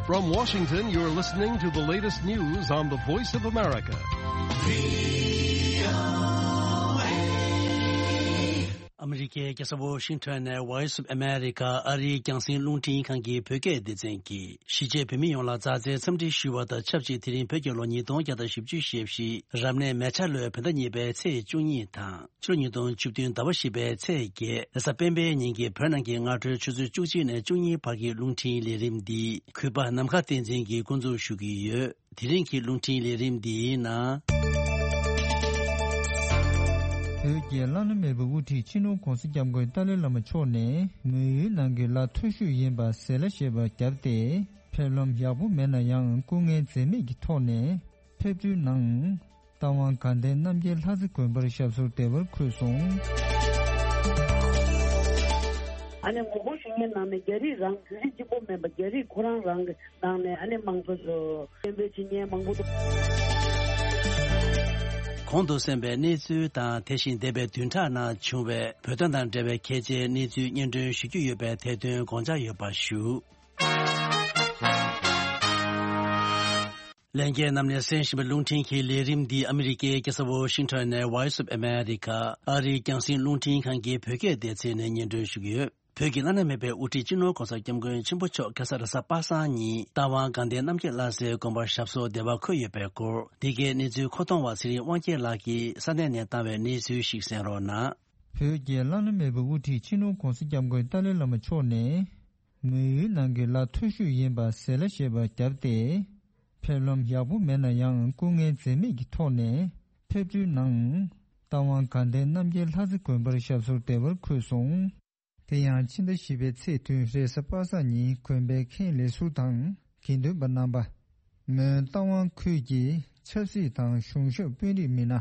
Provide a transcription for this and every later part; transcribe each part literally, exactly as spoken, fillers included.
From Washington, you're listening to the latest news on the Voice of America. ཨ་མི་རི་ཀའི་རྒྱལ་ས་ཝོ་ཤིང་ཊོན་ནས་Voice of America ཨ་རིའི་རྒྱང་སྲིང་རླུང་འཕྲིན་ཁང་གི་བོད་སྐད་སྡེ་ཚན་གྱིས་གཞིས་བྱེས་བོད་མི་ཡོངས་ལ་མཛའ་བརྩེའི་འཚམས་འདྲི་ཞུ་བ་དང་ཆབས་ཅིག་དེ་རིང་བོད་ཀྱི་ལོ་ཉིས་སྟོང་བརྒྱ་དང་བཞི་བཅུ་ཞེ་བཞི་རབ་གནས་མེ་བྱ་ལོའི་བོད་ཟླ་གཉིས་པའི་ཚེས་བཅུ་གཉིས་དང་། ཕྱི་ལོ་ཉིས་སྟོང་བཅུ་བདུན་ཟླ་བ་བཞི་པའི་ཚེས་བརྒྱད་རེས་གཟའ་སྤེན་པའི་ཉིན་གྱི་བོད་ནང་གི་སྔ་དྲོའི་ཆུ་ཚོད་བཅུ་གཅིག་ནས་བཅུ་གཉིས་བར་གྱི་རླུང་འཕྲིན་ལས་རིམ་འདི་གུས་པ་ནམ་མཁའ་བསྟན་འཛིན་གྱིས་འགོ་འཛུགས་ཞུ་གི་ཡོད། དེ་རིང་གི་རླུང་འཕྲིན་ལས་རིམ་འདིའི་ནང་། བོད་ཀྱི་བླ་ན་མེད་པའི་དབུ་ཁྲིད་སྤྱི་ནོར་༧གོང་ས་༧སྐྱབས་མགོན་ཏཱ་ལའི་བླ་མ་མཆོག་ནས་མོན་ཡུལ་ནང་གི་ལ་མཐོ་ཤོས་ཡིན་པ་ཟེར་ལ་བཤད་པ་བརྒྱབ་སྟེ། ཕེབས་ལམ་ཡག་པོ་མེད་ན་ཡང་སྐུ་ངལ་འཛེམས་མེད་ཀྱི་ཐོག་ནས་ཕེབས་བསུའི་ནང་། རྟ་དབང་དགའ་ལྡན་རྣམ་རྒྱལ་ལྷ་རྩེ་དགོན་པར་ཞབས་སོར་བདེ་བར་འཁོད་སོང་། ཨ་ནི་ངོ་རྒོལ་ཞུ་མཁན་ནང་ནས་རྒྱ་རིགས་རང་བོད་རིགས་གཅིག་པོ་མིན་པ་རྒྱ་རིགས་ཁོ་རང་རང་གི་ནང་ནས་ཨ་ནི་དམངས་གཙོ་ཚོ་སྐད་འབོད་བྱེད་མཁན་མང་པོ་འདུག། གོང་དུ་གསན་པའི་གནས་ཚུལ་དང་དེ་བཞིན་འདས་པའི་བདུན་ཕྲག་ནང་བྱུང་བའི་བོད་དོན་དང་འབྲེལ་བའི་གལ་ཆེའི་གནས་ཚུལ་སྙན་སྒྲོན་ཞུ་རྒྱུ་ཡོད་པས་དེ་དོན་དགོངས་འཇགས་ཡོད་པ་ཞུ། ལྷན་རྒྱས་རྣམས་ནས་གསན་བཞིན་པའི་རླུང་འཕྲིན་གྱི་ལས་རིམ་འདི་ཨ་མི་རི་ཀའི་རྒྱལ་ས་ཝོ་ཤིང་ཊོན་ནས་Voice of America ཨ་རིའི་རྒྱང་སྲིང་རླུང་འཕྲིན་ཁང་གི་བོད་སྐད་སྡེ་ཚན་ནས་སྙན་སྒྲོན་ཞུ་གི་ཡོད། བོད་ཀྱི་བླ་ན་མེད་པའི་དབུ་ཁྲིད་སྤྱི་ནོར་༧གོང་ས་༧སྐྱབས་མགོན་ཆེན་པོ་མཆོག་ཁ་སང་རེས་གཟའ་པ་སངས་ཉིན་རྟ་དབང་དགའ་ལྡན་རྣམ་རྒྱལ་བླ་གསེར་དགོན་པར་ཞབས་སོར་བདེ་བར་འཁོད་ཡོད་པའི་སྐོར། འདི་གའི་གནས་ཚུལ་མཁོ་གཏོང་བ་ཚེ་རིང་དབང་རྒྱལ་ལགས་ཀྱིས་ས་གནས་ནས་བཏང་བའི་གནས་ཚུལ་ཞིག་གསན་རོགས་གནང་། བོད་ཀྱི་བླ་ན་མེད་པའི་དབུ་ཁྲིད་སྤྱི་ནོར་༧གོང་ས་༧སྐྱབས་མགོན་ཏཱ་ལའི་བླ་མ་མཆོག་ནས། མོན་ཡུལ་ནང་གི་ལ་མཐོ་ཤོས་ཡིན་པ་ཟེར་ལ་བཤད་པ་བརྒྱབ་སྟེ། ཕེབས་ལམ་ཡག་པོ་མེད་ན་ཡང་སྐུ་ངལ་འཛེམས་མེད་ཀྱི་ཐོག་ནས་ཕེབས་བསུའི་ནང་། རྟ་དབང་དགའ་ལྡན་རྣམ་རྒྱལ་ལྷ་རྩེ་དགོན་པར་ཞབས་སོར་བདེ་བར་འཁོད་སོང་། དེ་ཡང་ཕྱི་ཟླ་བཞི་པའི་ཚེས་བདུན་རེས་གཟའ་པ་སངས་ཉིན་དགོན་པའི་ཁེངས་ལས་ཟུར་དང་དགེ་འདུན་པ་རྣམ་པ། མོན་རྟ་དབང་ཁུལ་གྱི་ཆབ་སྲིད་དང་གཞུང་ཞབས་དཔོན་རིགས་མི་སྣ།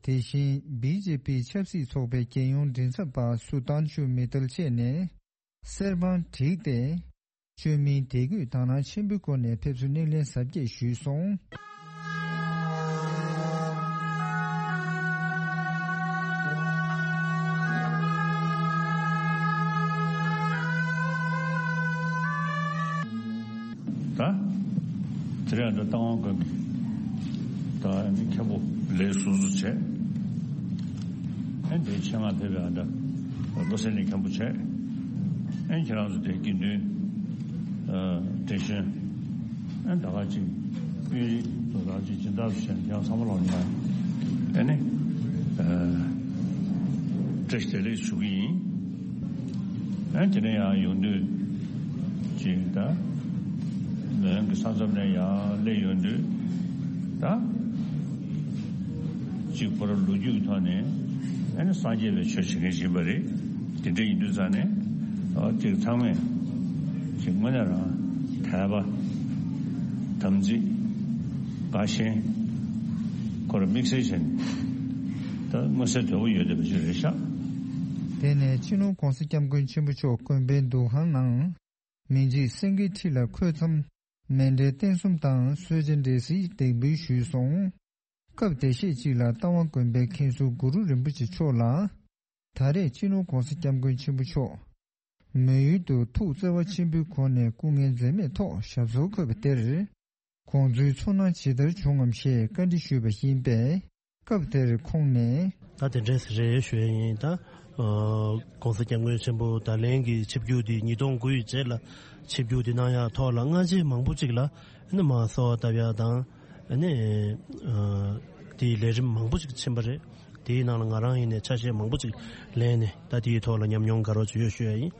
དེ་བཞིན་བི་ཇེ་པི་ཆབ་སྲིད་ཚོགས་པའི་རྒྱལ་ཡོངས་མགྲིན་ཚབ་པ་སུ་ཏང་ཆུ་མི་ཏལ་བཅས་ནས། གསེར་དཔང་བསྒྲིགས་ཏེ། བཅོས་མིན་དད་གུས་དག་སྣང་ཆེན་པོའི་སྒོ་ནས་ཕེབས་བསུ་སྣེ་ལེན་གཟབ་རྒྱས་ཞུས་སོང་། ད། དེ་རིང་ཨ་འདྲ་རྟ་དབང་དགོན་གྱི་ད་ཨ་ནི་མཁན་པོ་ལས་སོ་སོ་བྱས། ཨ་འདྲའི་ཆེད་མངགས་ཕེབས་པའི་ཨ་འདྲ་བློ་གསལ་གླིང་མཁན་པོ་བྱས། ཨ་ཁྱེད་རང་ཚོ་དེ་དགེ་འདུན་ཨ་བགྲེས་གཞོན་ཨ་ད་ག་ཅིག་དཔོན་རིགས་དོ་ད་ཅིག་སྦྱིན་བདག་སུ་བྱས་ཡང་བསམ་བློ་ལ་ཡང་ཨ་ནི་ཨ་བཀྲ་ཤིས་བདེ་ལེགས་ཞུ་གི་ཡིན། ཨ་དེ་ནས་ཡང་ཡོང་དུས་ཅིག་ད་ལོན་གྱི་ས་མཚམས་ནས་ཡང་སླེབས་ཡོང་དུས་ད་ཅིག་ཁོ་རང་ལོ་རྒྱུས་ཀྱི་ཐོག་ནས་ཨ་ནི་སངས་རྒྱས་པའི་ཆོས་བྱེད་མཁན་ཞིག་ཡིན་པ་རེད། དེ་འདྲ་ཡིན་དུས་ཙང་ནས་ཨ་ཅིག་ཚང་མས་ཅིག་དངོས་གནས་རང་དད་པ་དམ་ཚིག་དགའ་ཞེན་ཁོ་རང་དམིགས་བསལ་བྱས་ནས་ད་མངོན་གསལ་དོད་པོ་ཡོད་བསྡད་པ་ཞིག་རེད་ཤག། དེ་ནས་སྤྱི་ནོར་༧གོང་ས་༧སྐྱབས་མགོན་ཆེན་པོ་མཆོག་དགོན་པའི་འདུ་ཁང་ནང་། མི་འཇིགས་སེང་གེའི་ཁྲི་ལ་འཁོད་མཚམས། མཎྜལ་རྟེན་གསུམ་དང་གསོལ་ཇ་འབྲས་སིལ་འདེགས་འབུལ་ཞུས་སོང་། སྐབས་དེ་ཤེད་ཅིག་ལ་རྟ་དབང་དགོན་པའི་མཁན་ཟུར་གུ་རུ་རིན་པོ་ཆེ་མཆོག་ལ། ད་རེས་སྤྱི་ནོར་༧གོང་ས་༧སྐྱབས་མགོན་ཆེན་པོ་མཆོག་མོན་ཡུལ་དུ་ཐུགས་བརྩེ་བ་ཆེན་པོའི་སྒོ་ནས་སྐུ་ངལ་འཛེམས་མེད་ཐོག་ཞབས་སོར་འཁོད་པ་དེར། དགོངས་ཚུལ་ཚོར་སྣང་ཇི་ལྟར་བྱུང་ངམ་ཞེས་བཀའ་འདྲི་ཞུས་པ་ཡིན་པས། སྐབས་དེར་ཁོང་ནས། ད་དེ་འདྲས་རེད་ཞུ་ཡ་ཡིན་ད། ཨ་༧གོང་ས་༧སྐྱབས་མགོན་ཆེན་པོ་ད་ལན་གྱི་ཆིབས་བསྒྱུར་འདི་ཉིས་སྟོང་དགུ་ཡི་རྗེས་ལ་ཆིབས་བསྒྱུར་འདི་གནང་ཡག་ཐོག་ལ་སྔ་རྗེས་མང་པོ་ཅིག་ལ་ཨ་ནི་མ་གསོལ་བ་བཏབ་ཡག་དང་ཨ་ནི་ཨ་དེའི་ལས་རིམ་མང་པོ་ཅིག་ཕྱིན་པ་རེད། དེའི་ནང་ལ་ང་རང་ཡིན་ནའི་ཆ་ཤས་མང་པོ་ཅིག་ལེན་ནས་ད་དེའི་ཐོག་ལ་ཉམས་མྱོང་དགའ་རབ་ཅིག་ཡོད་ཞུ་ཡ་ཡིན།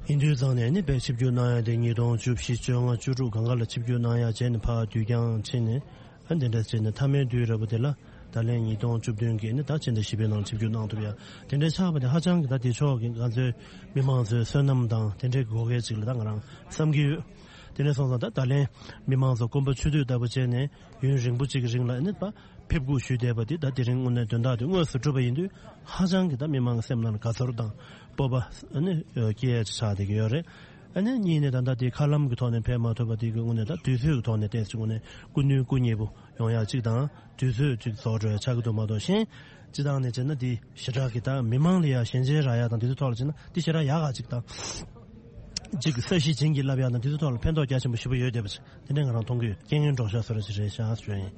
ཡིན་དུས་ཙང་ནས་ཨ་ནི་དཔེ་ཆིབས་བསྒྱུར་གནང་ཡག་དེ་ཉིས་སྟོང་བཅུ་བཞི་བཅོ་ལྔ་བཅུ་དྲུག་གང་ག་ལ་ཆིབས་བསྒྱུར་གནང་ཡག་བྱས་ནས་ཕར་དུས་འགྱངས་ཕྱིན་ནས། ཨ་འདི་འདྲ་བྱས་ནས་མཐའ་མའི་དུས་རབ་པ་དེ་ལ་ད་ལན་ཉིས་སྟོང་བཅུ་བདུན་གྱི་ནི་ད་ཕྱི་ཟླ་བཞི་པའི་ནང་ཆིབས་བསྒྱུར་གནང་ཐུབ་ཡ་དེ་འདྲའི་ཆགས་པ་དེ་ཧ་ཅང་གི་ད་དེ་ཕྱོགས་ཀྱི་ང་ཚོའི་མི་མང་ཚོའི་བསོད་ནམས་དང་དེ་འདྲའི་དགོས་གལ་ཅིག་ལ་ད་ང་རང་བསམ་གྱི་ཡོད། དེ་འདྲ་སོང་ཙང་ད་ད་ལན་མི་མང་ཚོ་སྐོམ་པ་ཆུ་དུས་ལྟ་བུ་བྱས་ནས་ཡུན་རིང་པོ་ཅིག་གི་རིང་ལ་ནི་ཕེབས་སྒུག་ཞུས་བསྡད་པ་དེ་ད་དེ་རིང་དངོས་གནས་དོན་དག་དེ་དངོས་སུ་གྲུབ་པ་ཡིན་དུས་ཧ་ཅང་གི་ད་མི་མང་གི་སེམས་ནང་ལ་དགའ་ཚོར་དང་སྤོབས་པ་ནི་སྐྱེ་ཡ་ཅིག་ཆགས་བསྡད་ཀྱི་ཡོད་རེད། ཨ་ནི་གཉིས་ནས་ད་ལྟ་དེ་མཁའ་ལམ་གྱི་ཐོག་ནས་ཕེབས་མ་ཐུབ་པ་དེ་གི་དངོས་གནས་ད་དུས་ཚོད་ཀྱི་ཐོག་ནས་ཏོག་ཙམ་དངོས་གནས་སྐུ་ནུས་སྐུ་ཉེ་པོ་ཡོང་ཡག་གཅིག་དང་། དུས་ཚོད་ཅིག་རྫོགས་འགྲོ་ཡག་ཆགས་ཀྱི་འདུག་མ་གཏོགས་གཞན་སྤྱི་བཏང་ནས་བྱས་ན་དེ་ཞེ་དྲག་གི་ད་མི་མང་ལ་ཡ་ཞལ་མཇལ་རག་ཡག་དང་དེ་ཚོའི་ཐོག་ལ་བྱས་ན་དེ་ཞེ་དྲག་ཡག་ག་གཅིག་དང་། གཅིག་ས་གཞི་བྱིངས་ཀྱིས་བསླབ་ཡག་དང་དེ་ཚོའི་ཐོག་ལ་ཕན་ཐོགས་རྒྱ་ཆེན་པོ་ཞེ་པོ་ཡོད་བསྡད་པ་ཞིག་དེ་འདྲ་ང་རང་མཐོང་གི་ཡོད། རྐྱེན་ངན་སྒྲོག་ཤག་བཟོ་འདྲ་ཞིག་རེད་ཤག་ཞུ་ཡིན།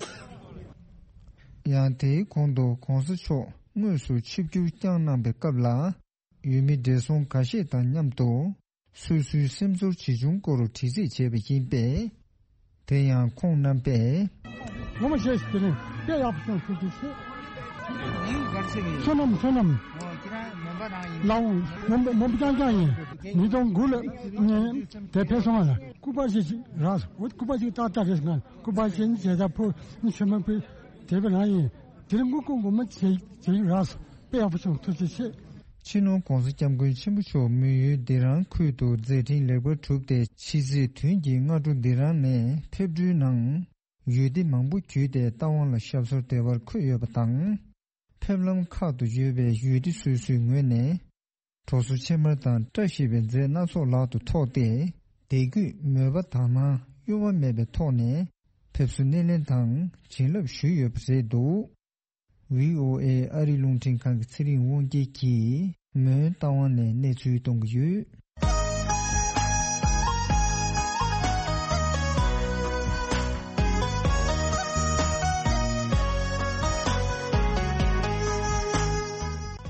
ཡང་དེའི་གོང་དུ་གོང་ས་མཆོག་དངོས་སུ་ཆིབས་བསྒྱུར་བསྐྱངས་གནང་པའི་སྐབས་ལ། ཡུལ་མི་བགྲེས་སོང་ཁ་ཤས་དང་མཉམ་དུ་སོ་སོའི་སེམས་ཚོར་ཇི་བྱུང་སྐོར་དྲི་རྩད་བྱས་པ་ཡིན་པས། དེ་ཡང་ཁོང་རྣམ་པས། ངོ་མ་བཤད་ཤིག་དེ་རིང་དཔེ་ཡག་པོ་བྱུང་ཐུགས་རྗེ་ཆེ། ངའི་གར་ཞིག་ཡིན། བསོད་ནམས་བསོད་ནམས། ཨོ་ཁྱེད་རང་མོན་པ་རང་ཡིན། ལའོ་མོན་པ་མོན་པ་རྐྱང་རྐྱང་ཡིན། ཉིས་སྟོང་དགུ་ལ་ངས་དེ་ཕེབས་སོང་བ་ལ་སྐུ་པར་ཞིག་རག་སོང་། འོ་སྐུ་པར་ཞིག་ཏག་ཏག་རེད་ང་སྐུ་པར་ཞིག་ནི་བྱས་ད་ཕོ་ནི་ཆོས་མ་ཕུལ་དེ་བས་རང་ཡིན། དེ་རིང་སྐུ་སྐུ་ངོ་མ་བྱེད་བྱེད་རག་སོང་། དཔེ་ཡག་པོ་བྱུང་ཐུགས་རྗེ་ཆེ། སྤྱི་ནོར་༧གོང་ས་༧སྐྱབས་མགོན་ཆེན་པོ་མཆོག་མོན་ཡུལ་སྡེ་རང་ཁུལ་དུ་མཛད་འཕྲིན་ལེགས་པར་གྲུབ་སྟེ་ཕྱི་ཚེས་བདུན་གྱི་སྔ་དྲོ་སྡེ་རང་ནས་ཕེབས་འགྲུལ་ནང་ཡུལ་སྡེ་མང་པོ་བརྒྱུད་དེ་རྟ་དབང་ལ་ཞབས་སོར་བདེ་བར་འཁོད་ཡོད་པ་དང་། ཕེབས་ལམ་ཁག་ཏུ་ཡོད་པའི་ཡུལ་སྡེ་སོ་སོའི་ངོས་ནས་གྲོ་སོ་ཕྱེ་མར་དང་བཀྲ་ཤིས་པའི་རྫས་སྣ་ཚོགས་ལག་ཏུ་ཐོགས་ཏེ་དད་གུས་མོས་པ་དག་སྣང་གཡོ་བ་མེད་པའི་ཐོག་ནས་ཕེབས་བསུ་སྣེ་ལེན་དང་བྱིན་རླབས་ཞུས་ཡོད་པ་རེད་འདུག་ཝི་ཨོ་ཨེ་ཨ་རི་རླུང་འཕྲིན་ཁང་གི་ཚེ་རིང་དབང་རྒྱལ་གྱིས་མོན་རྟ་དབང་ནས་གནས་ཚུལ་གཏོང་གི་ཡོད།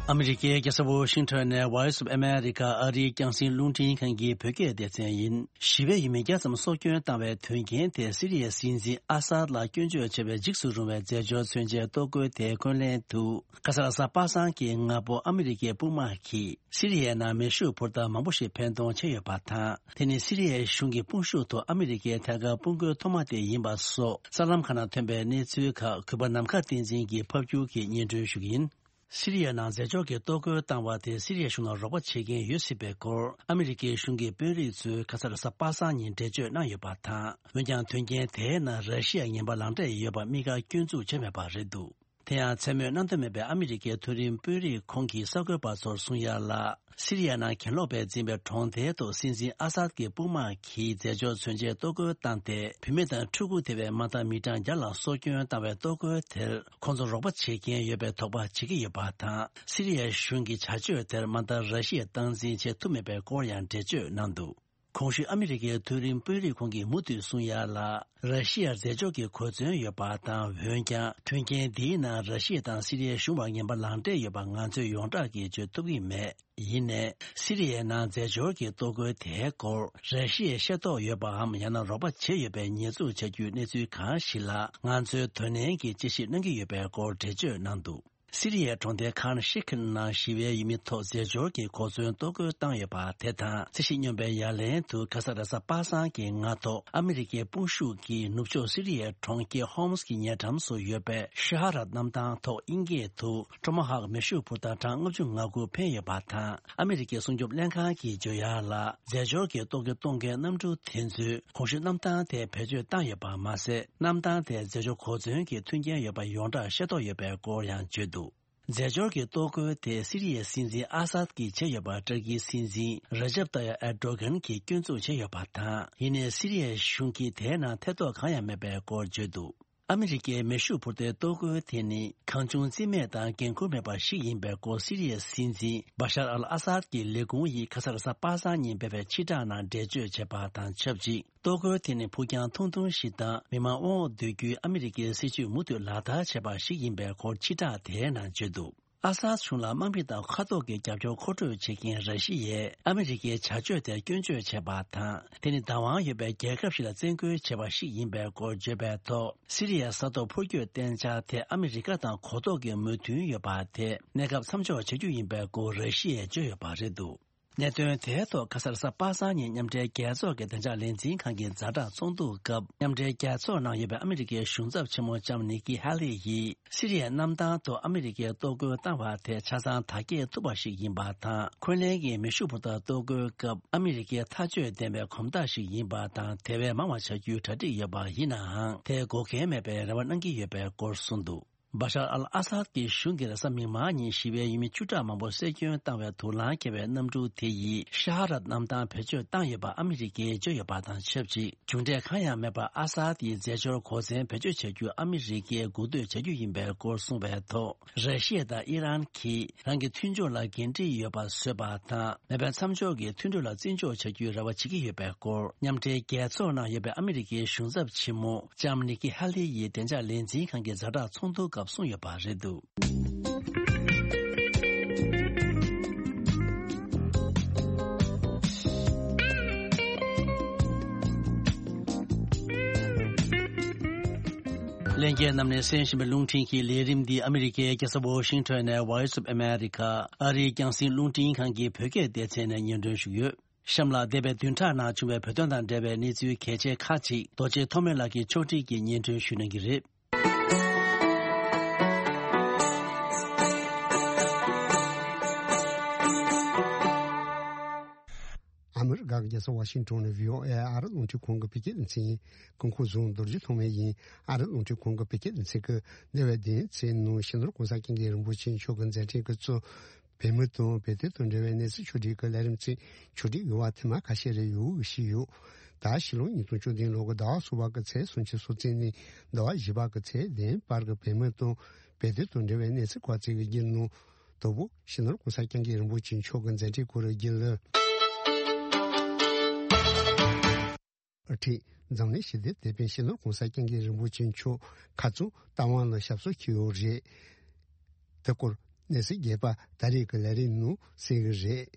ཨ་མི་རི་ཀའི་རྒྱལ་ས་ཝོ་ཤིང་ཊོན་ནས་Voice of America ཨ་རིའི་རྒྱང་སྲིང་རླུང་འཕྲིན་ཁང་གི་བོད་སྐད་སྡེ་ཚན་ཡིན། ཞི་བའི་ཡུལ་མི་བརྒྱ་ཙམ་སྲོག་སྐྱོན་བཏང་བའི་དོན་རྐྱེན་དེ་སི་རི་ཡའི་སྲིད་འཛིན་ཨ་སཱད་ལ་སྐྱོན་བརྗོད་བྱས་པའི་འཇིགས་སུ་རུང་བའི་རྫས་སྦྱོར་མཚོན་ཆའི་ལྟོ་གོས་དེ་འཁོན་ལན་དུ་ཁ་སང་གཟའ་པ་སངས་ཀྱི་སྔ་པོ་ཨ་མི་རི་ཀའི་དཔུང་དམག་གིས་སི་རི་ཡའི་ནང་མེ་ཤུགས་འཕུར་མདའ་མང་པོ་ཞིག་འཕེན་གཏོང་བྱས་ཡོད་པ་དང་། དེ་ནི་སི་རི་ཡའི་གཞུང་གི་དཔུང་ཤུགས་ཐོག་ཨ་མི་རི་ཀའི་ཐད་ཀར་དཔུང་རྒོལ་ཐོག་མ་དེ་ཡིན་པ་སོགས་གསར་ལམ་ཁག་ནང་ཐོན་པའི་གནས་ཚུལ་ཁག་གུས་པ་ནམ་མཁའ་བསྟན་འཛིན་གྱིས་ཕབ་སྒྱུར་གྱིས་སྙན་སྒྲོན་ཞུ་གི་ཡིན། སི་རི་ཡའི་ནང་རྫས་སྦྱོར་གྱི་ལྟོ་གོས་བཏང་བ་དེ་སི་རི་ཡའི་གཞུང་ལ་རོགས་པ་བྱེད་མཁན་ཡོད་སྲིད་པའི་སྐོར་ཨ་མི་རི་ཀའི་གཞུང་གི་དཔོན་རིགས་ཚོས་ཁ་སང་རེས་གཟའ་པ་སངས་ཉིན་འགྲེལ་བརྗོད་གནང་ཡོད་པ་དང་། འོན་ཀྱང་དོན་རྐྱེན་དེའི་ནང་ར་ཤི་ཡ་ངན་པ་ལག་འབྲེལ་ཡོད་པ་དམིགས་བཀར་སྐྱོན་འཛུགས་བྱས་མེད་པ་རེད་འདུག་དེ་ཡང་མཚན་སྨོས་གནང་འདོད་མེད་པའི་ཨ་མི་རི་ཀའི་མཐོ་རིམ་དཔོན་རིགས་ཁོང་གིས་གསར་འགོད་པ་ཚོར་གསུངས་ཡ་ལ། སི་རི་ཡ་ནང་གྱེན་ལོག་པས་འཛིན་པའི་གྲོང་རྡལ་དུ་སྲིད་འཛིན་ཨ་སཱད་ཀྱི་དཔུང་དམག་གིས་རྫས་སྦྱོར་མཚོན་ཆའི་ལྟོ་གོས་བཏང་སྟེ། བུད་མེད་དང་ཕྲུ་གུ་དེ་བས་མ་མཐའ་མི་གྲངས་བརྒྱ་ལ་སྲོག་སྐྱོན་བཏང་བའི་ལྟོ་གོས་དེར་ཁོང་ཚོ་རོགས་པ་བྱེད་མཁན་ཡོད་པའི་དོགས་པ་བྱེད་ཀྱི་ཡོད་པ་དང་། སི་རི་ཡའི་གཞུང་གི་བྱ་སྤྱོད་དེར་མ་མཐའ་ར་ཤི་ཡས་སྟངས་འཛིན་བྱེད་ཐུབ་མེད་པའི་སྐོར་ཡང་འགྲེལ་བརྗོད་གནང་འདུག་གོང་ཞུས་ཨ་མི་རི་ཀའི་མཐོ་རིམ་དཔོན་རིགས་ཁོང་གིས་མུ་མཐུད་གསུངས་ཡ་ལ། ར་ཤི་ཡར་རྫས་སྦྱོར་གྱི་གོ་མཚོན་ཡོད་པ་དང་། འོན་ཀྱང་དོན་རྐྱེན་འདིའི་ནང་ར་ཤི་ཡ་དང་སི་རི་ཡའི་གཞུང་བར་ངན་པ་ལག་འབྲེལ་ཡོད་པ་ང་ཚོས་ཡོངས་གྲགས་ཀྱིས་བརྗོད་ཐུབ་ཀྱི་མེད། ཡིན་ནའི། སི་རི་ཡའི་ནང་རྫས་སྦྱོར་གྱི་ལྟོ་གོས་དེའི་སྐོར་ར་ཤི་ཡས་ཤེས་རྟོགས་ཡོད་པའམ། ཡང་ན་རོགས་པ་བྱས་ཡོད་པའི་ཉེས་འཛུགས་བྱ་རྒྱུའི་གནས་ཚུལ་གང་ཞིག་ལ་ང་ཚོས་དོ་ནན་གྱིས་དཔྱད་ཞིབ་གནང་གི་ཡོད་པའི་སྐོར་འགྲེལ་བརྗོད་གནང་འདུག་སི་རི་ཡའི་གྲོང་རྡལ་ཁཱན་ཤི་ཁན་ནང་ཞི་བའི་ཡུལ་མི་ཐོག་རྫས་སྦྱོར་གྱི་གོ་མཚོན་ལྟོ་གོས་བཏང་ཡོད་པ་དེ་དང་། རྩིས་ཞིབ་སྙོམས་པའི་ཡ་ལན་དུ་ཁ་ས་རེས་གཟའ་པ་སངས་ཀྱི་སྔ་ཐོག་ཨ་མི་རི་ཀའི་དཔུང་ཤུགས་ཀྱིས་ནུབ་ཕྱོགས་སི་རི་ཡའི་གྲོང་ཁྱེར་ཧོམ་སི་གི་ཉེ་འགྲམ་སུ་ཡོད་པའི་ཤ་ཧ་ར་གནམ་ཐང་ཐོག་དབྱིན་སྐད་དུ་ཀྲོ་མོ་ཧོག་མེ་ཤུགས་འཕུར་མདའ་གྲངས་ལྔ་བཅུ་ང་དགུ་འཕེན་ཡོད་པ་དང་། ཨ་མི་རི་ཀའི་སྲུང་སྐྱོབ་ལྷན་ཁང་གིས་བརྗོད་ཡག་ལ། རྫས་སྦྱོར་གྱི་ལྟོ་གོས་གཏོང་མཁན་གནམ་གྲུ་དེ་ཚོས་གོང་ཞུས་གནམ་ཐང་དེ་བེད་སྤྱོད་བཏང་ཡོད་པ་མ་ཟད། གནམ་ཐང་དེར་རྫས་སྦྱོར་གོ་མཚོན་གྱི་མཐུན་རྐྱེན་ཡོད་པ་ཡོངས་གྲགས་ཤེས་རྟོགས་ཡོད་པའི་སྐོར་ཡང་བརྗོད་འདུག་རྫས་སྦྱོར་གྱི་ལྟོ་གོས་དེ་སི་རི་ཡའི་སྲིད་འཛིན་ཨ་སཱད་ཀྱིས་བྱས་ཡོད་པ་ཏུར་ཀིའི་སྲིད་འཛིན་རེ་ཇེབ་ཏཱ་ཡབ་ཨེར་ཏོ་གྷན་གྱིས་སྐྱོན་འཛུགས་བྱས་ཡོད་པ་དང་། ཡིན་ནའི་སི་རི་ཡའི་གཞུང་གིས་དེའི་ནང་ཐེ་གཏོགས་གང་ཡང་མེད་པའི་སྐོར་བརྗོད་འདུག་ཨ་མི་རི་ཀའི་མེ་ཤུགས་འཕུར་མདའི་ལྟོ་གོས་དེ་ནི་གང་བྱུང་རྩིས་མེད་དང་འགན་ཁུར་མེད་པ་ཞིག་ཡིན་པའི་སྐོར་སི་རི་ཡའི་སྲིད་འཛིན་བ་ཤར་ཨལ་ཨ་སཱད་ཀྱི་ལས་ཁུངས་ཡིས་ཁ་ས་རེས་གཟའ་པ་སངས་ཉིན་སྤེལ་བའི་ཕྱིར་བསྒྲགས་ནང་འགྲེལ་བརྗོད་བྱས་པ་དང་ཆབས་ཅིག་ལྟོ་གོས་དེ་ནི་ཕུགས་རྒྱང་ཐུང་ཐུང་ཞིག་དང་མི་མང་དབང་འོག་སྡོད་རྒྱུའི་ཨ་མི་རི་ཀའི་སྲིད་ཇུས་མུ་མཐུད་ལག་བསྟར་བྱས་པ་ཞིག་ཡིན་པའི་སྐོར་ཕྱིར་བསྒྲགས་དེའི་ནང་བརྗོད་འདུག་ཨ་སཱད་གཞུང་ལ་དམག་མི་དང་མཁའ་ཐོག་གི་རྒྱབ་སྐྱོར་མཁོ་སྤྲོད་བྱེད་མཁན་ར་ཤི་ཡས་ཨ་མི་རི་ཀའི་བྱ་སྤྱོད་དེར་སྐྱོན་བརྗོད་བྱས་པ་དང་། དེ་ནི་བདག་དབང་ཡོད་པའི་རྒྱལ་ཁབ་ཞིག་ལ་བཙན་རྒོལ་བྱས་པ་ཞིག་ཡིན་པའི་སྐོར་བརྗོད་པའི་ཐོག་སི་རི་ཡའི་ས་ཐོག་འཕུར་སྐྱོད་གཏན་འཇགས་ཐད་ཨ་མི་རི་ཀ་དང་གོ་རྟོགས་ཀྱི་མོས་མཐུན་ཡོད་པ་དེས་གནས་སྐབས་མཚམས་འཇོག་བྱ་རྒྱུ་ཡིན་པའི་སྐོར་ར་ཤི་ཡས་བརྗོད་ཡོད་པ་རེད་འདུག་གནད་དོན་དེའི་ཐོག་ཁ་སང་རེས་གཟའ་པ་སངས་ཉིན་མཉམ་འབྲེལ་རྒྱལ་ཚོགས་ཀྱི་བདེ་འཇགས་ལས་འཛིན་ཁང་གི་ཛ་དྲག་ཚོགས་འདུ་སྐབས་མཉམ་འབྲེལ་རྒྱལ་ཚོགས་ནང་ཡོད་པའི་ཨ་མི་རི་ཀའི་གཞུང་ཚབ་ཆེན་མོ་ལྕམ་ནིག་ཀི་ཧེ་ལི་ཡིས་སི་རི་ཡའི་གནམ་ཐང་དུ་ཨ་མི་རི་ཀའི་གཏོར་རྒོལ་བཏང་བ་དེ་ཆ་ཚང་དར་རྒྱས་ཐུབ་པ་ཞིག་ཡིན་པ་དང་། འཁོན་ལན་གྱི་མེ་ཤུགས་འཕུར་མདའ་གཏོར་རྒོལ་སྐབས་ཨ་མི་རི་ཀའི་ཐག་གཅོད་ལྡན་པའི་གོམ་སྟབས་ཤིག་ཡིན་པ་དང་། དེ་བས་མང་བ་བྱ་རྒྱུའི་གྲ་སྒྲིག་ཡོད་པ་ཡིན་ནའང་། དེ་འགོག་མཁན་མེད་པའི་རེ་བ་གནང་གི་ཡོད་པའི་སྐོར་གསུངས་འདུག་བ་ཤར་ཨལ་ཨ་སཱད་ཀྱི་གཞུང་གིས་རེས་གཟའ་མིག་དམར་ཉིན་ཞི་བའི་ཡུལ་མི་བཅུ་ཕྲག་མང་པོ་གསོད་སྐྱོན་བཏང་བའི་དུག་རླངས་འཁྱེར་བའི་གནམ་གྲུ་དེ་ཡིས་ཤ་ཧ་ར་གནམ་ཐང་བེད་སྤྱོད་བཏང་ཡོད་པ་ཨ་མི་རི་ཀས་བརྗོད་ཡོད་པ་དང་ཆབས་ཅིག་གྲུབ་འབྲས་གང་ཡང་མེད་པར་ཨ་སཱད་ཀྱི་རྫས་སྦྱོར་གོ་མཚོན་བེད་སྤྱོད་བྱ་རྒྱུ་ཨ་མི་རི་ཀས་སྒུག་སྡོད་བྱ་རྒྱུ་ཡིན་པའི་སྐོར་གསུངས་པའི་ཐོག་ར་ཤི་ཡ་དང་ཨི་རན་གྱིས་རང་གི་མཐུན་ཕྱོགས་ལ་འགན་འཁྲི་ཡོད་པ་བཟོས་པ་དང་། མེ་འཕེན་མཚམས་འཇོག་གི་མཐུན་གྲོས་ལ་བརྩི་འཇོག་བྱ་རྒྱུའི་རེ་བ་བྱེད་ཀྱི་ཡོད་པའི་སྐོར། མཉམ་འབྲེལ་རྒྱལ་ཚོགས་ནང་ཡོད་པའི་ཨ་མི་རི་ཀའི་གཞུང་ཚབ་ཆེན་མོ་ལྕམ་ནི་ཀི་ཧ་ལེ་ཡིས་བདེ་འཇགས་ལས་འཛིན་ཁང་གི་ཛ་དྲག་ཚོགས་འདུ་སྐབས་གསུངས་ཡོད་པ་རེད་འདུག་ལྷན་རྒྱས་རྣམས་ནས་གསན་བཞིན་པའི་རླུང་འཕྲིན་གྱི་ལས་རིམ་འདི་ཨ་མི་རི་ཀའི་རྒྱལ་ས་ཝོ་ཤིང་ཊོན་ནས་Voice of America ཨ་རིའི་རྒྱང་སྲིང་རླུང་འཕྲིན་ཁང་གི་བོད་སྐད་སྡེ་ཚན་ནས་སྙན་སྒྲོན་ཞུས་ཡོད། གཤམ་ལ་འདས་པའི་བདུན་ཕྲག་ནང་བྱུང་བའི་བོད་དོན་དང་འབྲེལ་བའི་གནས་ཚུལ་གལ་ཆེ་ཁག་ཅིག་རྡོ་རྗེ་ཐོགས་མེད་ལགས་ཀྱིས་ཕྱོགས་སྒྲིག་གིས་སྙན་སྒྲོན་ཞུ་གནང་གི་རེད། ཨ་མི་རི་ཀ་གི་རྒྱལ་ས་ཝ་ཤིང་ཊོན་ནས་བྷི་ཨོ་ཨེ་ཨ་རི་རླུང་འཕྲིན་ཁང་གི་བོད་སྐད་སྡེ་ཚན་ཡིན། སྐུ་ཁམས་བཟང་། རྡོ་རྗེ་ཐོགས་མེད་ཡིན། ཨ་རི་རླུང་འཕྲིན་ཁང་གི་བོད་སྐད་སྡེ་ཚན་གྱིས་འདས་པའི་བདུན་ཕྲག་ནང་སྤྱི་ནོར་༸གོང་ས་༸སྐྱབས་མགོན་རིན་པོ་ཆེ་མཆོག་གི་མཛད་འཕྲིན་གྱི་གཙོ། བོད་མི་དང་བོད་དོན་དང་འབྲེལ་བའི་གནས་ཚུལ་ཕྱོགས་སྒྲིག་གི་ལས་རིམ་ཚོས་ཕྱོགས་སྒྲིག་ཡོད་པ་ཐེངས་མ་ཁ་ཤས་རེ་ཡོད་ཞུས་ཡོད། ད་ཕྱི་ལོ་ཉིས་སྟོང་བཅུ་བདུན་ལོ་གི་ཟླ་བ་གསུམ་པ་གི་ཚེས་སུམ་ཅུ་སོ་གཅིག་ནས་ཟླ་བ་བཞི་པ་གི་ཚེས་བདུན་བར་གྱི་བོད་མི་དང་བོད་དོན་དང་འབྲེལ་བའི་གནས་ཚུལ་སྐོར་བཅས་ཀྱི་བརྒྱུད་ནང་དང་པོ་སྤྱི་ནོར་༸གོང་ས་༸སྐྱབས་མགོན་རིན་པོ་ཆེ་མཆོག་གི་མཛད་འཕྲིན་སྐོར་བརྒྱུད་ལ། ཨ་ཁྲིད། འཛམ་གླིང་ཞི་བདེའི་དེད་དཔོན་སྤྱི་ནོར་༸གོང་ས་༸སྐྱབས་མགོན་རིན་པོ་ཆེ་མཆོག་ཁ་རྩང་རྟ་དབང་ལ་ཞབས་སོར་འཁྱེར་ཡོད་རེད། དེ་སྐོར་གནས་ཚུལ་རྒྱས་པ་ད་རེས་ཀྱི་ལས་རིམ་ནང་གསན་གྱི་རེད།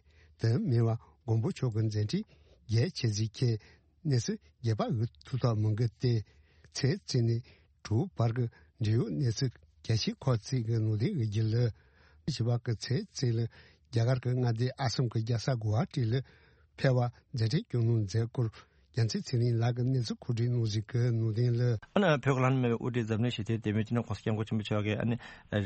དེ་མིན་པ་མགོན་པོ་མཆོག་གི་མཛད་འཕྲིན་རྒྱས་ཆེ་ཚིག་ཁྱེད་གནས་ཚུལ་རྒྱས་པ་འོས་ཐུབ་ཐབས་མང་གི་སྟེ། ཚེས་གཅིག་ནས་དྲུག་བར་གྱི་འབྲེལ་ཡོད་གནས་ཚུལ་གལ་ཆེ་ཁག་ཅིག་གི་ནང་དོན་གྱི་རྒྱུད་ལ། བཞི་པ་གི་ཚེས་གཅིག་ལ་རྒྱ་གར་གྱི་མངའ་སྡེ་ཨ་སམ་གྱི་རྒྱལ་ས་གུ་ཝ་ཊི་ལ་ཕེབས་པར་མཛད་འཕྲིན་སྐྱོང་གནང་མཛད་སྐོར། རྒྱལ་མཚན་ཚེ་རིང་ལགས་ཀྱིས་གནས་ཚུལ་གོ་སྒྲིག་གནང་ཟིན་གྱི་ནང་དོན་ལ། ཨ་ནི་བོད་ཀྱི་ལྷ་ནུབ་མེད་པའི་དབུ་ཁྲིད་འཛམ་གླིང་ཞི་བདེའི་དེད་དཔོན་སྤྱི་ནོར་༸གོང་ས་༸སྐྱབས་མགོན་ཆེན་པོ་མཆོག་གིས་ཨ་ནི་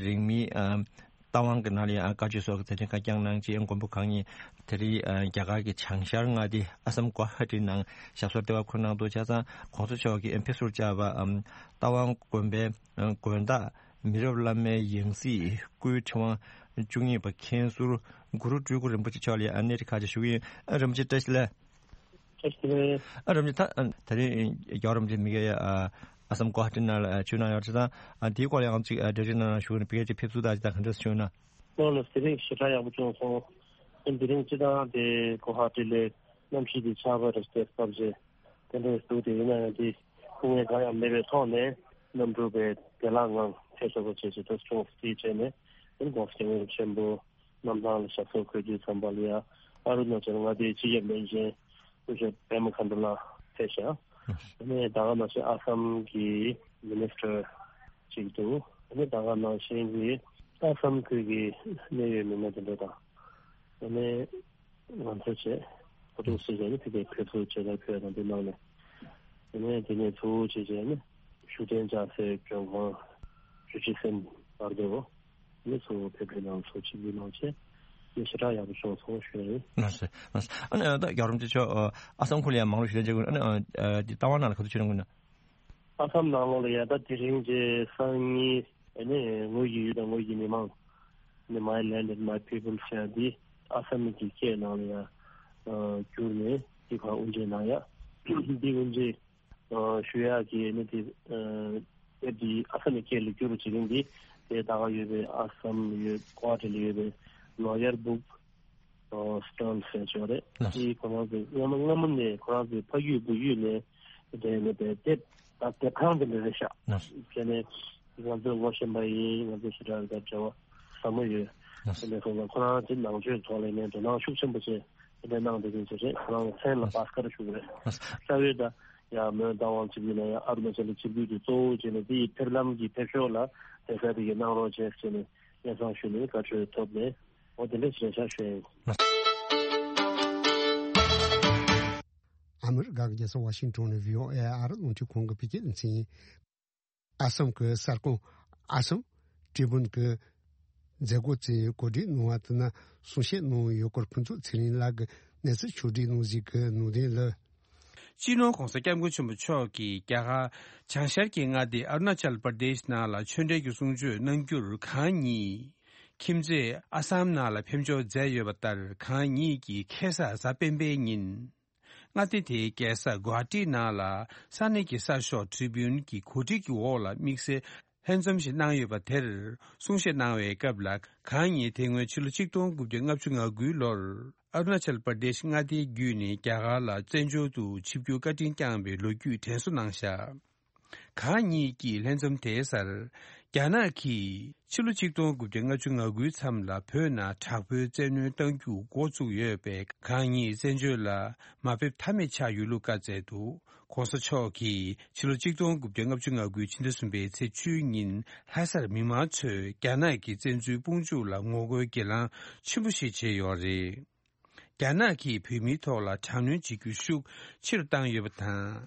རིང་མིན་ཨ་རྟ་དབང་གི་ནང་ལ་ཡང་བཀའ་ཆོས་སོགས་ཀྱི་མཛད་འཕྲིན་ཁག་བསྐྱངས་གནང་རྗེས། མགོན་པོ་གང་ཉིད་དེ་རིང་ཨ་རྒྱ་གར་གྱི་བྱང་ཤར་མངའ་སྡེ་ཨ་སམ་གུ་ཝ་ཧ་ཊི་ནང་ཞབས་སོར་བདེ་བར་འཁོད་གནང་འདུག་བྱས་ཙང་༸གོང་ས་མཆོག་གིས་ཕེབས་བསུར་བཅར་བ་ཨམ་རྟ་དབང་དགོན་པའི་ཨ་དགོན་བདག་མི་རབས་བླ་མའི་ཡང་སྲིད་སྐུའི་ཕྲེང་བ་བཅུ་གཉིས་པ་མཁན་ཟུར་གུ་རུ་སྤྲུལ་སྐུ་རིན་པོ་ཆེ་མཆོག་ལ་ཨ་གནས་རི་ཁ་ཆེ་ཞུ་གི་ཡིན། ཨ་རིན་པོ་ཆེ་བཀྲ་ཤིས་བདེ་ལེགས། བཀྲ་ཤིས་བདེ་ལེགས། ཨ་རིན་པོ་ཆེ་ད་ཨ་དེ་རིང་རྒྱལ་བ་རིན་པོ་ཆེ་མི་སྒེར་ཨ་ཨ་སམ་གོ་ཧ་ཊི་ནང་ལ་ཨ་བྱོན་གནང་ཡོད་རེད་ཙང་། ཨ་དེའི་སྐོར་ལ་ཡང་ཅིག་ཨ་འགྲེལ་བརྗོད་གནང་རོགས་ཞུ་གི་ཡིན། བི་ཀེ་ཅིག་ཕེབས་བསུ་དང་ཅིག་དང་ག་འདྲ་བྱུང་ན། ལགས་ལགས། དེ་རིང་ཞེ་དྲག་ཡག་པོ་བྱུང་སོང་། ཨ་དེ་རིང་སྤྱིར་བཏང་དེ་གོ་ཧ་ཊི་ལ་གནམ་གཤིས་དེ་ཆར་པ་རེ་ཞིག་བབས་རྗེས་དེ་འདྲ་འདུག་དེ་ཡིན་ན་ཡང་དེ་སྐུ་ངལ་གང་ཡང་མེད་པའི་ཐོག་ནས་གནམ་གྲུ་པའི་བདེ་བླག་ངང་ཕེབས་ཐུབ་པ་བྱས་རྗེས་ཐུགས་སུ་ཆུང་བ་དེའི་རྗེས་ནས་དེ་ནི་༸གོང་ས་༸སྐྱབས་མགོན་ཆེན་པོ་གནམ་ཐང་ལ་ཞབས་སོར་འཁོད་དུས་ཙམ་པ་ལ་ཡང་ཨ་རུ་ན་ཅལ་མངའ་སྡེའི་སྤྱི་ཁྱབ་བློན་ཆེན་སྐུ་ཞབས་པེ་མ་ཁན་ཌུ་ལགས་ཕེབས་ཤག་དེ་ནས་ད་ག་ནང་བཞིན་ཨ་སམ་གྱི་མི་ནི་སི་ཊར་ཅིག་འདུག་དེ་ནས་ད་ག་ནང་བཞིན་གྱི་ཨ་སམ་ཁུལ་གྱི་གནད་ཡོད་མི་སྣ་དེ་འདྲ་དང་། དེ་ནས་ང་ཚོ་བཅས་ཁོ་ཐོག་སྲིད་གཞུང་ནས་ཕ་གིར་ཕེབས་བསུ་བྱེད་སར་ཕེབས་དང་དེ་གནང་ནས། དེ་ནས་དེ་ནས་གཙོ་བོ་བྱས་བྱས་ནས་ཤུགས་ལྡན་ལྕགས་སྲེག་མགྲོན་ཁང་བཅུ་གཅིག་ཟིན་བར་དུ་ནས་གཙོ་བོ་ཕེབས་སྒྲིག་གནང་ཚོགས་ཆིབས་བསྒྱུར་གནང་བྱས་ནས་ཞེ་དྲག་ཡག་པོ་བྱུང་སོང་ཞུ་ཡ་ཡིན། ལགས་སོ། ལགས་སོ། ཨ་ནི་ད་རྒྱལ་བ་རིན་པོ་ཆེ་མཆོག་ཨ་སམ་ཁུལ་ལ་ཡང་མང་རུ་ཞུ་ལན་བྱེད་དགོས། ཨ་ནི་ཨ་འདི་རྟ་དབང་ནང་ལ་ག་ཚོད་བྱོན་གནང་གི་ཡོད་ན། ཨ་སམ་ནང་ལོགས་ལ་ཡ་ད་དེ་རིང་གི་སང་ཉིན་ཨ་ནི་ངོས་ཀྱི་ཡུལ་དང་ངོས་ཀྱི་མི་མང་ནི་My Land and My People ཟེར་ཡ་འདི་ཨ་སམ་གྱི་སྐད་ནང་ལ་ཡ་ཨ་བསྒྱུར་ནས་འདི་ག་དབུ་འབྱེད་གནང་ཡ། འདི་དབུ་འབྱེད་ཨ་ཞུ་ཡག་གི་ནི་དེ་ཨ་དེབ་འདི་ཨ་ས་མི་སྐད་ལ་བསྒྱུར་བྱེད་མཁན་འདི་དེ་ད་ག་ཡོད་པའི་ཨ་སམ་ཡོད་གོ་ཧ་ཊི་ལ་ཡོད་པའི་ལོ་ཡར་སྦུག་ཨ་སི་ཊོན་ཟེར་ཆོག་རེད། ལགས། དེ་ཁོ་རང་ཚོ་སྔ་མ་སྔ་མོ་ནས་ཁོ་རང་ཚོའི་ཕ་ཡུལ་བུ་ཡུལ་ནས་དེ་ནས་པའི་དེབ་ད་དེབ་ཁང་དེ་འདྲ་རེད་ཤག་ལགས། དེ་ནས་ང་ཚོས་ངོ་ཤེས་པ་ཡིན། ང་ཚོ་ཞེ་དྲག་ད་འབྲེལ་བ་ཟབ་མོ་ཡོད། ལགས། དེ་ནས་ཁོ་ཚོ་ཁོ་རང་ཚོའི་ནང་ཆོས་ཐོག་ལ་ནས་དོ་སྣང་ཤུགས་ཆེན་པོ་བྱས་དེ་འདྲ་གནང་བསྡད་མཁན་ཚོ་རེད། ཁོ་རང་ཚོ་མཚན་ལ་བྷ་སི་ཀར་ཞུ་གི་རེད། ལགས། རྩ་བའི་ད་ཡང་མོན་རྟ་དབང་ཆིབས་བསྒྱུར་ནང་ཡང་ཨ་རུ་ན་ཅལ་ལ་ཆིབས་བསྒྱུར་དེ་གཙོ་བོ་བྱས་ནས་དེ་ཡི་ཕེབས་ལམ་གྱི་ཕེབས་ཕྱོགས་ལ་དེ་ག་དེ་གའི་གནང་རོགས་བྱས་ཟེར་ནས་སྙན་སེང་ཞུས་ནས་བཀའ་འཁྲོལ་ཐོབ་ནས་འོ་དེ་འདྲ་ཞིག་རེད་ཤག་ཞུ་ཡ་ཡིན། ཨ་མི་རི་ཀ་གི་རྒྱལ་ས་ཝ་ཤིང་ཊོན་ནས་བྷི་ཨོ་ཨེ་ཨ་རི་རླུང་འཕྲིན་ཁང་གི་བོད་སྐད་སྡེ་ཚན་ཡིན། ཨ་སམ་གྱི་གསར་ཁང་ཨ་སམ་ཀྲི་བུན་གྱི་མཛད་སྒོ་དེ་གོ་སྒྲིག་གནང་བ་དེ་ནི་གསུང་བཤད་གནང་ཡོད་སྐོར་ཕུན་ཚོགས་ཚེ་རིང་ལགས་ཀྱིས་གནས་ཚུལ་ཕྱོགས་སྒྲིག་གནང་ཟིན་གྱི་ནང་དོན་ལ། སྤྱི་ནོར་༧གོང་ས་༧སྐྱབས་མགོན་ཆེན་པོ་མཆོག་གིས་རྒྱ་གར་བྱང་ཤར་གྱི་མངའ་སྡེ་ཨ་རུ་ན་ཅལ་པར་དེཤ་ནང་ལ་ཆོས་འབྲེལ་གྱི་གསུང་ཆོས་གནང་རྒྱུར་གང་ཉིད་ཁྱིམ་མཚེས་ཨ་སམ་ནང་ལ་ཕེབས་འབྱོར་མཛད་ཡོད་པ་ལྟར། གང་ཉིད་ཀྱིས་ཁ་སང་གཟའ་སྤེན་པའི་ཉིན་མངའ་སྡེ་དེའི་རྒྱལ་ས་གུ་ཝ་ཧ་ཊི་ནང་ལ་ས་གནས་ཀྱི་གསར་ཤོག་ཊི་རི་བིའུན་གྱི་གོ་སྒྲིག་གི་འོག་ལ་དམིགས་བསལ་ལྷན་འཛོམས་ཤིག་གནང་ཡོད་པ་དེར་གསུང་བཤད་གནང་བའི་སྐབས་ལ། གང་ཉིད་དེ་སྔོན་ཕྱི་ལོ་ཆིག་སྟོང་དགུ་བརྒྱ་ལྔ་བཅུ་ང་དགུའི་ལོར་ཨ་རུ་ན་ཅལ་པར་དེཤ་མངའ་སྡེ་བརྒྱུད་ནས་རྒྱ་གར་ལ་བཙན་བྱོལ་དུ་ཆིབས་བསྒྱུར་བཀའ་དྲིན་བསྐྱངས་པའི་ལོ་རྒྱུས་དྲན་གསོ་གནང་བཞག་གང་ཉིད་ཀྱིས་ལྷན་འཛོམས་དེའི་སར། རྒྱ་ནག་གིས་ཕྱི་ལོ་ཆིག་སྟོང་དགུ་བརྒྱ་ལྔ་བཅུ་ང་དགུའི་མཚམས་ལ་བོད་ནང་དྲག་པོའི་བཙན་གནོན་གཏང་རྒྱུ་འགོ་བཙུགས་ཡོད་པས། གང་ཉིད་བཙན་བྱོལ་ལ་མ་ཕེབས་ཐབས་མེད་ཆགས་ཡོད་ལུགས་བཀའ་སྩལ་འདུག ྋགོང་ས་མཆོག་གིས་ཕྱི་ལོ་ཆིག་སྟོང་དགུ་བརྒྱ་ལྔ་བཅུ་ང་དགུའི་ཕྱི་ཟླ་གསུམ་པའི་ཚེས་བཅུའི་ཉིན་ལྷ་སར་མི་མང་ཚོས་རྒྱ་ནག་གི་བཙན་འཛུལ་དཔུང་འཇུག་ལ་ངོ་རྒོལ་གྱེན་ལངས་ཆེན་པོ་ཞིག་བྱས་ཡོད་རེད། རྒྱ་ནག་གིས་བོད་མིའི་ཐོག་ལ་དྲག་གནོན་བྱེད་རྒྱུ་ཤུགས་ཆེ་རུ་བཏང་ཡོད་པ་དང་།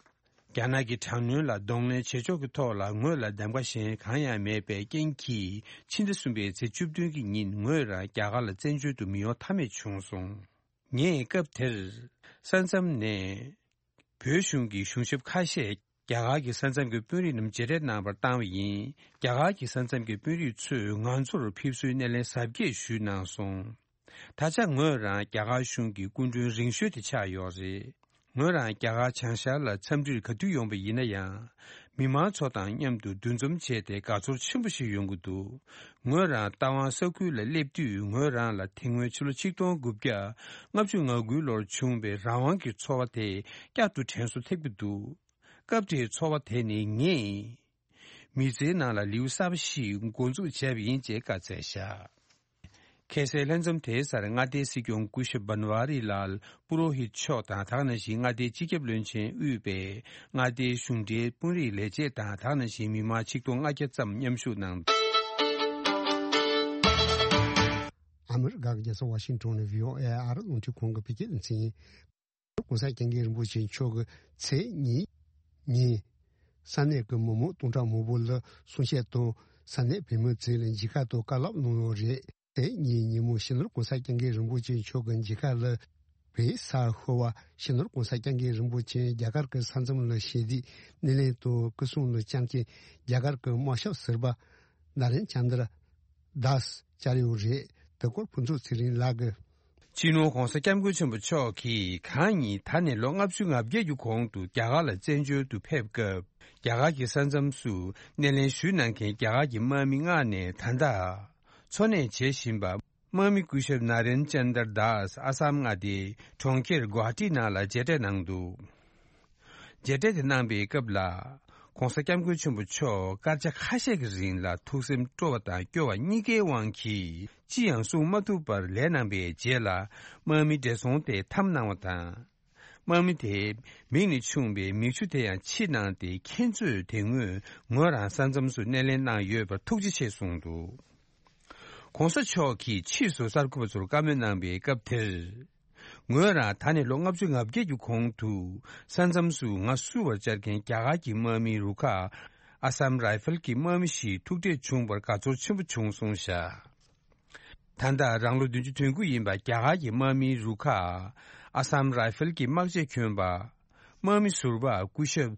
རྒྱ་ནག་གི་དྲག་གནོན་ལ་གདོང་ལེན་བྱེད་ཕྱོགས་ཀྱི་ཐོག་ལ་ངོས་ལ་གདམ་ག་གཞན་གང་ཡང་མེད་པའི་རྐྱེན་གྱིས། ཕྱི་ཟླ་གསུམ་པའི་ཚེས་བཅུ་བདུན་གྱི་ཉིན་ངོས་རང་རྒྱ་གར་ལ་བཙན་བྱོལ་དུ་མི་ཡོང་ཐབས་མེད་བྱུང་སོང་། ངས་སྐབས་དེར་ས་མཚམས་ནས་བོད་གཞུང་གི་གཞུང་ཞབས་ཁ་ཤས་རྒྱ་གར་གྱི་ས་མཚམས་ཀྱི་དཔོན་རིགས་རྣམས་མཇལ་འཕྲད་གནང་བར་བཏང་བ་ཡིན། རྒྱ་གར་གྱི་ས་མཚམས་ཀྱི་དཔོན་རིགས་ཚོས་ང་ཚོར་ཕེབས་བསུའི་སྣེ་ལེན་གཟབ་རྒྱས་ཞུས་གནང་སོང་། ད་ཆ་ངོས་རང་རྒྱ་གར་གཞུང་གི་སྐུ་མགྲོན་རིང་ཤོས་དེ་ཆགས་ཡོད་རེད། ངོས་རང་རྒྱ་གར་བྱང་ཤར་ལ་འཚམས་འདྲིར་ག་དུས་ཡོང་པ་ཡིན་ན་ཡང་། མི་མང་ཚོ་དང་མཉམ་དུ་འདུ་འཛོམས་བྱས་ཏེ་དགའ་ཚོར་ཆེན་པོ་ཞིག་ཡོང་གི་འདུག་ངོས་རང་རྟ་དབང་ས་ཁུལ་ལ་སླེབས་དུས། ངོས་རང་ལ་དེ་སྔོན་ཕྱི་ལོ་ཆིག་སྟོང་དགུ་བརྒྱ་ལྔ་བཅུ་ང་དགུའི་ལོར་བྱུང་བའི་རང་དབང་གི་ཚོར་བ་དེ་བསྐྱར་དུ་དྲན་གསོ་ཐེབས་ཀྱི་འདུག་སྐབས་དེའི་ཚོར་བ་དེ་ནི་ངས་མི་ཚེའི་ནང་ལ་ལེའུ་གསར་པ་ཞིག་འགོ་འཛུགས་བྱས་པ་ཡིན་ཅེས་བཀའ་སྩལ་བཞག་ཁ་སའི་ལྷན་འཛོམས་དེའི་སར་མངའ་སྡེའི་སྲིད་སྐྱོང་སྐུ་ཞབས་བན་ཝ་རི་ལཱལ་པུ་རོ་ཧིད་མཆོག་དང་། དེ་ག་ནང་བཞིན་མངའ་སྡེའི་སྤྱི་ཁྱབ་བློན་ཆེན་དབུས་པའི་མངའ་སྡེའི་གཞུང་འབྲེལ་དཔོན་རིགས་ལས་བྱེད་དང་། དེ་ག་ནང་བཞིན་མི་མང་ཆིག་སྟོང་ལྔ་བརྒྱ་ཙམ་མཉམ་ཞུགས་གནང་། ཨ་མི་རི་ཀ་གི་རྒྱལ་ས་ཝ་ཤིང་ཊོན་ནས་བྷི་ཨོ་ཨེ་ཨ་རི་རླུང་འཕྲིན་ཁང་གི་བོད་སྐད་སྡེ་ཚན་ཡིན། གོང་ས་སྐྱབས་མགོན་རིན་པོ་ཆེ་མཆོག་གིས་ཚེས་གཉིས་ཉིན་ས་གནས་ཀྱི་མི་མང་སྟོང་ཕྲག་མང་པོ་ལ་གསུང་བཤད་དང་། ས་གནས་བོད་མི་ཚོ་ལ་མཇལ་ཁ་དང་བཀའ་སློབ་གནང་ཡོད་རེད། ཚེས་གཉིས་ཉིན་མོ་སྤྱི་ནོར་གོང་ས་སྐྱབས་མགོན་རིན་པོ་ཆེ་མཆོག་གི་མཇལ་ཁ་ལ་བོད་ས་ཤོར་བ་སྤྱི་ནོར་གོང་ས་སྐྱབས་མགོན་རིན་པོ་ཆེ་རྒྱ་གར་གྱི་ས་མཚམས་ལ་ཞལ་འདེབས་སྣེ་ལེན་དང་སྐུ་སྲུང་ལ་བཅར་མཁན་རྒྱ་གར་གྱི་དམག་ཞབས་ཟུར་པ་ནཱ་རེན་ཅན་དར་དཱས་བཅར་ཡོད་རེད། དེ་སྐོར་ཕུན་ཚོགས་ཚེ་རིང་ལགས་ཀྱིས། སྤྱི་ནོར་གོང་ས་སྐྱབས་མགོན་ཆེན་པོ་མཆོག་གིས་གང་ཉིད་ད་ནས་ལོ་ལྔ་བཅུ་ང་བརྒྱད་ཀྱི་གོང་དུ་རྒྱ་གར་ལ་བཙན་བྱོལ་དུ་ཕེབས་སྐབས། རྒྱ་གར་གྱི་ས་མཚམས་སུ་སྣེ་ལེན་ཞུས་གནང་མཁན་རྒྱ་གར་གྱི་དམག་མི་མངགས་ནས་ད་ལྟ་འཚོ་གནས་བྱེད་བཞིན་པ་དམག་མི་སྐུ་ཞབས་ནཱ་རེན་ཅན་དར་དཱས་ཨ་སམ་མངའ་སྡེའི་གྲོང་ཁྱེར་གུ་ཝ་ཧ་ཊི་ནང་ལ་མཇལ་འཕྲད་གནང་འདུག་མཇལ་འཕྲད་དེ་གནང་པའི་སྐབས་ལ། གོང་ས་སྐྱབས་མགོན་ཆེན་པོ་མཆོག་སྐར་ཆ་ཁ་ཤས་ཀྱི་རིང་ལ་ཐུགས་སེམས་སྤྲོ་བ་དང་སྐྱོ་བ་གཉིས་ཀའི་དབང་གིས་ཅི་ཡང་གསུང་མ་ཐུབ་པར་ལས་གནང་པའི་རྗེས་ལ། དམག་མི་བགྲེས་སོང་དེ་འཐམ་གནང་བ་དང་། དམག་མི་དེས་མིག་ནས་ཕྱུང་བའི་མིག་ཆུ་དེ་ཡང་ཕྱིས་གནང་སྟེ། ཁྱེད་ཚོས་དེ་སྔོན་ངོས་རང་ས་མཚམས་སུ་སྣེ་ལེན་གནང་ཡོད་པར་ཐུགས་རྗེ་ཆེ་གསུངས་འདུག་གོང་ས་མཆོག་གིས་ཕྱིས་སུ་གསར་འགོད་པ་ཚོར་བཀའ་མོལ་གནང་པའི་སྐབས་དེར། ངོས་རང་ད་ནས་ལོ་ལྔ་བཅུ་ང་བརྒྱད་ཀྱི་གོང་དུ་ས་མཚམས་སུ་ང་བསུ་བར་བཅར་མཁན་རྒྱ་གར་གྱི་དམག་མིའི་རུ་ཁག་ཨ་སམ་རའི་ཧྥལ་གྱི་དམག་མི་ཞིག་ཐུག་འཕྲད་བྱུང་བར་དགའ་ཚོར་ཆེན་པོ་བྱུང་སོང་བཞག་ད་ལྟ་རང་ལོ་བདུན་ཅུ་དོན་དགུ་ཡིན་པ་རྒྱ་གར་གྱི་དམག་མིའི་རུ་ཁག་ཨ་སམ་རའི་ཧྥལ་གྱི་དམག་ཆས་གྱོན་པ། དམག་མི་ཟུར་པ་སྐུ་ཞབས་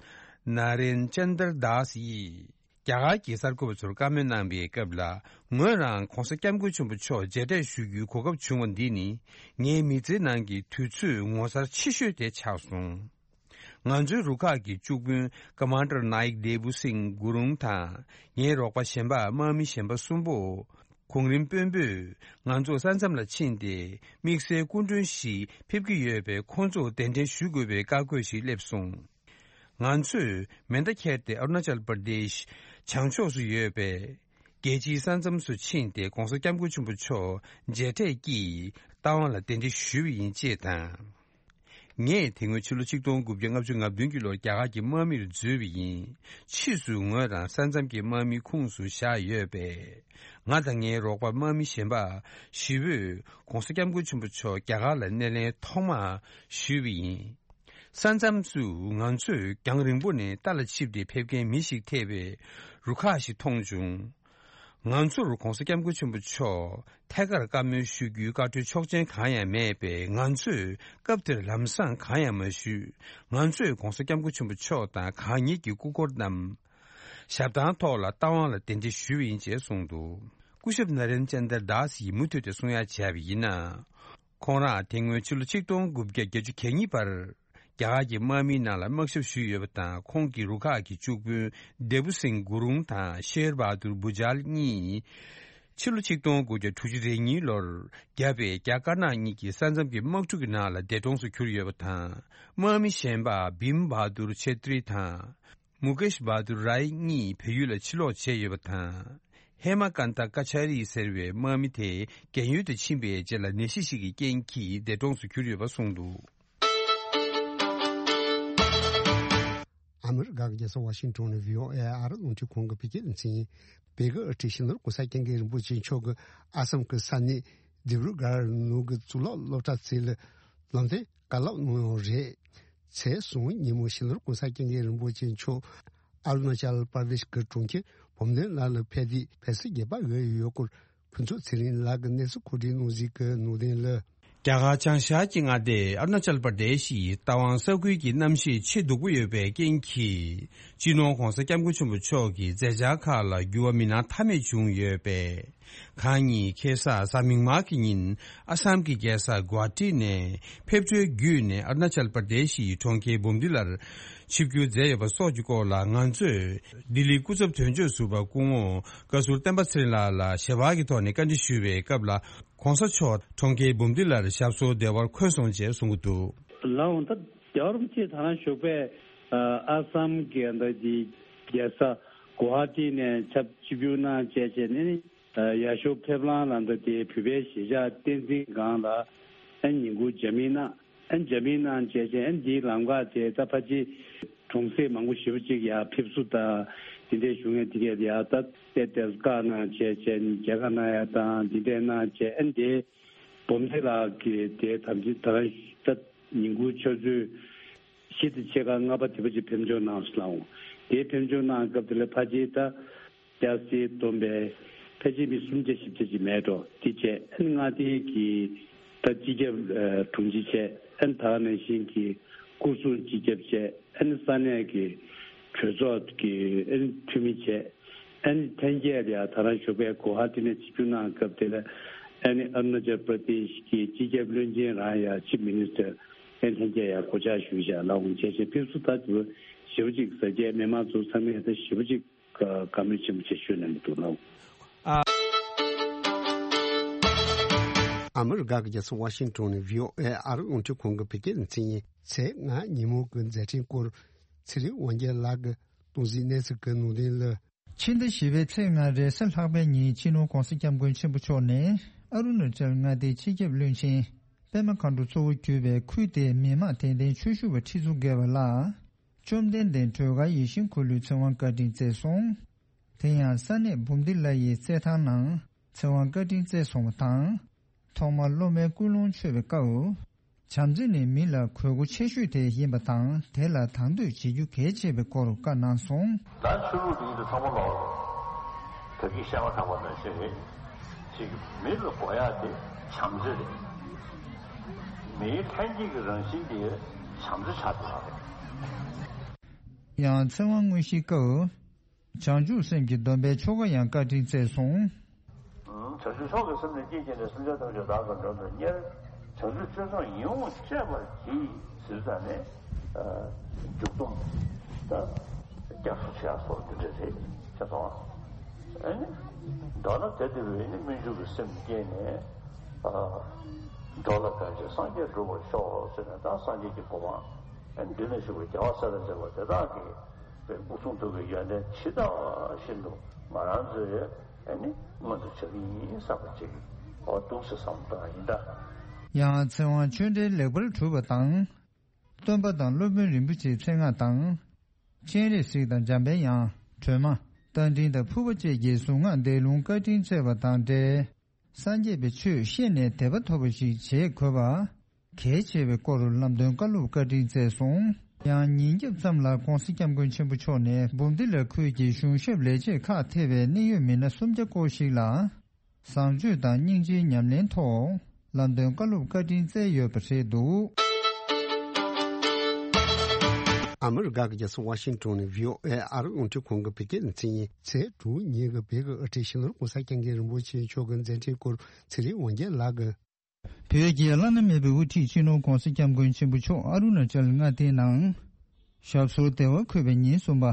ནཱ་རེན་ཅན་དར་དཱས་ཡིས། རྒྱ་གར་གྱི་གསར་འགོད་པ་ཚོར་བཀའ་མོལ་གནང་པའི་སྐབས་ལ། ངོས་རང་གོང་ས་སྐྱབས་མགོན་ཆེན་པོ་མཆོག་མཇལ་འཕྲད་ཞུ་རྒྱུའི་གོ་སྐབས་བྱུང་བ་འདི་ནི། ངའི་མི་ཚེའི་ནང་གི་དུས་ཚོད་ངོ་མཚར་ཆེ་ཤོས་དེ་ཆགས་སོང་། ང་ཚོའི་རུ་ཁག་གི་བཅུ་དཔོན་ཀ་མན་ཌར་ནཱ་ཡིག་དེ་བུ་སིང་གུ་རུང་དང་། ངའི་རོགས་པ་གཞན་པ་དམག་མི་གཞན་པ་གསུམ་པོ། གོང་རིམ་དཔོན་པོས་ང་ཚོ་ས་མཚམས་ལ་ཕྱིན་ཏེ། དམིགས་བསལ་སྐུ་མགྲོན་ཞིག་ཕེབས་ཀྱི་ཡོད་པས། ཁོང་ཚོར་གདན་འདྲེན་ཞུ་དགོས་པའི་བཀའ་བཀོད་ཞིག་སླེབས་སོང་། ང་ཚོས་མེ་མདའ་འཁྱེར་ཏེ་ཨ་རུ་ན་ཅལ་པར་དེཤ་བྱང་ཕྱོགས་སུ་ཡོད་པའི་རྒྱལ་སྤྱིའི་ས་མཚམས་སུ་ཕྱིན་ཏེ། གོང་ས་སྐྱབས་མགོན་ཆེན་པོ་མཆོག་མཇལ་འཕྲད་ཀྱིས་རྟ་དབང་ལ་གདན་འདྲེན་ཞུས་པ་ཡིན་ཅེས་དང་། ངས་དེ་སྔོན་ཕྱི་ལོ་ཆིག་སྟོང་དགུ་བརྒྱ་ལྔ་བཅུ་ང་བདུན་གྱི་ལོར་རྒྱ་གར་གྱི་དམག་མིར་འཛུལ་བ་ཡིན། ཕྱིས་སུ་ངོས་རང་ས་མཚམས་ཀྱི་དམག་མིའི་ཁོངས་སུ་བཞག་ཡོད་པས། ང་དང་ངའི་རོགས་པ་དམག་མི་གཞན་པ་བཞི་པོས་གོང་ས་སྐྱབས་མགོན་ཆེན་པོ་མཆོག་རྒྱ་གར་ལ་སྣེ་ལེན་ཐོག་མ་ཞུས་པ་ཡིན། ས་མཚམས་སུ་ང་ཚོས་རྒྱང་རིང་པོ་ནས་རྟ་ལ་ཆིབས་ཏེ་ཕེབས་མཁན་མི་ཞིག་ཐེ་བའི་རུ་ཁག་ཞིག་མཐོང་བྱུང་། ང་ཚོར་༧གོང་ས་༧སྐྱབས་མགོན་ཆེན་པོ་མཆོག་ཐད་ཀར་བཀའ་མོལ་ཞུ་རྒྱུའི་བཀའ་འཁྲོལ་ཆོག་མཆན་གང་ཡང་མེད་པས། ང་ཚོས་སྐབས་དེར་ལམ་སང་གང་ཡང་མ་ཞུས། ང་ཚོས་༧གོང་ས་༧སྐྱབས་མགོན་ཆེན་པོ་མཆོག་དང་གང་ཉིད་ཀྱི་སྐུ་འཁོར་རྣམས་ཞབས་ཐང་ཐོག་ལ་རྟ་དབང་ལ་གདན་འདྲེན་ཞུས་པ་ཡིན་ཅེས་གསུངས་འདུག་སྐུ་ཞབས་ན་རེན་ཅན་དར་དཱས་ཡིས་མུ་མཐུད་དེ་གསུང་ཡ་བྱས་པ་ཡིན་ན། ཁོང་རང་དེ་སྔོན་ཕྱི་ལོ་ཆིག་སྟོང་དགུ་བརྒྱ་བརྒྱད་ཅུ་གྱ་གཉིས་བར་རྒྱ་གར་གྱི་དམག་མིའི་ནང་ལ་དམག་ཞབས་ཞུས་ཡོད་པ་དང་། ཁོང་གི་རུ་ཁག་གི་བཅུ་དཔོན་དེབ་སིང་གུ་རུང་དང་ཤེར་བྷ་དུར་བྷུ་ཇལ་གཉིས། ཕྱི་ལོ་ཆིག་སྟོང་དགུ་བརྒྱ་དྲུག་ཅུ་རེ་གཉིས་ལོར་རྒྱ་བལ་རྒྱ་དཀར་ནག་གཉིས་ཀྱི་ས་མཚམས་ཀྱི་དམག་འཁྲུག་གི་ནང་ལ་འདས་གྲོངས་སུ་གྱུར་ཡོད་པ་དང་། དམག་མི་གཞན་པ་བིམ་བྷ་དུར་ཆེ་ཏྲི་དང་། མུ་ཀེཤ་བྷ་དུར་རའི་གཉིས་བལ་ཡུལ་ལ་ཕྱིར་ལོག་བྱས་ཡོད་པ་དང་། ཧེ་མ་ཀན་ཏ་ཀ་ཆ་རི་ཟེར་བའི་དམག་མི་དེ་རྒན་ཡོལ་དུ་ཕྱིན་པའི་རྗེས་ལ་ནད་གཞི་ཞིག་གི་རྐྱེན་གྱིས་འདས་གྲོངས་སུ་གྱུར་ཡོད་པ་གསུངས་འདུག་ཨ་མི་རི་ཀ་གི་རྒྱལ་ས་ཝ་ཤིང་ཊོན་ནས་བྷི་ཨོ་ཨེ་ཨ་རི་རླུང་འཕྲིན་ཁང་གི་བོད་སྐད་སྡེ་ཚན་ཡིན། བོད་ཀྱི་དབུ་ཁྲིད་སྤྱི་ནོར་༧གོང་ས་༧སྐྱབས་མགོན་རིན་པོ་ཆེ་མཆོག་གིས་ཨ་སམ་གྱི་ས་གནས་ལྡི་རུ་སྒར་ནང་གི་གཙུག་ལག་སློབ་གྲྭ་ཚིགས་ལ་ལམ་སྟོན་བཀའ་སློབ་གནང་ཡོད་རེད། ཚེས་གསུམ་ཉིན་མོ་སྤྱི་ནོར་༧གོང་ས་༧སྐྱབས་མགོན་རིན་པོ་ཆེ་མཆོག་ཨ་རུ་ན་ཅལ་པར་དེཤ་གི་གྲོང་ཁྱེར་བུམ་ཐང་ལ་ལ་ཕེབས་ཏེ་ཕེབས་བསུ་རྒྱས་པ་ཡོད་ཡོད་སྐོར་ཕུན་ཚོགས་ཚེ་རིང་ལགས་ཀྱིས་གནས་ཚུལ་མཁོ་སྒྲིག་གནང་གཟིགས་ཀྱི་ནང་དོན་ལ། རྒྱ་གར་བྱང་ཤར་གྱི་མངའ་སྡེ་ཨ་རུ་ན་ཅལ་པར་དེཤ་ཡི་རྟ་དབང་ས་ཁུལ་གྱི་གནམ་གཤིས་ཆེས་སྡུག་པོ་ཡོད་པའི་རྐྱེན་གྱིས། སྤྱི་ནོར་༧གོང་ས་༧སྐྱབས་མགོན་ཆེན་པོ་མཆོག་གི་མཛད་འཆར་ཁག་ལ་འགྱུར་བ་མི་སྣང་ཐབས་མེད་བྱུང་ཡོད་པས། གང་ཉིད་ཁ་སང་གཟའ་མིག་དམར་གྱི་ཉིན་ཨ་སམ་གྱི་རྒྱལ་ས་གུ་ཝ་ཧ་ཏི་ནས་ཕེབས་འཕྲལ་བརྒྱུད་ནས་ཨ་རུ་ན་ཅལ་པར་དེཤ་ཡི་གྲོང་ཁྱེར་བུམ་ཐང་ལ་ཆིབས་བསྒྱུར་མཛད་ཡོད་པ་སོགས་ཀྱི་སྐོར་ལ། ང་ཚོས་ལྡི་ལི་སྐུ་ཚབ་དོན་གཅོད་ཟུར་པ་སྐུ་ངོ་བཀའ་ཟུར་བསྟན་པ་ཚེ་རིང་ལགས་ལ་ཞལ་པར་གྱི་ཐོག་ནས་བཀའ་འདྲི་ཞུས་པའི་སྐབས་ལ། ༸གོང་ས་མཆོག་གྲོང་ཁྱེར་བུམ་ཐང་ལ་ཞབས་སོར་བདེ་བར་འཁོད་སོང་ཅེས་གསུངས་ཀྱི་འདུག་ལགས་འོང་། ད་རྒྱལ་བ་རིན་པོ་ཆེ་ད་རང་བཞུགས་པའི་ཨ་སམ་གྱི་ད་ཅིག་རྒྱལ་ས་གུ་ཝ་ཧ་ཏི་ནས་ཆིབས་ཆིབས་བསྒྱུར་གནང་བྱས་བྱས་ནས། ཨ་ཡར་ཞོར་ཕེབས་ལམ་ལ་ད་དེ་བོད་པའི་གཞིས་ཆགས་བསྟན་འཛིན་སྒང་ལ་ཨ་ཉིན་གུང་ཇ་མི་གནང་། ཨ་ཇ་མི་གནང་བྱས་བྱས་ཨ་འདིའི་ལམ་ཁ་དེ་ད་ཕལ་ཆེར་གྲོང་གསེབ་མང་པོ་ཞེ་པོ་ཅིག་ཡར་ཕེབས་བསུ་དང་དེ་འདྲའི་བྱུང་ཡས་དེ་གས་ཡར་ད་ཏེ་ཏེ་བཀའ་གནང་བྱས་བྱས་མཇལ་ཁ་གནང་ཡས་དང་དེ་འདྲས་གནང་བྱས། ཨ་འདི་བུམ་ཐང་ལ་གི་དེ་ཐམས་ཅད་ད་རང་ད་ཉིན་གུང་ཆུ་ཚོད་བཞི་དང་ཕྱེད་ཀ་ལྔ་པ་དེ་པ་ཅིག་ཕེབས་འབྱོར་གནང་སོང་ལགས་འོང་། དེ་ཕེབས་འབྱོར་གནང་སྐབས་དེ་ལ་ཕལ་ཆེར་ད་སྐྱ་སེར་བསྡོམས་པས་ཕལ་ཆེར་མི་སུམ་བརྒྱ་བཞི་བརྒྱ་ཅིག་མེད་འགྲོ། དེ་བྱས་ཨ་ནི་མངའ་སྡེ་གི་ད་སྤྱི་ཁྱབ་དྲུང་ཆེ་བྱས། ཨ་ནི་ད་ག་ནང་བཞིན་གྱི་སྐོར་སྲུང་སྤྱི་ཁྱབ་བྱས། ཨ་ནི་ས་གནས་ཀྱི་གྲོས་ཚོགས་ཀྱི་ཨ་ནི་འཐུས་མི་བྱས། ཨ་ནི་ཐེངས་གཅིག་ལ་ཡ་ད་རང་བཞུགས་པའི་གུ་ཝ་ཧ་ཏི་ནས་ཆིབས་བསྒྱུར་གནང་སྐབས་དེ་ལ་ཨ་ནི་ཨ་རུ་ན་ཅལ་པར་དེཤ་གི་སྤྱི་ཁྱབ་བློན་ཆེན་རང་ཡ་ཆིབ་མི་ནི་སི་ཊར་ཨ་ནི་ཐེངས་གཅིག་ཡ་གོ་ཆ་ཞུས་བཞག་ལགས་འོང་། བྱས་བྱས་ཕེབས་བསུ་ད་དེ་ཞེ་པོ་ཅིག་གཟབ་རྒྱས་མི་མང་ཚོ་ཚང་མས་ད་ཞེ་པོ་ཅིག་བཀའ་མོལ་ཆེན་པོ་ཅིག་ཞུས་གནང་གི་འདུག་ལགས་འོང་། ཨ་མི་རི་ཀ་གི་རྒྱལ་ས་ཝ་ཤིང་ཊོན་ནས་བྷི་ཨོ་ཨེ་ཨ་རི་རླུང་འཕྲིན་ཁང་གི་བོད་སྐད་སྡེ་ཚན་ཡིན། ཚེས་ལྔ་ཉིན་མོ་གི་མཛད་འཕྲིན་སྐོར་ཚེ་རིང་དབང་རྒྱལ་ལགས་ཀྱིས་གཏོང་གཟིགས་གནས་ཚུལ་གྱི་ནང་དོན་ལ། ཕྱི་ཟླ་བཞི་པའི་ཚེས་ལྔ་རེས་གཟའ་ལྷག་པའི་ཉིན་སྤྱི་ནོར་༸གོང་ས་༸སྐྱབས་མགོན་ཆེན་པོ་མཆོག་ནས་ཨ་རུ་ན་ཅལ་མངའ་སྡེའི་སྤྱི་ཁྱབ་བློན་ཆེན་པད་མ་མཁའ་འགྲོ་གཙོ་བོ་གྱུར་པའི་ཁུལ་དེའི་མི་དམངས་དད་ལྡན་ཆོས་ཞུ་བ་ཁྲི་ཚོ་བརྒལ་བ་ལ་བཅོམ་ལྡན་འདས་སྒྲོལ་དཀར་ཡིད་བཞིན་འཁོར་ལོའི་ཚེ་དབང་བཀའ་དྲིན་སྩལ་སོང་། དེ་ཡང་ས་གནས་བུམ་ཐང་ལ་ཡི་རྩེད་ཐང་ནང་ཚེ་དབང་བཀའ་དྲིན་སྩལ་སོང་བ་དང་། ཐོག་མར་སློབ་མའི་ཀུན་སློང་འཆོལ་བའི་སྐབས། བྱམས་བརྩེ་ནི་མི་ལ་དགོས་མཁོ་ཆེ་ཤོས་དེ་ཡིན་པ་དང་། དེ་ལ་དང་དོད་བྱེད་རྒྱུ་གལ་ཆེ་བའི་སྐོར་བཀའ་གནང་སོང་། ད་ཆོས་ལུགས་འདི་ཚོ་ཚང་མ་ལོག་རེད། བོད་ཀྱི་བཤད་པ་གྲགས་པ་ནང་བཞིན་རེད། ཅིག་མི་ལ་དགོས་ཡག་དེ་བྱམས་བརྩེ་རེད། མིའི་ལྷན་སྐྱེས་ཀྱི་རང་བཞིན་དེ་བྱམས་བརྩེ་ཆགས་ཐུབ་པ་རེད། ཡང་ཚེ་དབང་དངོས་གཞིའི་སྐབས། བྱང་ཆུབ་སེམས་ཀྱི་སྡོམ་པའི་ཆོ་ག་ཡང་བཀའ་དྲིན་སྩལ་སོང་། བྱང་ཆུབ་མཆོག་གི་སེམས་ནི་བསྐྱེད་བགྱིས་ནས། སེམས་ཅན་ཐམས་ཅད་བདག་གིས་མགྲོན་དུ་གཉེར། བྱང་ཆུབ་སྤྱོད་མཆོག་ཡིད་འོང་སྤྱད་པར་བགྱི། ཟེར་ཙང་ནས། མཇུག་སྡོམ། ད། སྐྱབས་སུ་མཆི་ཡ་སོགས་འདི་འདྲ་རེད་ཤག་སོང་། ཨ་ནི། མདོར་ན་དེ་ལྟ་བུའི་ནི་སྨོན་འཇུག་གི་སེམས་བསྐྱེད་ནས། འགྲོ་ལ་ཕན་ཕྱིར་སངས་རྒྱས་འགྲུབ་པར་ཤོག་ཟེར་ནས། ད་སངས་རྒྱས་ཀྱི་གོ་འཕང་། འདི་ན་བཞུགས་པའི་རྒྱལ་བ་སྲས་དང་བཅས་པ་དེ་དག་གི་དབུ་གཙང་ཐུགས་ཀྱི་ཡོན་ཏན་ཇི་ལྟ་བ་བཞིན་དུ་ང་རང་ཚོས་ཨ་ནི་མངོན་དུ་བྱ་གི་ཡིན་བསམ་པ་ཅིག་འོ་འདུག་སེ་བསམ་བཏང་ཡིན་ད། ཡང་ཚེ་དབང་ཆོས་འབྲེལ་ལེགས་པར་གྲུབ་པ་དང་། སྟོན་པ་དང་སློབ་དཔོན་རིན་པོ་ཆེའི་མཚན་སྔགས་དང་། སྤྱན་རས་གཟིགས་དང་འཇམ་པའི་དབྱངས། སྒྲོལ་མ། རྟ་མགྲིན་དང་ཕུར་པ་བཅས་ཀྱི་གཟུངས་སྔགས་བཟླས་ལུང་བཀའ་དྲིན་སྩལ་བ་དང་འབྲེལ། སངས་རྒྱས་པའི་ཆོས་ཤེས་ནས་དད་པ་ཐོབ་པ་ཞིག་བྱེད་དགོས་པ་གལ་ཆེ་བའི་སྐོར་ལམ་སྟོན་བཀའ་སློབ་བཀའ་དྲིན་སྩལ་སོང་། ཡང་ཉིན་རྒྱབ་ཙམ་ལ་༸གོང་ས་༸སྐྱབས་མགོན་ཆེན་པོ་མཆོག་ནས་འབུམ་སྡེ་ལ་ཁུལ་གྱི་གཞུང་ཞབས་ལས་བྱེད་ཁག་ཐེ་བའི་གནད་ཡོད་མི་སྣ་སུམ་བརྒྱ་སྐོར་ཞིག་ལ་བཟང་སྤྱོད་དང་སྙིང་རྗེའི་ཉམས་ལེན་ཐོག་ལམ་སྟོན་བཀའ་སློབ་བཀའ་དྲིན་སྩལ་ཡོད་པ་རེད་འདུག། ཨ་མི་རི་ཀ་གི་རྒྱལ་ས་ཝ་ཤིང་ཏོན་ནས་བྷི་ཨོ་ཨེ་ཨ་རི་རླུང་འཕྲིན་ཁང་གི་བོད་སྐད་སྡེ་ཚན་ཡིན། ཚེས་དྲུག་ཉིན་གྱི་བོད་ཀྱི་དབུ་ཁྲིད་སྤྱི་ནོར་༸གོང་ས་༸སྐྱབས་མགོན་རིན་པོ་ཆེ་མཆོག་གི་མཛད་འཕྲིན་སྐོར་ཚེ་རིང་དབང་རྒྱལ་ལགས་ཀྱིས། བོད་ཀྱི་བླ་ན་མེད་པའི་དབུ་ཁྲིད་སྤྱི་ནོར་༸གོང་ས་༸སྐྱབས་མགོན་ཆེན་པོ་མཆོག་ཨ་རུ་ན་ཅལ་མངའ་སྡེའི་ནང་ཞབས་སོར་བདེ་བར་འཁོད་པའི་ཉིན་གསུམ་པ།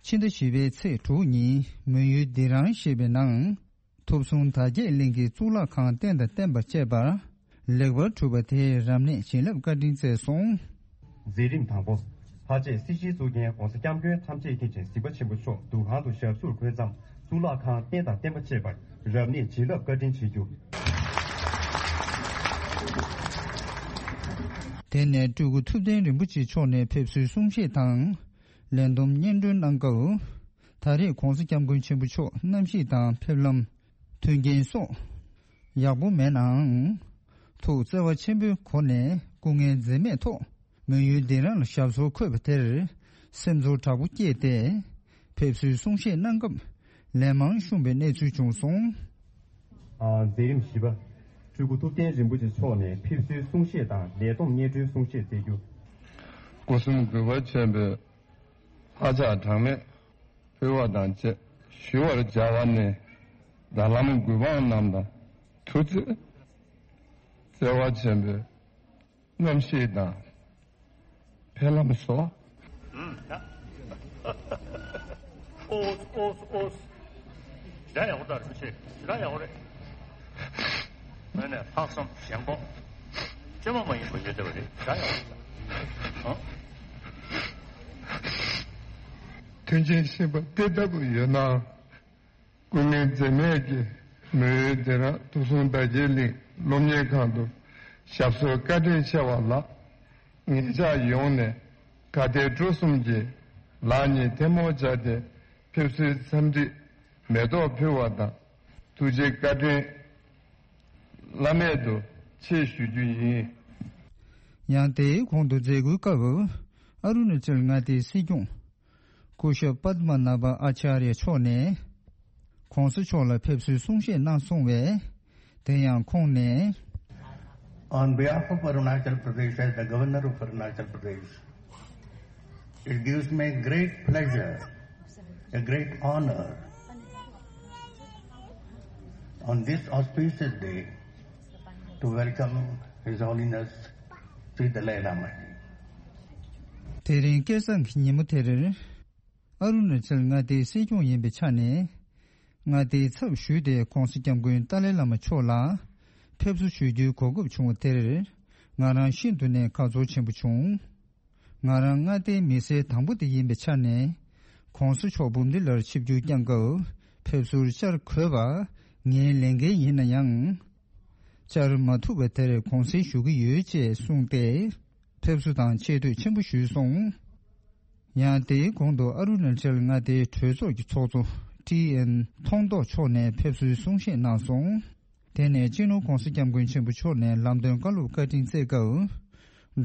ཕྱི་ཟླ་བཞི་པའི་ཚེས་དྲུག་ཉིན་མོན་ཡུལ་ལྡི་རང་ཞེས་པའི་ནང་ཐུབ་གསུམ་དར་རྒྱས་གླིང་གི་གཙུག་ལག་ཁང་རྟེན་དང་བརྟེན་པ་བཅས་པ་ལེགས་པར་གྲུབ་པ་དེའི་རབ་གནས་བྱིན་རླབས་བཀའ་དྲིན་སྩལ་སོང་། མཛད་རིམ་དང་པོ། ཕལ་ཆེར་སྲིད་ཞིའི་གཙུག་རྒྱན་༸གོང་ས་༸སྐྱབས་མགོན་ཐམས་ཅད་མཁྱེན་ཅིང་གཟིགས་པ་ཆེན་པོ་མཆོག་འདུ་ཁང་དུ་ཞབས་སོར་འཁོད་མཚམས་གཙུག་ལག་ཁང་རྟེན་དང་བརྟེན་པ་བཅས་པར་རབ་གནས་བྱིན་རླབས་བཀའ་དྲིན་ཆེ་རྒྱུ། དེ་ནས་སྤྲུལ་སྐུ་ཐུབ་བསྟན་རིན་པོ་ཆེ་མཆོག་ནས་ཕེབས་བསུའི་གསུང་བཤད་དང་། ལས་བསྡོམས་སྙན་སྒྲོན་གནང་སྐབས། ད་རེས་༸གོང་ས་༸སྐྱབས་མགོན་ཆེན་པོ་མཆོག་གནམ་གཤིས་དང་ཕེབས་ལམ། མཐུན་རྐྱེན་སོགས་ཡག་པོ་མེད་ནའང་། ཐུགས་བརྩེ་བ་ཆེན་པོའི་སྒོ་ནས་སྐུ་ངལ་འཛེམས་མེད་ཐོག་མོན་ཡུལ་ལྡི་རང་ལ་ཞབས་སོར་འཁོད་པ་དེར་སེམས་ཚོར་དྲག་པོ་སྐྱེས་ཏེ། ཕེབས་བསུའི་གསུང་བཤད་གནང་སྐབས་ལན་མང་བྱུང་བའི་གནས་ཚུལ་བྱུང་སོང་། ཨ། མཛད་རིམ་བཞི་པ། སྤྲུལ་སྐུ་ཐུབ་བསྟན་རིན་པོ་ཆེ་མཆོག་ནས་ཕེབས་བསུའི་གསུང་བཤད་དང་ལས་བསྡོམས་སྙན་སྒྲོན་གསུང་བཤད་སྩལ་རྒྱུ། སྒོ་གསུམ་གུས་པ་ཆེན་པོས་ལྷ་ཕྱག་གྲངས་མེད་ཕུལ་བ་དང་བཅས་ཞུ་བར་བྱ་བ་ནི། ད་བླ་མ་གུས་འབངས་རྣམས་དང་ཐུགས་བརྩེ་བརྩེ་བ་ཆེན་པོས་གནམ་གཤིས་དང་ཕེབས་ལམ་སོགས། ཨོས་ཨོས་ཨོས། ཞེ་དྲག་ཡག་པོ་འདུག་རིན་པོ་ཆེ། ཞེ་དྲག་ཡག་པོ་རེད། ངོས་ནས་ལྷག་བསམ་ཞེན་ཁོག་ཅི་མ་མ་ཡིན་པ་ཡོད་བསྡད་པ་རེད། ཞེ་དྲག་ཡག་པོ་འདུག་ཨང་། མཐུན་རྐྱེན་ཞན་པ་དེ་ལྟ་བུ་ཡོད་ན། སྐུ་ངལ་འཛེམས་མེད་ཀྱིས་མོན་ཡུལ་ལྡི་རང་ཐུབ་གསུམ་དར་རྒྱས་གླིང་སློབ་གཉེར་ཁང་དུ་ཞབས་སོར་བཀའ་དྲིན་ཆེ་བ་ལ། ངེད་ཅག་ཡོངས་ནས་དགའ་དད་སྤྲོ་གསུམ་གྱིས་ལག་གཉིས་ཐལ་མོ་སྦྱར་ཏེ་ཕེབས་བསུའི་འཚམས་འདྲི་མེ་ཏོག་ཕུལ་བ་དང་ཐུགས་རྗེ་བཀའ་དྲིན་བླ་མེད་དུ་ཆེ་ཞུ་རྒྱུ་ཡིན། ཡང་དེའི་གོང་དུ་མཛད་སྒོའི་སྐབས་ཨ་རུ་ན་ཅལ་མངའ་སྡེའི་སྲིད་སྐྱོང་སྐུ་ཞབས་པདྨ་ན་བ་ཨ་ཅཱརྱ་མཆོག་ནས་༸གོང་ས་མཆོག་ལ་ཕེབས་བསུའི་གསུང་བཤད་གནང་སོང་བས། དེ་ཡང་ཁོང་ནས། On behalf of Arunachal Pradesh, as the Governor of Arunachal Pradesh, it gives me great pleasure, a great honor on this auspicious day to welcome His Holiness Sri Dalai Lama ji. དེ་རིང་སྐལ་བཟང་གི་ཉིན་མོ་དེར། ཨ་རུ་ན་ཅལ་མངའ་སྡེའི་སྲིད་སྐྱོང་ཡིན་པའི་ཆ་ནས། མངའ་སྡེའི་ཚབ་ཞུས་ཏེ་༸གོང་ས་༸སྐྱབས་མགོན་ཏཱ་ལའི་བླ་མ་མཆོག་ལ་ཕེབས་བསུ་ཞུ་རྒྱུའི་གོ་སྐབས་བྱུང་བ་དེར། ང་རང་ཤིན་ཏུ་ནས་དགའ་ཚོར་ཆེན་པོ་བྱུང་། ང་རང་མངའ་སྡེའི་མི་སེར་དང་པོ་དེ་ཡིན་པའི་ཆ་ནས། ༸གོང་ས་མཆོག་འབུམ་སྡེ་ལར་ཆིབས་བསྒྱུར་བསྐྱངས་སྐབས་ཕེབས་བསུར་བཅར་དགོས་པ་ངའི་ལས་འགན་ཡིན་ན་ཡང་། བཅར་མ་ཐུབ་པ་དེར་དགོངས་སེལ་ཞུ་གི་ཡོད་ཅེས་གསུངས་ཏེ། ཕེབས་བསུ་དང་ཆེ་བསྟོད་ཆེན་པོ་ཞུས་སོང་། ཡང་དེའི་གོང་དུ་ཨ་རུ་ན་ཅལ་མངའ་སྡེའི་གྲོས་ཚོགས་ཀྱི་ཚོགས་གཙོ་ཀྲི་ཨེན་ཐོང་ཏོ་མཆོག་ནས་ཕེབས་བསུའི་གསུང་བཤད་གནང་སོང་། དེ་ནས་སྤྱི་ནོར་༸གོང་ས་༸སྐྱབས་མགོན་ཆེན་པོ་མཆོག་ནས་ལམ་སྟོན་བཀའ་སློབ་བཀའ་དྲིན་སྩལ་སྐབས།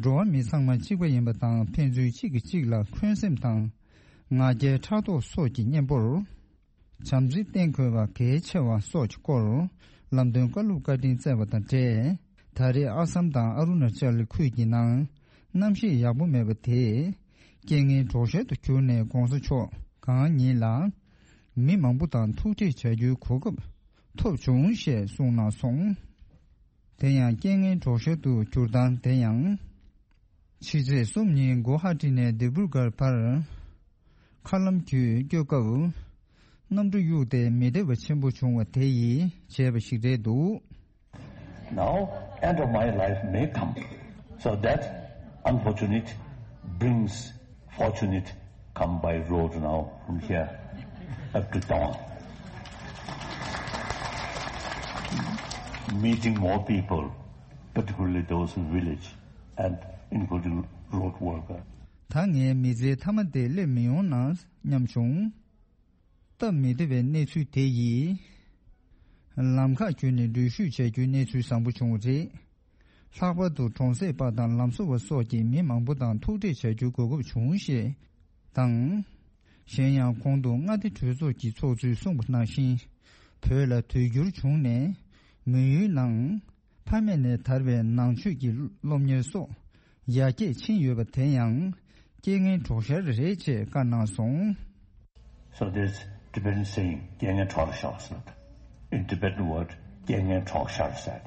འགྲོ་བ་མི་ཚང་མ་གཅིག་པ་ཡིན་པ་དང་ཕན་ཚུན་གཅིག་གིས་གཅིག་ལ་འཁོན་སེམས་དང་། ང་རྒྱལ་ཕྲག་དོག་སོགས་ཀྱི་གཉེན་པོར། བྱམས་བརྩེ་བསྟེན་དགོས་པ་གལ་ཆེ་བ་སོགས་ཀྱི་སྐོར་ལམ་སྟོན་བཀའ་སློབ་བཀའ་དྲིན་སྩལ་བ་དང་འབྲེལ། ད་རེས་ཨ་སམ་དང་ཨ་རུ་ན་ཅལ་ཁུལ་གྱི་ནང་གནམ་གཤིས་ཡག་པོ་མེད་པ་དེས་རྐྱེན་ངན་གྲོགས་ཤར་དུ་གྱུར་ནས་༸གོང་ས་མཆོག་གང་ཉིད་ལ་མི་མང་པོ་དང་ཐུག་འཕྲད་བྱ་རྒྱུའི་གོ་སྐབས་ཐོབ་བྱུང་ཞེས་གསུངས་གནང་སོང་། དེ་ཡང་རྐྱེན་ངན་གྲོགས་ཤར་དུ་གྱུར་སྟངས་དེ་ཡང་། ཕྱི་ཚེས་གསུམ་ཉིན་གུ་ཧ་ཏི་ནས་ལྡི་པུར་གྷར་བར། མཁའ་ལམ་བརྒྱུད་སྐྱོད་སྐབས། གནམ་གྲུ་གཡུགས་ཏེ་མི་བདེ་བ་ཆེན་པོ་བྱུང་བ་དེ་ཡིས་བྱས་པ་ཞིག་རེད་འདུག། Now, end of my life may come, so that unfortunate brings fortunate come by road now from here up to town. Meeting more people, particularly those in village and including road worker. ད་ངའི་མི་ཚེའི་མཐའ་མ་དེ་སླེབས་མི་ཡོང་ན་སྙམ་བྱུང་། སྟབས་མི་བདེ་བའི་གནས་ཚུལ་དེ་ཡིས། ལམ་ཁ་བརྒྱུད་ནས་འགྲུལ་བཞུད་བྱ་རྒྱུའི་གནས་ཚུལ་བཟང་པོ་བྱུང་བ་རེད། ལྷག་པར་དུ་གྲོང་གསེབ་པ་དང་ལམ་བཟོ་བ་སོགས་ཀྱིས་མི་མང་པོ་དང་ཐུག་འཕྲད་བྱ་རྒྱུའི་གོ་སྐབས་བྱུང་ཞེས་དང་། གཞན་ཡང་གོང་དུ་མངའ་སྡེ་གྲོས་ཚོགས་ཀྱི་ཚོགས་གཙོས་གསུངས་པ་ནང་བཞིན། བོད་ལ་དུས་འགྱུར་བྱུང་ནས་མི་ཡུལ་ནང་ཕ་མེས་ནས་དར་བའི་ནང་ཆོས་ཀྱི་སློབ་གཉེར་སོགས་ཡར་རྒྱས་ཕྱིན་ཡོད་པ་དེ་ཡང་རྐྱེན་ངན་གྲོགས་ཤར་རེད་ཅེས་བཀའ་གནང་སོང་། So this Tibetan saying, རྐྱེན་ངན་གྲོགས་ཤར་ཟེར། In Tibetan word, རྐྱེན་ངན་གྲོགས་ཤར་ཟེར།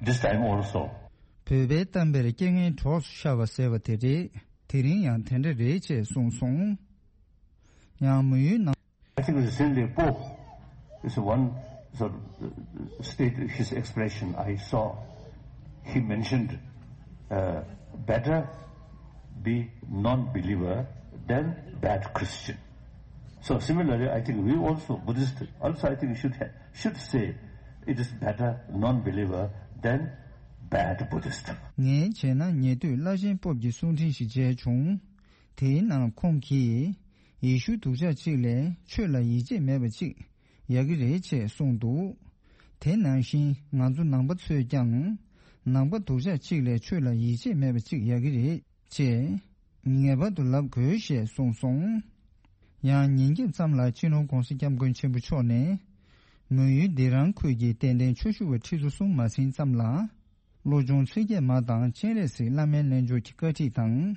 This time also, བོད་པའི་གཏམ་དཔེར་རྐྱེན་ངན་གྲོགས་སུ་ཤར་བ་ཟེར་བ་དེ་རེད། དེ་རིང་ཡང་དེ་འདྲ་རེད་ཅེས་གསུངས་སོང་། ཡང་མི་ཡུལ་ནང་། I think recently Pope is one sort of uh, state his expression I saw. He mentioned uh, better be non-believer than bad Christian. So similarly, I think we also Buddhists also I think should ha- should say it is better non-believer than bad Buddhist. ངས་བྱས་ན་ཉེ་དུས་བླ་ཆེན་པོབ་ཀྱི་གསུང་འཕྲིན་ཞིག་མཇལ་བྱུང་། དེའི་ནང་ཁོང་གིས། ཡེ་ཤུ་སྡུག་ཅག་གཅིག་ལས་ཆོས་ལ་ཡིད་ཆེས་མེད་པ་གཅིག་ཡག་གི་རེད་ཅེས་གསུངས་འདུག་དེ་ནང་བཞིན་ང་ཚོ་ནང་པ་ཚོས་ཀྱང་ནང་པ་སྡུག་ཅག་གཅིག་ལས་ཆོས་ལ་ཡིད་ཆེས་མེད་པ་གཅིག་ཡག་གི་རེད་ཅེས་ངེས་པར་དུ་ལབ་དགོས་ཞེས་གསུངས་སོང་། ཡང་ཉིན་རྒྱབ་ཙམ་ལ་སྤྱི་ནོར་༧གོང་ས་༧སྐྱབས་མགོན་ཆེན་པོ་མཆོག་ནས་མོན་ཡུལ་སྡེ་རང་ཁུལ་གྱི་དད་ལྡན་ཆོས་ཞུ་བ་ཁྲི་ཚོ་གསུམ་མ་ཟིན་ཙམ་ལ། བློ་སྦྱོང་ཚིག་བརྒྱད་མ་དང་སྤྱན་རས་གཟིགས་བླ་མའི་རྣལ་འབྱོར་གྱི་བཀའ་ཁྲིད་དང་།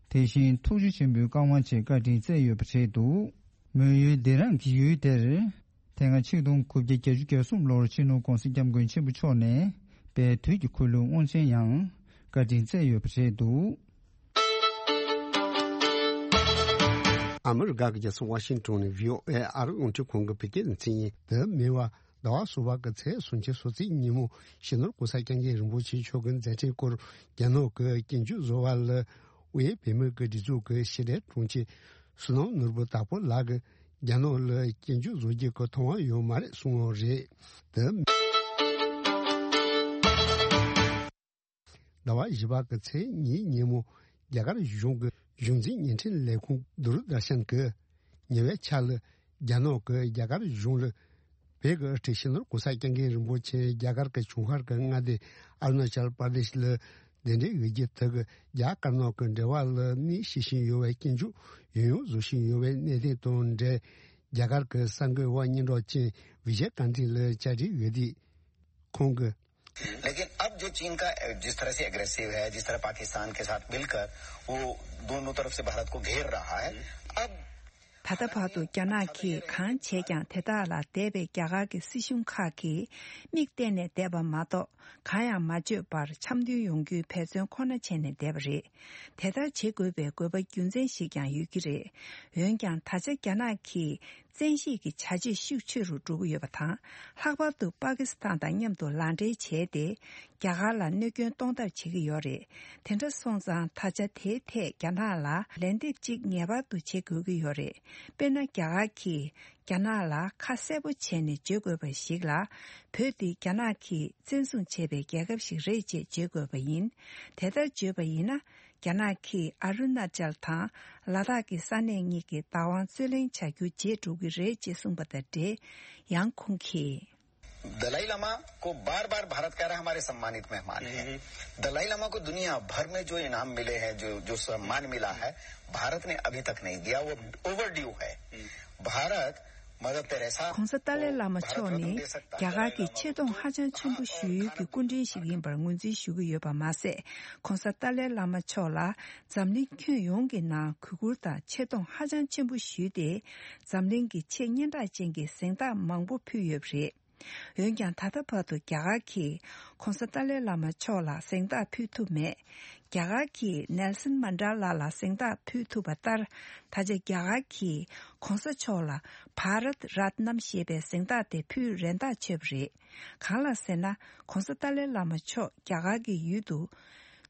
དེ་བཞིན་ཐུགས་རྗེ་ཆེན་པོའི་བཀའ་དབང་བཅས་བཀའ་དྲིན་སྩལ་ཡོད་པ་རེད་འདུག་མོན་ཡུལ་སྡེ་རང་གི་ཡུལ་དེར། དེ་སྔ་ཆིག་སྟོང་དགུ་བརྒྱ་བརྒྱད་ཅུ་གྱ་གསུམ་ལོར་སྤྱི་ནོར་༧གོང་ས་༧སྐྱབས་མགོན་ཆེན་པོ་མཆོག་ནས་དཔལ་དུས་ཀྱི་འཁོར་ལོའི་དབང་ཆེན་ཡང་བཀའ་དྲིན་སྩལ་ཡོད་པ་རེད་འདུག་ཨ་མི་རི་ཀ་གི་རྒྱལ་ས་ཝ་ཤིང་ཏོན་ནས་བྷི་ཨོ་ཨེ་ཨ་རི་རླུང་འཕྲིན་ཁང་གི་བོད་སྐད་སྡེ་ཚན་ཡིན། འདི་མིན་པ། ཟླ་བ་གསུམ་པ་གི་ཚེས་སུམ་ཅུ་སོ་གཅིག་ཉིན་མོ་སྤྱི་ནོར་༧གོང་ས་༧སྐྱབས་མགོན་རིན་པོ་ཆེ་མཆོག་གི་མཛད་འཕྲིན་སྐོར་རྒྱ་ནག་གི་སྐྱིན་འགྱུར་བཟོ་བ་ལ་དབུས་བོད་མིའི་སྒྲིག་འཛུགས་ཀྱི་ཕྱི་དྲིལ་དྲུང་ཆེ་བསོད་ནམས་ནོར་བུ་དྭགས་པོ་ལགས་ཀྱིས་རྒྱ་ནག་ལ་སྐྱིན་འགྱུར་བཟོ་རྒྱུ་གི་ཐོབ་དབང་ཡོད་མ་རེད་གསུངས་ཡོད་རེད། དེ། ཟླ་བ་བཞི་པ་གི་ཚེས་གཉིས་ཉིན་མོ་རྒྱ་གར་གཞུང་གི་གཞུང་འཛིན་བརྙན་འཕྲིན་ལས་ཁུངས་དུར་དར་ཤན་གྱིས་ཉེ་བའི་ཆར་ལ་རྒྱ་ནག་གི་རྒྱ་གར་གཞུང་ལ་བོད་ཀྱི་སྤྱི་ནོར་༧གོང་ས་༧སྐྱབས་མགོན་རིན་པོ་ཆེ་རྒྱ་གར་གྱི་ཆུང་ཧར་གྱི་མངའ་སྡེ་ཨ་རུ་ན་ཅལ་པར་དེཤ་ལ་གདན་འདྲེན་ཡོད་རྒྱུ་དེ་གིས་རྒྱ་དཀར་ནག་གི་འབྲེལ་བ་ལ་གནོད་བྱེད་བཞིན་ཡོད་པའི་སྐྱིན་འགྱུར་ཡང་ཡང་བཟོ་བཞིན་ཡོད་པའི་གནད་དོན་དང་འབྲེལ། རྒྱ་གར་གྱི་གསར་འགོད་པ་སྙན་གྲགས་ཅན་བི་ཇེ་ཀཱན་ཏི་ལ་བཅར་འདྲི་ཡོད་དུས། ཁོང་གིས། लेकिन अब जो चीन का जिस तरह से एग्रेसिव है, जिस तरह पाकिस्तान के साथ मिलकर वो दोनों तरफ से भारत को घेर रहा है, अब ད་ལྟ་བར་དུ་རྒྱ་ནག་གིས་གང་བྱས་ཀྱང་དེ་དག་ལ་འདས་པའི་རྒྱ་གར་གྱི་སྲིད་གཞུང་ཁག་གིས་མིག་གཏད་ནས་བསྡད་པ་མ་གཏོགས་གང་ཡང་མ་བརྗོད་པར་འཆམ་མཐུན་ཡོང་རྒྱུའི་འབད་བརྩོན་ཁོ་ན་བྱས་ནས་བསྡད་པ་རེད། དེ་ལྟར་བྱེད་དགོས་པའི་དགོས་པ་རྒྱུ་མཚན་ཞིག་ཀྱང་ཡོད་ཀྱི་རེད། འོན་ཀྱང་ད་ཆ་རྒྱ་ནག་གིས། བཙན་ཤེད་ཀྱི་བྱ་སྤྱོད་ཤུགས་ཆེ་རུ་འགྲོ་གི་ཡོད་པ་དང་། ལྷག་པར་དུ་པ་ཀི་སི་ཐན་དང་མཉམ་དུ་ལག་འབྲེལ་བྱས་ཏེ། རྒྱ་གར་ལ་གནོད་སྐྱོན་གཏོང་ཐབས་བྱེད་ཀྱི་ཡོད་རེད། དེ་འདྲ་སོང་ཙང་ད་ཆ་དེའི་ཐད་རྒྱ་ནག་ལ་ལན་འདེབས་གཅིག་ངེས་པར་དུ་བྱེད་དགོས་ཀྱི་ཡོད་རེད། དཔེར་ན། རྒྱ་གར་གྱིས་རྒྱ་ནག་ལ་ཁ་གསལ་པོ་བྱས་ནས་བརྗོད་དགོས་པ་ཞིག་ལ། བོད་འདི་རྒྱ་ནག་གིས་བཙན་བཟུང་བྱས་པའི་རྒྱལ་ཁབ་ཞིག་རེད་ཅེས་བརྗོད་དགོས་པ་ཡིན། དེ་ལྟར་བརྗོད་པ་ཡིན་ན། རྒྱ་ནག་གིས་ཨ་རུ་ན་ཅལ་དང་ལ་དྭགས་ཀྱི་ས་གནས་གཉིས་ཀྱི་བདག་དབང་རྩོད་ལེན་བྱ་རྒྱུ་བརྗེད་འགྲོ་གི་རེད་ཅེས་གསུངས་པ་དང་འབྲེལ། ཡང་ཁོང་གིས། दलाई लामा को बार बार भारत कह रहा है, हमारे सम्मानित मेहमान हैं। दलाई लामा को दुनिया भर में जो इनाम मिले हैं, जो जो सम्मान मिला है, भारत ने अभी तक नहीं दिया। वो ओवरड्यू है। भारत मदर टेरेसा को भारत रत्न दे सकता है। གོང་ས་ཏཱ་ལའི་བླ་མ་མཆོག་ནི་རྒྱ་གར་གྱི་ཆེ་མཐོང་ཧ་ཅང་ཆེན་པོ་ཞུ་ཡུལ་གྱི་སྐུ་མགྲོན་ཞིག་ཡིན་པར་ངོས་འཛིན་ཞུ་གི་ཡོད་པ་མ་ཟད། གོང་ས་ཏཱ་ལའི་བླ་མ་མཆོག་ལ་འཛམ་གླིང་ཁྱོན་ཡོངས་ཀྱི་ནང་གུས་བཀུར་དང་ཆེ་མཐོང་ཧ་ཅང་ཆེན་པོ་ཞུས་ཏེ། འཛམ་གླིང་གི་ཆེས་སྙན་གྲགས་ཅན་གྱི་གཟེངས་རྟགས་མང་པོ་ཕུལ་ཡོད་པ་རེད། འོན་ཀྱང་ད་ལྟ་བར་དུ་རྒྱ་གར་གྱིས་གོང་ས་ཏཱ་ལའི་བླ་མ་མཆོག་ལ་གཟེངས་རྟགས་ཕུལ་ཐུབ་མེད། རྒྱ་གར་གྱིས་ནེལ་སན་མན་ཌེ་ལ་ལ་གཟེངས་རྟགས་ཕུལ་ཐུབ་པ་ལྟར། ད་ཆ་རྒྱ་གར་གྱིས་གོང་ས་མཆོག་ལ་བྷ་རཏ་རཏྣམ་ཞེས་པའི་གཟེངས་རྟགས་དེ་ཕུལ་རན་ཐག་ཆོད་པ་རེད། གང་ལགས་ཟེར་ན། གོང་ས་ཏཱ་ལའི་བླ་མ་མཆོག་རྒྱ་གར་གྱི་ཡུལ་དུ་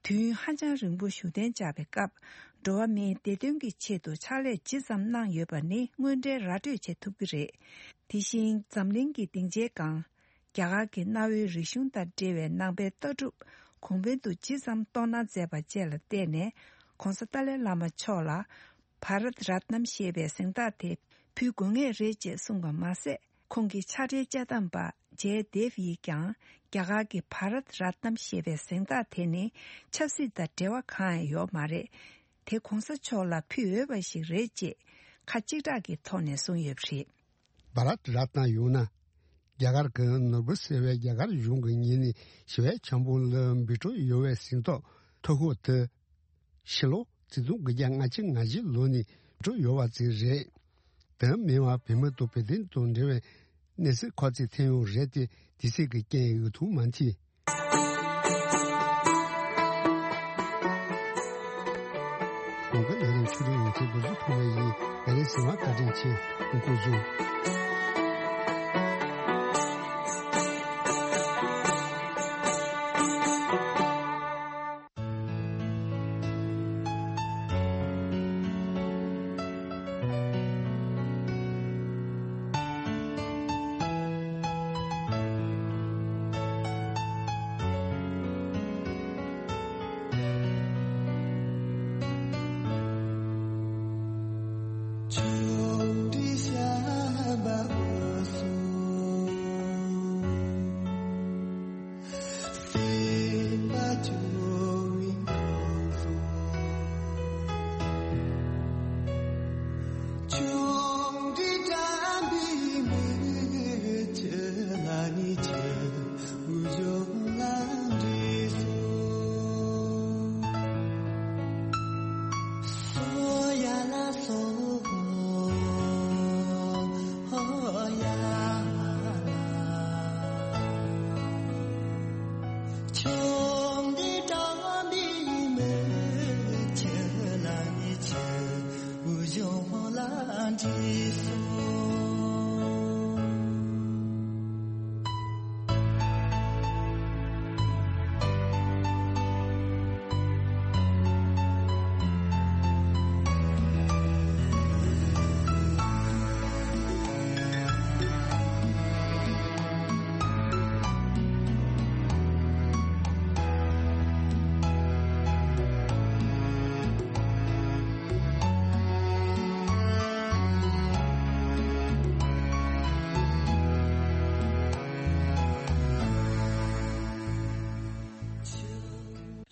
དུས་ཡུན་ཧ་ཅང་རིང་པོ་བཞུགས་གདན་འཇགས་པའི་སྐབས། འགྲོ་བ་མིའི་བདེ་དོན་གྱི་ཆེད་དུ་ཕྱག་ལས་ཇི་ཙམ་གནང་ཡོད་པ་ནི་དངོས་འབྲེལ་ར་སྤྲོད་བྱེད་ཐུབ་ཀྱི་རེད། དེ་བཞིན་འཛམ་གླིང་གི་སྡིངས་ཆའི་སྒང་། རྒྱ་གར་གྱི་གནའ་བོའི་རིག་གཞུང་དང་འབྲེལ་བའི་ནང་པའི་ལྟ་གྲུབ་གོང་འཕེལ་དུ་ཇི་ཙམ་གཏོང་གནང་མཛད་པ་བཅས་ལ་བརྟེན་ནས། གོང་ས་ཏཱ་ལའི་བླ་མ་མཆོག་ལ་བྷ་རཏ་རཏྣམ་ཞེས་པའི་གཟེངས་རྟགས་དེ་ཕུལ་དགོས་ངེས་རེད་ཅེས་གསུངས་པ་མ་ཟད། ཁོང་གི་ཕྱག་སྦྲེལ་དཔྱད་གཏམ་པ་ཇེ་དེབ་ཡིས་ཀྱང་རྒྱ་གར་གྱི་བྷ་རཏ་རཏྣམ་ཞེས་པའི་གཟེངས་རྟགས་དེ་ནི་ཆབ་སྲིད་དང་འབྲེལ་བ་གང་ཡང་ཡོད་མ་རེད། དེ་གོང་ས་མཆོག་ལ་ཕུལ་འོས་པ་ཞིག་རེད་ཅེས་ཁ་གཅིག་གྲགས་ཀྱི་ཐོག་ནས་གསུངས་ཡོད་པ་རེད། བྷ་རཏ་རཏྣ་ཡོང་ན། རྒྱ་གར་གྱི་ནོར་བུ་ཟེར་བའི་རྒྱ་གར་གཞུང་གི་ཉིན་ནས་ཞི་བའི་འཆམ་པོ་ལ་འབུལ་འགྲོ་ཡོད་པའི་གཟེངས་རྟགས་ཐོ་ཁོག་དེ། ཕྱི་ལོ་ཆིག་སྟོང་དགུ་བརྒྱ་ལྔ་བཅུ་ང་བཞི་ལོ་ནས་འགྲོ་ཡོད་པ་ཅིག་རེད། དེ་མིན་པར་བོད་མི་དང་བོད་དོན་དང་འབྲེལ་བའི་གནས་ཚུལ་ཁག་ཅིག་ཐོན་ཡོད་རེད་དེ། དེ་ཚིག་གི་རྐྱེན་འོས་ཐུག་མ་མཐུན། གོང་གི་ལས་རིམ་ཕྱོགས་སྒྲིག་ཡོང་ཆེད་འབུར་གཟུགས་ཐོག་ནས་ཡིན། ད་རེས་ཟིན་མ་བཀའ་དྲིན་ཆེ། སྐུ་གཟུགས།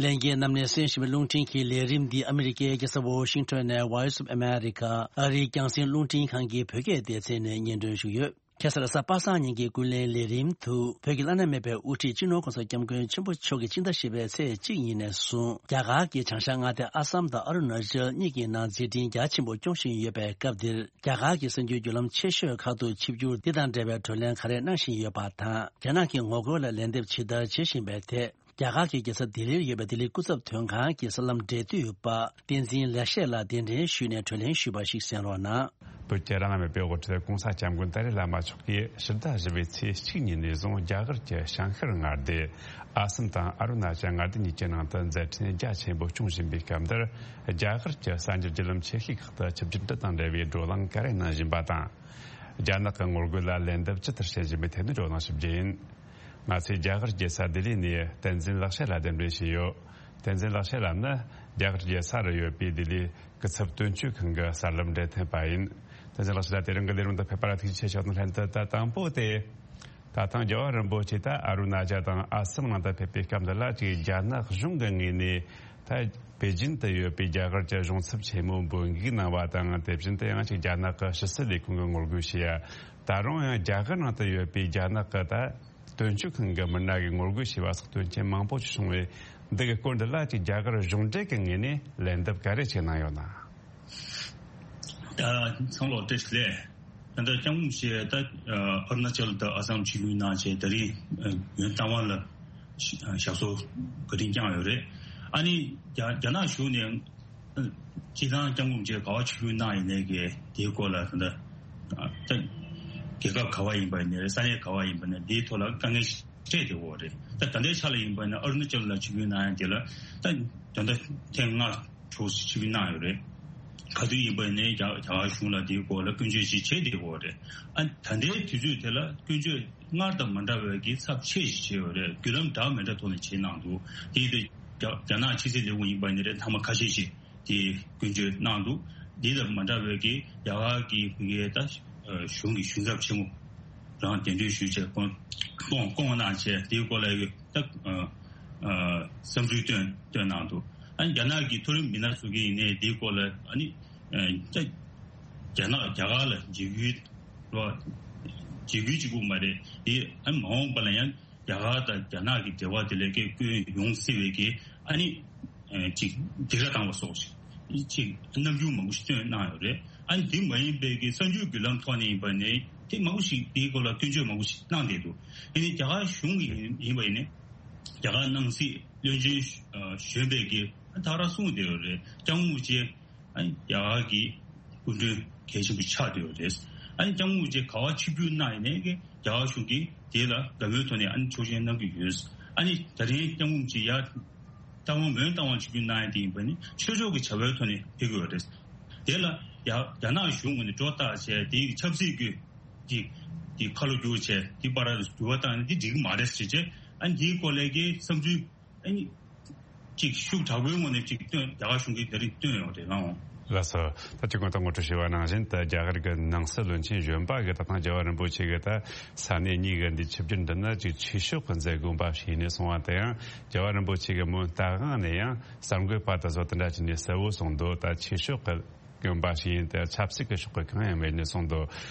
ལྷན་རྒྱས་རྣམས་ནས་གསན་བཞིན་པའི་རླུང་འཕྲིན་གྱི་ལས་རིམ་འདི་ཨ་མི་རི་ཀའི་རྒྱལ་ས་ཝོ་ཤིང་ཊོན་ནས་Voice of America ཨ་རིའི་རྒྱང་སྲིང་རླུང་འཕྲིན་ཁང་གི་བོད་སྐད་སྡེ་ཚན་ནས་སྙན་སྒྲོན་ཞུས་ཡོད། ཁ་སང་གཟའ་པ་སངས་ཉིན་གྱི་ཀུན་གླེང་ལས་རིམ་དུ་བོད་ཀྱི་བླ་ན་མེད་པའི་དབུ་ཁྲིད་སྤྱི་ནོར་༸གོང་ས་༸སྐྱབས་མགོན་ཆེན་པོ་མཆོག་གིས་སྤྱི་ཟླ་བཞི་པའི་ཚེས་གཅིག་ཉིན་ནས་བཟུང་རྒྱ་གར་གྱི་བྱང་ཤར་མངའ་སྡེ་ཨ་སམ་དང་ཨ་རུ་ན་ཅལ་གཉིས་ཀྱི་ནང་མཛད་འཕྲིན་རྒྱ་ཆེན་པོ་སྐྱོང་བཞིན་ཡོད་པའི་སྐབས་འདིར། རྒྱ་གར་གྱི་གསར་འགྱུར་བརྒྱུད་ལམ་ཆེ་ཤོས་ཁག་ཏུ་ཆིབས་བསྒྱུར་འདི་དང་འབྲེལ་བའི་བགྲོ་གླེང་ག་རེ་གནང་བཞིན་ཡོད་པ་དང་། རྒྱ་ནག་གི་ངོ་རྒོལ་ལ་ལན་འདེབས་ཇི་ལྟར་བྱེད་བཞིན་པའི་ཐད། རྒྱ་གར་གྱི་རྒྱལ་ས་ལྡི་ལིར་ཡོད་པའི་ལྡི་ལི་སྐུ་ཚབ་དོན་ཁང་གི་གསར་ལམ་འབྲེལ་མཐུད་པ་བསྟན་འཛིན་ལེགས་བཤད་ལགས་གདན་འདྲེན་ཞུས་ནས་བགྲོ་གླེང་ཞུས་པ་ཞིག་གསན་རོགས་གནང་། བོད་ཀྱི་བླ་ན་མེད་པའི་དབུ་ཁྲིད་༸གོང་ས་༸སྐྱབས་མགོན་ཏཱ་ལའི་བླ་མ་མཆོག་གིས་ཕྱི་ཟླ་བཞི་པའི་ཚེས་གཅིག་ཉིན་ནས་བཟུང་རྒྱ་གར་གྱི་བྱང་ཤར་མངའ་སྡེ་ཨ་སམ་དང་ཨ་རུ་ན་ཅལ་མངའ་སྡེ་གཉིས་ཀྱི་ནང་དུ་མཛད་འཕྲིན་རྒྱ་ཆེན་པོ་སྐྱོང་བཞིན་པའི་སྐབས་འདིར། རྒྱ་གར་གྱི་གསར་འགྱུར་བརྒྱུད་ལམ་ཆེ་ཤོས་ཁག་ཏུ་ཆིབས་བསྒྱུར་འདི་དང་འབྲེལ་བའི་བགྲོ་གླེང་ག་རེ་གནང་བཞིན་པ་དང་། རྒྱ་ནག་གི་ངོ་རྒོལ་ལ་ལན་འདེབས་ཇི་ལྟར་བྱེད་བཞིན་པའི་ཐད་ནས་བགྲོ་གླེང་ཞུ་རྒྱུ་ཡིན། ང་ཚོས་རྒྱ་གར་རྒྱལ་ས་ལྡི་ལི་ནས་བསྟན་འཛིན་ལེགས་བཤད་ལགས་གདན་འདྲེན་བྱས་ཡོད། བསྟན་འཛིན་ལེགས་བཤད་ལགས་ནི་རྒྱ་གར་རྒྱལ་ས་རུ་ཡོད་པའི་ལྡི་ལིའི་སྐུ་ཚབ་དོན་གཅོད་ཁང་གི་གསར་ལམ་འབྲེལ་མཐུད་པ་ཡིན། བསྟན་འཛིན་ལེགས་བཤད་ལགས་དེ་རིང་གི་ལས་རིམ་དུ་ཕེབས་པ་ལ་ཐུགས་རྗེ་ཆེ་ཞུ་དང་ལྷན་དུ། ད་དང་པོ་དེ། ད་ཐེངས་རྒྱལ་བ་རིན་པོ་ཆེ་ད་ཨ་རུ་ན་ཅལ་དང་ཨ་སམ་ནང་དུ་ཕེབས་པའི་སྐབས་འདི་ལ་ཅིག་རྒྱ་ནག་གཞུང་གི་ངོས་ནས་ད་པེ་ཅིན་དུ་ཡོད་པའི་རྒྱ་གར་གྱི་གཞུང་ཚབ་ཆེན་མོ་འབོད་འགུག་གནང་བ་དང་། དེ་བཞིན་དུ་ཡང་ཅིག་རྒྱ་ནག་གི་ཕྱི་སྲིད་ལས་ཁུངས་ཀྱི་ངོ་རྒོལ་བྱས་ཡ། ད་རུང་ཡང་རྒྱ་གར་ནང་དུ་ཡོད་པའི་རྒྱ་ནག་གི་ད་དོན་གཅོད་ཁང་གི་མི་སྣ་གིས་ངོ་རྒོལ་བྱས་པ་སོགས་དོན་རྐྱེན་མང་པོ་ཞིག་བྱུང་བས། འདི་གི་སྐོར་འདི་ལ་ཅིག་རྒྱ་གར་གཞུང་འབྲེལ་གྱི་ངོས་ནས་ལན་འདེབས་ག་རེ་ཅིག་གནང་ཡོད་ན། ད་ཚང་ལོ་བཀྲ་ཤིས་བདེ་ལེགས། ད་ལྟ་སྐྱབས་མགོན་མཆོག་ད་ཨ་རུ་ན་ཅལ་དང་ཨ་སམ་ཆིབས་བསྒྱུར་གནང་བྱས། ད་རིང་ཡོན་ཏང་ཝན་ལ་ཞབས་སོར་བཀའ་དྲིན་བསྐྱངས་ཡོད་རེད། ཨ་ནི་རྒྱ་རྒྱ་ནག་གཞུང་ནས་སྤྱིར་བཏང་སྐྱབས་མགོན་མཆོག་ག་པར་ཆིབས་བསྒྱུར་གནང་ཡིན་ནའི་གི་དེའི་སྐོར་ལ་ད་ལྟ་ད་རྒྱལ་ཁབ་ག་པར་ཡིན་པ་ཡིན་ནའི་རེད། ས་གནས་ག་པར་ཡིན་པ་ཡིན་ནའི་དེའི་ཐོག་ལ་དཀའ་ངལ་ཞིག་འཕྲད་བསྡད་ཡོད་རེད། ད་ད་ལྟའི་ཆ་ལ་ཡིན་པ་ཡིན་ན་ཨ་རུ་ན་ཅལ་ལ་ཆིབས་བསྒྱུར་གནང་ཡ་དེ་ལ་ད་ད་ལྟ་ཐེངས་ལྔ་འཁྲུག་ཆིབས་བསྒྱུར་གནང་ཡོད་རེད། ག་དུས་ཡིན་པ་ཡིན་ནའི་རྒྱ་རྒྱ་གར་གཞུང་ལ་དེའི་སྐོར་ལ་སྐྱོན་བརྗོད་ཅིག་བྱས་བསྡད་ཡོད་རེད། ཨ་ད་ལྟའི་དུས་ཚོད་དེ་ལ་སྐྱོན་བརྗོད་སྔར་དང་མ་འདྲ་བའི་གི་ཚབས་ཆེ་ཞིག་བྱས་ཡོད་རེད། བརྒྱུད་ལམ་འདྲ་མི་འདྲ་ཐོག་ནས་བྱས་གནང་འདུག་དེ་ཡིན་དུས་རྒྱ་རྒྱ་ནག་ཕྱི་སྲིད་ལས་ཁུངས་ཡིན་པ་ཡིན་ནའི་རེད། མཐའ་མ་ཁ་ཤས་ཤིག་དེ་སྐྱོན་བརྗོད་གནང་འདུག་འདི་དང་མ་འདྲ་བའི་གི་རྒྱ་གར་གྱི་ཕ་གིའི་ད་གཞུང་གི་གཞུང་ཚབ་ཆེན་མོ་ རང་གདན་འདྲེན་ཞུས་བྱས་སྐོང་སྐོང་སྐོང་གནང་བྱས་དེའི་སྐོར་ལ་ཡོད་ད་བསམ་ཚུལ་བཏོན་བཏོན་གནང་འདུག་ཨ་ནི་རྒྱ་ནག་གི་མཐོ་རིམ་མི་སྣ་ཚོ་གིས་ཡིན་ནའི་དེའི་སྐོར་ལ་ཨ་ནི་ད་རྒྱ་ནག་རྒྱ་གར་ལ་འཇིགས་སྐུལ་རོ་འཇིགས་སྐུལ་གཅིག་པུ་མ་རེད་དེ་ཨ་ནི་མ་འོངས་པ་ལ་ཡང་རྒྱ་གར་དང་རྒྱ་ནག་གི་འབྲེལ་བ་དེ་ལས་ཀའི་སྐྱོན་ཡོང་སྲིད་པའི་གི་ཨ་ནི་ཅིག་སྡིགས་ར་བཏང་བ་སོགས་ཅིག་རྣམ་འགྱུར་མང་པོ་ཞིག་སྟོན་གནང་ཡོད་རེད། ཨ་ནི་དེ་མ་ཡིན་པའི་གི་གསར་འགྱུར་བརྒྱུད་ལམ་ཐོག་ནས་ཡིན་པ་ནི་དེ་མང་པོ་ཞིག་དེའི་སྐོར་ལ་སྐྱོན་བརྗོད་མང་པོ་ཞིག་གནང་བསྡད་འདུག་ཡིན་ནའི་རྒྱ་གར་གཞུང་གི་ཡིན་པ་ཡིན་ནའི་རྒྱ་གར་ནང་སྲིད་བློན་ཆེན་གཞོན་པས་གི་ད་ག་རང་གསུངས་བསྡད་ཡོད་རེད། སྐྱབས་མགོན་རིན་པོ་ཆེ་ཨ་ནི་རྒྱ་གར་གྱི་སྐུ་མགྲོན་གལ་ཆེན་པོ་ཆགས་བསྡད་ཡོད་རེད། ཨ་ནི་སྐྱབས་མགོན་རིན་པོ་ཆེ་ག་པར་ཆིབས་བསྒྱུར་གནང་ཡིན་ནའི་གི་རྒྱ་གར་གཞུང་གིས་དེ་ལ་དགའ་མོས་ཐོག་ནས་ཨ་ནི་ཆོག་མཆན་གནང་གི་ཡོད། ཨ་ནི་ད་རིང་སྐྱབས་མགོན་རིན་པོ་ཆེ་ཡར་རྟ་དབང་མོན་རྟ་དབང་ཆིབས་བསྒྱུར་གནང་ཡ་དེ་ཡིན་པ་ནི་ཆོས་ཕྱོགས་ཀྱི་བྱ་བའི་ཐོག་ནས་ཕེབས་ཀྱི་ཡོད་རེད། དེ་ལ་རྒྱ་རྒྱ་ནག་གཞུང་ངོས་ནས་སྒྲོ་བཏགས་བྱས་དེའི་ཆབ་སྲིད་ཀྱི་དེ་དེ་ཁ་ལོ་བསྒྱུར་བྱས་དེ་བར་ལ་འགྱུར་བ་བཏང་ནས་དེ་འགྲིག་གི་མ་རེད་ཟེར་བྱས་ཨ་ནི་དེའི་སྐོར་ལས་ཀྱི་བསམ་ཚུལ་ཨ་ནི་ཅིག་ཤུགས་དྲག་པོའི་ངོས་ནས་ཅིག་བཏོན་རྒྱ་གར་གཞུང་གིས་དེ་རིང་བཏོན་ཡོད་རེད་ལགས། ལགས་སོ། ད་ཅི་གོང་དུ་ངོ་སྤྲོད་བྱས་པ་ནང་བཞིན་ད་རྒྱ་གར་གྱི་ནང་སྲིད་བློན་ཆེན་གཞོན་པ་གིས་ད་ཐེངས་རྒྱལ་བ་རིན་པོ་ཆེ་གི་ད་ས་གནས་གཉིས་ཀྱི་འདི་ཆིབས་བསྒྱུར་འདི་ནི་ཅིག་ཆོས་ཕྱོགས་ཀྱི་མཛད་སྒོ་འབའ་ཞིག་ཡིན་ནས་སོང་བ་དེ་ཡང་རྒྱལ་བ་རིན་པོ་ཆེ་གིས་མོན་རྟ་དབང་ནས་ཡང་གསར་འགོད་པ་དེ་ཚོ་དེ་འདྲ་བྱས་ནས་གསལ་བོ་གསུངས་འདུག་ད་ཆོས་ཕྱོགས་ཀྱི་དགོན་པ་ཞིག་ཡིན་ཏེ་ཆབ་སྲིད་ཀྱི་ཕྱོགས་ཀྱི་གང་ཡང་མེད་ནས་གསུངས་འདུག་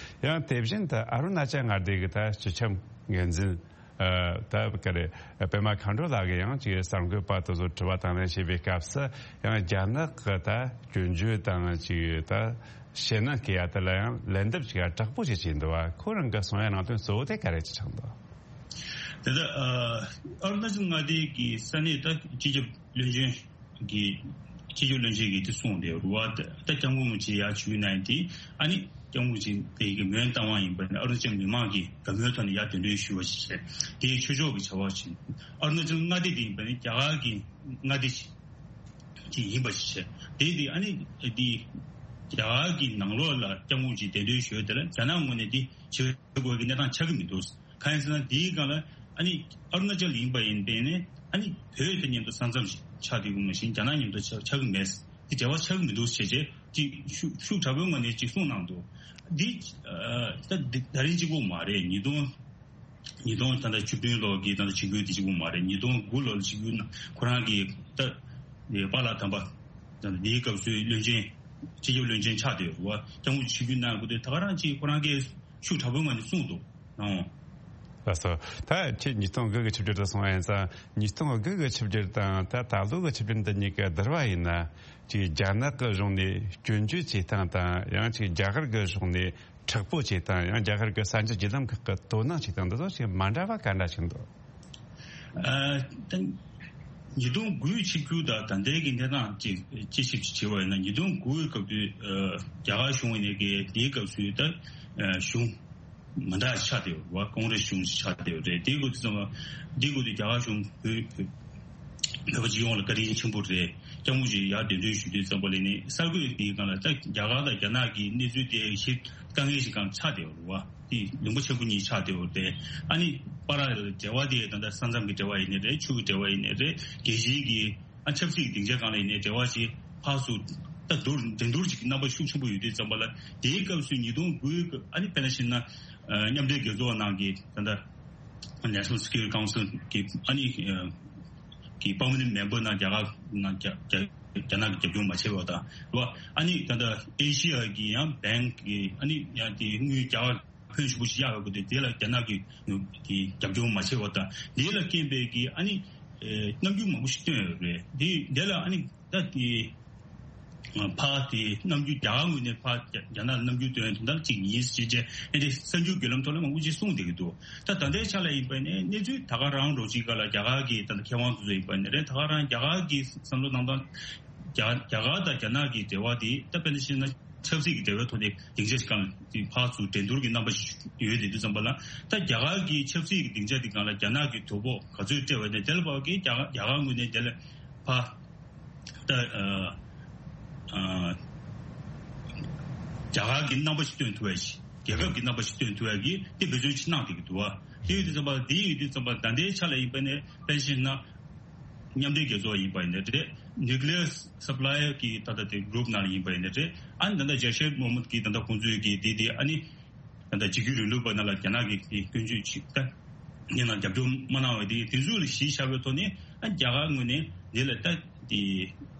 ཡང་དེ་བཞིན་དུ་ཨ་རུ་ན་ཅལ་མངའ་སྡེ་གི་ད་སྤྱི་ཁྱབ་འགན་འཛིན་ཨ་ད་ག་རེ་པད་མ་མཁའ་འགྲོ་ལགས་ཀྱིས་ཡང་ཅིག་གསར་འགོད་པ་དེ་ཚོ་དྲི་བ་དང་ལེན་བྱེད་པའི་སྐབས་སུ་ཡང་རྒྱ་ནག་གི་ད་སྐྱོན་བརྗོད་དང་ཅིག་ད་ཞེད་སྣང་སྐྱེ་ཡ་དེ་ལ་ཡང་ལན་འདེབས་ཅིག་ཡང་དྲག་པོ་ཞིག་བྱས་འདུག་བ། ཁོ་རང་གི་གསུང་ཡ་ནང་དོན་གཙོ་བོ་དེ་ག་རེ་ཅིག་ཆགས་འདུག་དེ་ལྟར་ཨ་རུ་ན་ཅལ་མངའ་སྡེ་གི་ས་གནས་ད་སྤྱི་ཁྱབ་བློན་ཆེན་གྱི་སྤྱི་ཁྱབ་བློན་ཆེན་གྱིས་དེ་གསུངས་ཏེ་རུ་བ་ད་སྐྱབས་མགོན་རིན་པོ་ཆེ་ཡར་བཞུགས་གནང་དེ་ཨ་ནི་སྐྱབས་མགོན་རིན་པོ་ཆེ་དེ་གི་མོན་རྟ་དབང་ཡིན་པ་ནི་ཨ་རུ་ན་ཅལ་མི་མང་གི་དགའ་མོས་ཐོག་ནས་ཡར་གདན་འདྲེན་ཞུས་པ་ཞིག་བྱས་དེའི་ཆོས་ཕྱོགས་ཀྱི་བྱ་བ་ཞིག་ཨ་རུ་ན་ཅལ་མངའ་སྡེ་དེ་ཡིན་པ་ནི་རྒྱ་གར་གྱི་མངའ་སྡེ་ཞིག་ཅིག་ཡིན་པ་ཞིག་བྱས་དེ་དེ་ཨ་ནི་དེ་རྒྱ་གར་གྱི་ནང་ལོགས་ལ་སྐྱབས་མགོན་རིན་པོ་ཆེ་གདན་འདྲེན་ཞུས་དེ་ལ་རྒྱ་ནག་ངོས་ནས་དེ་བྱེད་དགོས་ཀྱི་གནས་སྟངས་ཆགས་ཀྱི་མི་འདུག་གང་ཡིན་ཟེར་ན་དེའི་སྒང་ལ་ཨ་ནི་ཨ་རུ་ན་ཅལ་ཡིན་པ་ཡིན་པས་ནི་ཨ་ནི་བོད་དང་མཉམ་དུ་ས་མཚམས་ཤིག་ཆགས་བསྡད་ཡོད་མ་གཞི་རྒྱ་ནག་མཉམ་དུ་ཆགས་ཆགས་ཀྱི་མེད། དེ་འབྲེལ་བ་ཆགས་ཀྱི་མི་འདུག་ཞེས་བྱས་ཅིག་ཤུགས་ཤུགས་དྲག་པོའི་ངང་ནས་ཅིག་གསུངས་གནང་འདུག་འདི་ཨ་ད་འདི་ད་རིང་གཅིག་པོ་མ་རེད། ཉིས་སྟོང་ཉིས་སྟོང་ད་ལྟ་བཅུ་བདུན་ལོ་གི་ད་ལྟ་ཆིབས་བསྒྱུར་དེ་གཅིག་པོ་མ་རེད། ཉིས་སྟོང་དགུ་ལོ་ལ་ཆིབས་བསྒྱུར་གནང་ཁོ་རང་གི་ད་པཱ་ལགས་དམ་པ་ད་ལྟ་འདིའི་སྐབས་སུའི་བློན་ཆེན་སྤྱི་ཁྱབ་བློན་ཆེན་ཆགས་བསྡད་ཡོད་རེད་བ། སྐྱབས་མགོན་ཆིབས་བསྒྱུར་གནང་དགོས་དུས་ད་ག་རང་ཅིག་ཁོ་རང་གིས་ཤུགས་དྲག་པོའི་ངང་ནས་གསུངས་འདུག་ཨང་། ལགས་སོ། ད་ཁྱེད་ཉིས་སྟོང་དགུ་གི་ཆིབས་བསྒྱུར་དུ་སོང་བ་ཡིན་ཙང་ཉིས་སྟོང་དགུ་གི་ཆིབས་བསྒྱུར་དང་ད་ད་ལོ་གི་ཆིབས་བསྒྱུར་འདི་གཉིས་ཀ་བསྡུར་བ་ཡིན་ན་ཅིག་རྒྱ་ནག་གི་གཞུང་ནས་སྐྱོན་བརྗོད་བྱེད་སྟངས་དང་ཡང་ཅིག་རྒྱ་གར་གི་གཞུང་ནས་དྲག་པོ་བྱེད་སྟངས་ཡང་རྒྱ་གར་གི་གསར་འགྱུར་བརྒྱུད་ལམ་ཁག་གི་དོ་སྣང་བྱེད་སྟངས་འདི་ཚོ་ཅིག་མ་འདྲ་བ་ག་འདྲ་ཞིག་འདུག་ཨ་ད་ཉིས་སྟོང་དགུའི་ཆིབས་བསྒྱུར་དང་ད་ལྟའི་གི་གནས་སྟངས་ཅིག་དཔྱད་ཞིབ་ཅིག་བྱས་པ་ཡིན་ན་ཉིས་སྟོང་དགུའི་སྐབས་དུས་ཨ་རྒྱ་གར་གཞུང་ཡིན་ནའི་གི་དེའི་སྐབས་སུ་ད་ཨ་གཞུང་མི་འདྲ་ཆགས་བསྡད་ཡོད་རེད་བ། ཀོང་རེ་སི་གཞུང་ཆགས་བསྡད་ཡོད་རེད། དེའི་སྐབས་དུས་ཙམ་པ་འདིའི་སྐབས་དུས་རྒྱ་གར་གཞུང་བོད་བོད་པ་སྤྱི་ཡོངས་ལ་བཀའ་དྲིན་ཆེན་པོ་རེད། སྐྱབས་མགོན་ཅིག་ཡར་གདན་འདྲེན་ཞུ་དུས་ཙམ་པ་ལ་ནི་གསར་འགོད་དེའི་སྒང་ལ་ད་རྒྱ་གར་དང་རྒྱ་ནག་གི་གནས་ཚུལ་དེ་ཞིབ་དཀའ་ངལ་ཞིག་སྒང་ཆགས་བསྡད་ཡོད་རེད་བ། དེ་ལུང་པ་ཆེན་པོ་གཉིས་ཆགས་བསྡད་ཡོད་རེད། ཨ་ནི་བར་ལ་འབྲེལ་བ་དེ་ད་ལྟ་ས་མཚམས་ཀྱི་འབྲེལ་བ་ཡིན་ནའི་རེད། ཆུ་གི་འབྲེལ་བ་ཡིན་ནའི་རེད། རྒྱལ་སྤྱིའི་གི་ཨ་ཆབ་སྲིད་ཀྱི་སྡིངས་ཆ་སྒང་ལ་ཡིན་ནའི་འབྲེལ་བ་ཞིག་ཕར་ཚུར་ད་བསྡུར་འགྲན་བསྡུར་ཅིག་གི་རྣམ་པ་ཤུགས་ཆེན་པོ་ཡོད་དུས་ཙམ་པ་ལ་དེའི་སྐབས་སུ་ཉིས་སྟོང་དགུའི་སྐབས་ཨ་ནི་དཔེར་ན་བཤད་ན་ཨ་མཉམ་འབྲེལ་རྒྱལ་ཚོགས་ནང་གི་ད་ལྟ་National Security Council་གི་ཨ་ནི་ཨ་གི་permanent member་ནང་རྒྱ་གར་ནང་རྒྱ་རྒྱ་རྒྱ་ནག་གི་རྒྱབ་སྐྱོར་མ་བྱས་པ་དང་རེད་བ། ཨ་ནི་ད་ལྟ་ཨེ་ཤི་ཡ་གི་ཡང་bank་གི་ཨ་ནི་ཡང་དེ་དངུལ་རྒྱ་གར་ཕོན་ཞེ་པོ་ཞིག་གཡར་ཡོད་པ་དེ་དེ་ལ་རྒྱ་ནག་གི་གི་རྒྱབ་སྐྱོར་མ་བྱས་པ་དང་དེ་ལ་རྐྱེན་པས་གི་ཨ་ནི་ཨེ་རྣམ་འགྱུར་མང་པོ་ཞིག་སྟོན་ཡོད་རེད། དེ་དེ་ལ་ཨ་ནི་ད་དེ་ཕར་དེ་རྣམ་འགྱུར་རྒྱ་གར་ངོས་ནས་ཕར་རྒྱ་རྒྱ་ནག་ལ་རྣམ་འགྱུར་སྟོན་དོན་དག་ཅིག་ཡིན་ཞེས་བྱས་ཨེ་དེ་གསར་འགྱུར་བརྒྱུད་ལམ་ཐོག་ལ་མང་པོ་ཅིག་གསུངས་བསྡད་ཀྱི་འདུག་ད་ད་ལྟའི་ཆ་ལ་ཡིན་པ་ནས་གནས་ཚུལ་ད་ག་རང་རོ་ཅིག་ག་ལ་རྒྱ་གར་གྱི་ད་ལྟ་མཁས་དབང་དེ་ཚོ་ཡིན་པ་ནས་རེད། ད་ག་རང་རྒྱ་གར་གྱི་བསམ་བློ་གནང་སྟངས་རྒྱ་རྒྱ་གར་དང་རྒྱ་ནག་གི་འབྲེལ་བ་དེ་ད་དཔེར་ན་བཤད་ན་ཆབ་སྲིད་ཀྱི་འབྲེལ་བའི་ཐོག་ནས་སྡིངས་ཆ་ཞིག་སྒང་ལ་ཕར་ཚུར་འགྲན་བསྡུར་གྱི་རྣམ་པ་ཞིག་ཡོད་དེ་དུས་ཙམ་པ་ལ་ད་རྒྱ་གར་གྱི་ཆབ་སྲིད་ཀྱི་སྡིངས་ཆ་དེ་སྒང་ལ་རྒྱ་ནག་གི་དོ་ཕོག་ག་ཚོད་སྤྲད་པ་ནས་དེ་ལ་བབ་ཀྱི་རྒྱ་གར་རྒྱ་གར་ངོས་ནས་དེ་ལ་ཕར་ད་ཨ་ཨ་རྒྱ་གར་གྱི་རྣམ་པ་ཞིག་སྟོན་ཐུབ་ཡ་ཞིག་རྒྱལ་ཁབ་ཀྱི་རྣམ་པ་ཞིག་སྟོན་ཐུབ་ཡ་གི་དེ་འབད་བརྩོན་ཅིག་གནང་བསྡད་ཀྱི་འདུག་བ། དེ་ཡོད་དུས་ཙམ་པ་དེ་ཡོད་དུས་ཙམ་པ་ད་ལྟའི་ཆ་ལ་ཡིན་པ་ནས་དཔེར་བཤད་ན། མཉམ་འབྲེལ་རྒྱལ་ཚོགས་ཡིན་པ་ཡིན་ན་རེད། Nuclear Supplier་གི་ད་ལྟ་དེ་group་ནང་ལ་ཡིན་པ་ཡིན་ན་རེད། ཨ་ནི་ད་ལྟ་ཇར་ཤེད་མོ་མུད་ཀྱི་ད་ལྟ་ཁོང་ཚོའི་གི་དེ་དེ་ཨ་ནི་ ད་ལྟ་གཅིག་གྱུར་རིང་ལུགས་པ་ནང་ལ་རྒྱ་ནག་གིས་དེ་སྐྱོན་བརྗོད་ཅིག་ད་ཡིན་ནའང་རྒྱབ་སྐྱོར་མ་གནང་བ་དེ་དེ་ཚོ་ལ་གཞི་བཞག་པའི་ཐོག་ནས་ཨ་རྒྱ་གར་ངོས་ནས་འདི་ལ་ད་དེ་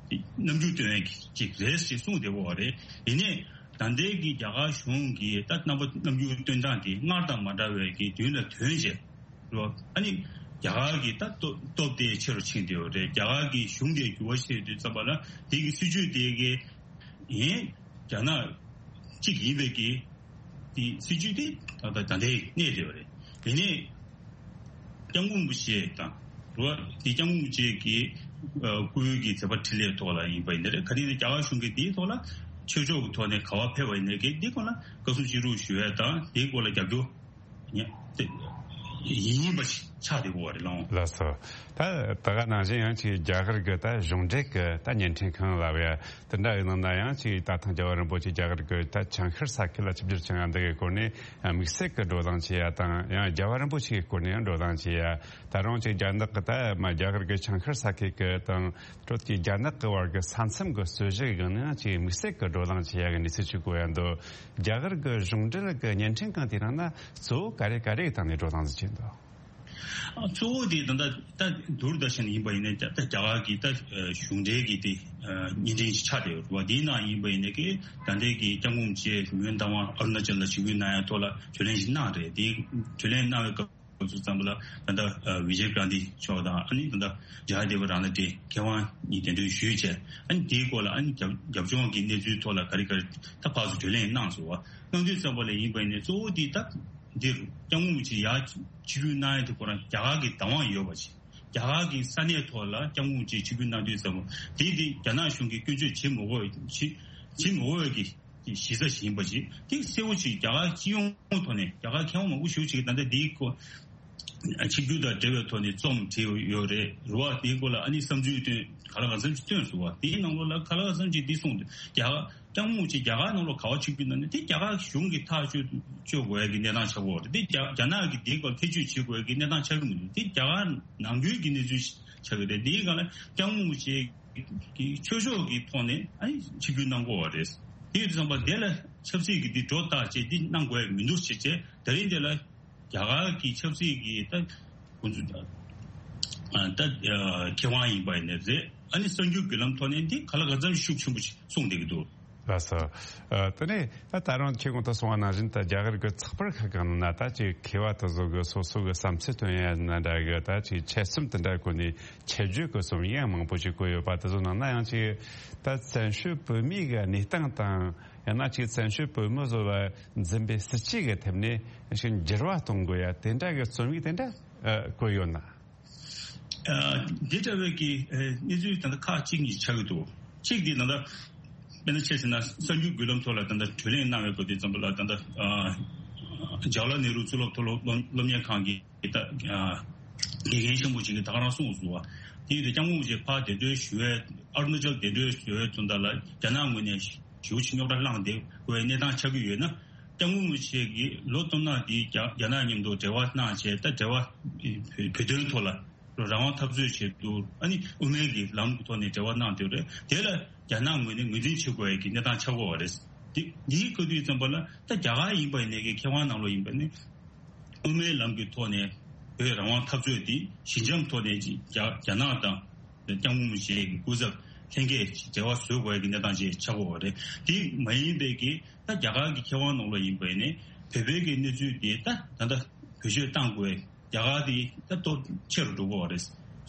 དེ་རྣམ་འགྱུར་སྟོན་ཡས་ཅིག་རེད་ཅེས་གསུངས་བསྡད་པ་རེད། ཡིན་ནའི་ད་ལྟའི་གི་རྒྱ་གར་གཞུང་གིས་ད་རྣམ་པ་རྣམ་འགྱུར་སྟོན་སྟངས་དེ་སྔར་དང་མ་འདྲ་བའི་གི་མདུན་ལ་ཐོན་བྱས་རོ། ཨ་ནི་རྒྱ་གར་གྱི་ད་སྟོབས་སྟོབས་དེ་ཆེ་རུ་ཕྱིན་བསྡད་ཡོད་རེད། རྒྱ་གར་གྱི་གཞུང་དེ་འགྱུར་བ་ཕྱིན་དུས་ཙམ་པ་ལ་དེ་གི་སྲིད་བྱུས་དེ་གི་ཡིན་རྒྱ་ནག་གཅིག་ཡིན་པའི་གི་དེ་སྲིད་བྱུས་དེ་ད་ལྟ་ད་ལྟའི་གནས་བསྡད་ཡོད་རེད། དེ་ནས་སྐྱབས་མགོན་རིན་པོ་ཆེ་དང་རོ་དེ་སྐྱབས་མགོན་རིན་པོ་ཆེ་གི་སྐུའི་གི་མཛད་པ་འཕྲིན་ལས་ཐོག་ལ་ཡིན་པ་ཡིན་ན་རེད། ག་རེ་ཡིན་ན་རྒྱ་གར་གཞུང་གིས་དེའི་ཐོག་ལ་ཆོས་ཕྱོགས་ཀྱི་ཐོག་ནས་ག་བ་ཕེབས་པ་ཡིན་ན་གི་དེ་སྐོར་ལ་བཀའ་གསུང་ཅི་རུ་ཞུ་ཡས་དང་དེའི་སྐོར་ལ་རྒྱབ་སྐྱོར་ཡིན་ཡིན་པ་ཆགས་བསྡད་ཡོད་རེད་ལགས། ལགས་སོ། ད་ད་ག་ནང་བཞིན་ཡང་ཅིག་རྒྱ་གར་གི་ད་གཞུང་འབྲེལ་གི་ད་བརྙན་འཕྲིན་ཁང་ལབ་ཡ་དེ་འདྲ་ཡིན་ནང་ན་ཡང་ཅིག་ད་ཐེངས་རྒྱལ་བ་རིན་པོ་ཆེ་རྒྱ་གར་གི་ད་ཆང་ཤར་ས་ཁུལ་ལ་ཆིབས་བསྒྱུར་བྱུང་ཡ་འདི་གི་སྐོར་ནས་དམིགས་བསལ་གི་བགྲོ་གླེང་བྱེད་ཡ་དང་ཡང་རྒྱལ་བ་རིན་པོ་ཆེ་གི་སྐོར་ནས་ཡང་བགྲོ་གླེང་བྱེད་ཡ། ད་རུང་ཅིག་རྒྱ་ནག་གི་ད་མ་རྒྱ་གར་གི་ཆང་ཤར་ས་ཁུལ་གི་དང་དྲོད་ཀྱི་རྒྱ་ནག་གི་བར་གི་ས་མཚམས་གི་རྩོད་གཞི་གི་ནང་ཅིག་དམིགས་བསལ་གི་བགྲོ་གླེང་བྱེད་ཡ་གི་གནས་ཚུལ་ཅིག་གོ་ཡ་འདུག་རྒྱ་གར་གི་གཞུང་འབྲེལ་གི་བརྙན་འཕྲིན་ཁང་དེའི་ནང་ན་གཙོ་བོ་ག་རེ་ག་རེ་གི་སྟེང་ནས་བགྲོ་གླེང་ཟིག་བྱས་འདུག་གཙོ་བོ་དེ་ད་ལྟ་ད་དུར་ད་ཤན་ཡིན་པ་ཡིན་ན་ད་ད་རྒྱ་གར་གྱི་ད་གཞུང་འབྲེལ་གྱི་དེ་བརྙན་འཕྲིན་ཞིག་ཆགས་བསྡད་ཡོད་རེད་བ། དེའི་ནང་ཡིན་པ་ཡིན་ན་གི་ད་ལྟའི་གི་སྐྱབས་མགོན་རིན་པོ་ཆེ་ཡོན་བདག་དབང་ཨ་རུ་ན་ཅལ་ལ་ཆིབས་བསྒྱུར་གནང་ཡ་ཐོག་ལ་བགྲོ་གླེང་ཞིག་གནང་རེད། དེ་བགྲོ་གླེང་གནང་བའི་སྐབས་སུ་ཙམ་པ་ལ་ད་ལྟ་ཨ་བི་ཇེ་གྷན་དྷི་མཆོག་དང་ཨ་ནི་ད་ལྟ་ཇཱ་དེ་བ་ར་ནཱ་ཏེ་མཁས་དབང་གཉིས་གདན་འདྲེན་ཞུས་བྱས། ཨ་ནི་དེའི་སྐོར་ལ་ཨ་ནི་རྒྱབ་རྒྱབ་ལྗོངས་ཀྱི་གནས་ཚུལ་ཐོག་ལ་ག་རེ་ག་རེ་ད་ཕར་ཚུར་བགྲོ་གླེང་གནང་སོང་བ། གནང་དུས་ཙམ་པ་ལ་ཡིན་པ་ཡིན་ནའི་གཙོ་བོ་དེ་ད་འདིར་སྐྱབས་མགོན་རིན་པོ་ཆེ་ཡར་ཆིབས་བསྒྱུར་གནང་ཡ་དེ་ཁོ་རང་རྒྱ་གར་གྱི་བདག་དབང་ཡོད་པ་ཞིག་རྒྱ་གར་གྱི་ས་གནས་ཐོག་ལ་སྐྱབས་མགོན་རིན་པོ་ཆེ་ཆིབས་བསྒྱུར་གནང་དུས་ཙམ་པ་དེ་དེ་རྒྱ་ནག་གཞུང་གིས་སྐྱོན་བརྗོད་བྱེད་མི་དགོས་བྱེད་བྱེད་མི་དགོས་པའི་གི་གཞི་རྩ་ཞིག་ཡིན་པ་ཞིག་དེ་གསལ་བོ་ཞིག་རྒྱ་གར་སྤྱི་ཡོངས་ཐོག་ནས་རྒྱ་གར་མཁས་དབང་མང་པོ་ཞེ་པོ་ཅིག་ད་ལྟ་འདིའི་སྐོར་ཆིབས་བསྒྱུར་དང་འབྲེལ་བའི་ཐོག་ནས་རྩོམ་བྲིས་ཡོད་རེད་རེད་བ། དེའི་སྐོར་ལ་ཨ་ནི་བསམ་ཚུལ་བཏོན་ག་ལ་ག་ཙམ་ཞིག་བཏོན་སོང་བ། དེའི་ནང་ལོགས་ལ་ག་ལ་ག་ཙམ་ཞིག་འདི་གསུངས་འདུག་རྒྱ་གར་སྐྱབས་མགོན་རིན་པོ་ཆེ་རྒྱ་གར་ནང་ལོགས་ག་བ་ཆིབས་བསྒྱུར་གནང་ནས་དེ་རྒྱ་གར་གཞུང་གིས་ཐག་གཅོད་གཅོད་དགོས་ཡ་གི་གནས་སྟངས་ཆགས་ཀྱི་ཡོད་རེད། དེ་རྒྱ་རྒྱ་ནག་གིས་དེའི་སྐོར་ཐེ་བྱུས་བྱེད་དགོས་ཡ་གི་གནས་སྟངས་ཆགས་ཀྱི་མི་འདུག་དེ་རྒྱ་གར་ནང་ཁུལ་གྱི་གནས་ཚུལ་ཆགས་ཀྱི་རེད། དེའི་སྒང་ལ་སྐྱབས་མགོན་རིན་པོ་ཆེ་གི་ཆོས་ཕྱོགས་ཀྱི་ཐོག་ནས་ཨ་ནི་ཆིབས་བསྒྱུར་གནང་དགོས་པ་རེད། དེ་ཡོད་དུས་ཙམ་པ་དེ་ལ་ཆབ་སྲིད་ཀྱི་འདི་སྒྲོ་བཏགས་བྱས་འདི་གནང་དགོས་ཡ་མི་འདུག་ཅེས་བྱས་ད་རིང་འདི་ལ་རྒྱ་གར་གྱི་ཆབ་སྲིད་ཀྱི་ད་ཁོང་ཚོ་ད་ད་མཁས་དབང་ཡིན་པ་ཡིན་ནའི་རེད། ཨ་ནི་གསར་འགྱུར་བརྒྱུད་ལམ་ཐོག་ནས་འདི་ག་ལ་ག་ཙམ་ཤུགས་ཆེན་པོ་ཞིག་གསུངས་བསྡད་ཀྱི་འདུག་ལགས་སོ། ཨ་དེ་ནས་ད་ད་རུང་ཁྱེད་གོང་དུ་གསུངས་པ་ནང་བཞིན་ད་རྒྱ་གར་གྱི་ཚགས་པར་ཁག་གི་ནང་ན་ད་ཅིག་མཁས་པ་དེ་ཚོ་གི་སོ་སོ་གི་བསམ་ཚུལ་སྟོན་ཡ་ན་འདྲ་གི་ད་ཅིག་ཆེད་རྩོམ་དེ་འདྲ་བཀོད་ནས་ཆེད་བརྗོད་ཀྱི་རྩོམ་ཡིག་མང་པོ་ཅིག་བཀོད་ཡོད་པ་དེ་ཚོ་ནང་ན་ཡང་ཅིག་ད་བཙན་བྱོལ་བོད་མིའི་གི་གནས་སྟངས་དང་ཡང་ན་ཅིག་བཙན་བྱོལ་བོད་མི་ཚོ་ལ་འཛིན་པའི་སྲིད་བྱུས་ཀྱི་ཐད་ནས་ཞིག་འགྱུར་བ་གཏོང་དགོས་ཡ་དེ་འདྲ་གི་རྩོམ་ཡིག་དེ་འདྲ་ཨ་བཀོད་ཡོད་ན། ཨ་འདི་འདྲ་བའི་གི་ཨ་གནས་ཚུལ་ད་ལྟ་ཁག་གཅིག་གཉིས་ཆགས་ཀྱི་འདུག་གཅིག་དེ་ད་ལྟ་དཔེར་ན་ཆ་བཞག་ན་གསར་འགྱུར་བརྒྱུད་ལམ་ཐོག་ལ་ད་ལྟ་བགྲོ་གླེང་གནང་བའི་སྐབས་དེ་ཙམ་པ་ལ་ད་ལྟ་ཨ་ཇ་ཝ་ཧར་ལལ་ནེ་རུ་གཙུག་ལག་མཐོ་སློབ་སློབ་སློབ་གཉེར་ཁང་གི་ད་ཨ་དགེ་རྒན་ཆེན་པོ་ཅིག་གིས་ད་ག་རང་གསུངས་སོང་བ། དེ་ཡིན་དུས་སྐྱབས་མགོན་རིན་པོ་ཆེ་ཕར་གདན་འདྲེན་ཞུ་བའི་ཨ་རུ་ན་ཅལ་གདན་འདྲེན་ཞུ་བའི་དོན་དག་ལ་རྒྱ་ནག་ངོས་ནས་ཞེ་པོ་ཅིག་རྙོག་དྲ་བསླངས་བསྡད་དགོས་པའི་གནས་སྟངས་ཆགས་ཀྱི་ཡོད་ན། སྐྱབས་མགོན་རིན་པོ་ཆེ་གིས་ལོ་སྟོང་ནང་འདི་རྒྱ་རྒྱ་ནག་མཉམ་དུ་འབྲེལ་བ་གནང་བྱས་ད་འབྲེལ་བ་བོད་དོན་ཐོག་ལ་རང་དབང་འཐབ་རྩོད་བྱེད་དུ་ཨ་ནི་དབུ་མའི་གི་ལམ་གྱི་ཐོག་ནས་འབྲེལ་བ་གནང་བསྡད་རེད། དེ་ལ་རྒྱ་ནག་ངོས་ནས་ངོས་འཛིན་བྱེད་དགོས་ཡ་གི་གནས་སྟངས་ཆགས་ཀྱི་ཡོད་རེད། འདི་འདིའི་བཀའ་འདུས་ཙམ་པ་ལ་ད་རྒྱ་གར་ཡིན་པ་ཡིན་ནའི་གི་མཁས་དབང་ནང་ལོགས་ཡིན་པ་ནི་དབུ་མའི་ལམ་གྱི་ཐོག་ནས་བོད་རང་དབང་འཐབ་རྩོད་འདི་ཞི་འཇམ་ཐོག་ནས་ཅིག་རྒྱ་རྒྱ་ནག་དང་། སྐྱབས་མགོན་རིན་པོ་ཆེ་གི་སྐུ་ཚབ་ལྷན་རྒྱས་འབྲེལ་བ་བཟོ་དགོས་ཀྱི་གནས་སྟངས་ཅིག་ཆགས་ཀྱི་ཡོད་རེད། དེ་མ་ཡིན་པའི་གི་ད་རྒྱ་གར་གྱི་མཁས་དབང་ནང་ལོགས་ཡིན་པ་ཡིན་ནའི་བོད་པའི་གི་གནས་ཚུལ་དེ་ད་ད་ལྟ་བེད་སྤྱོད་གཏང་དགོས། རྒྱ་གར་དེ་ད་སྟོབས་ཆེ་རུ་འགྲོ་གི་ཡོད་རེད།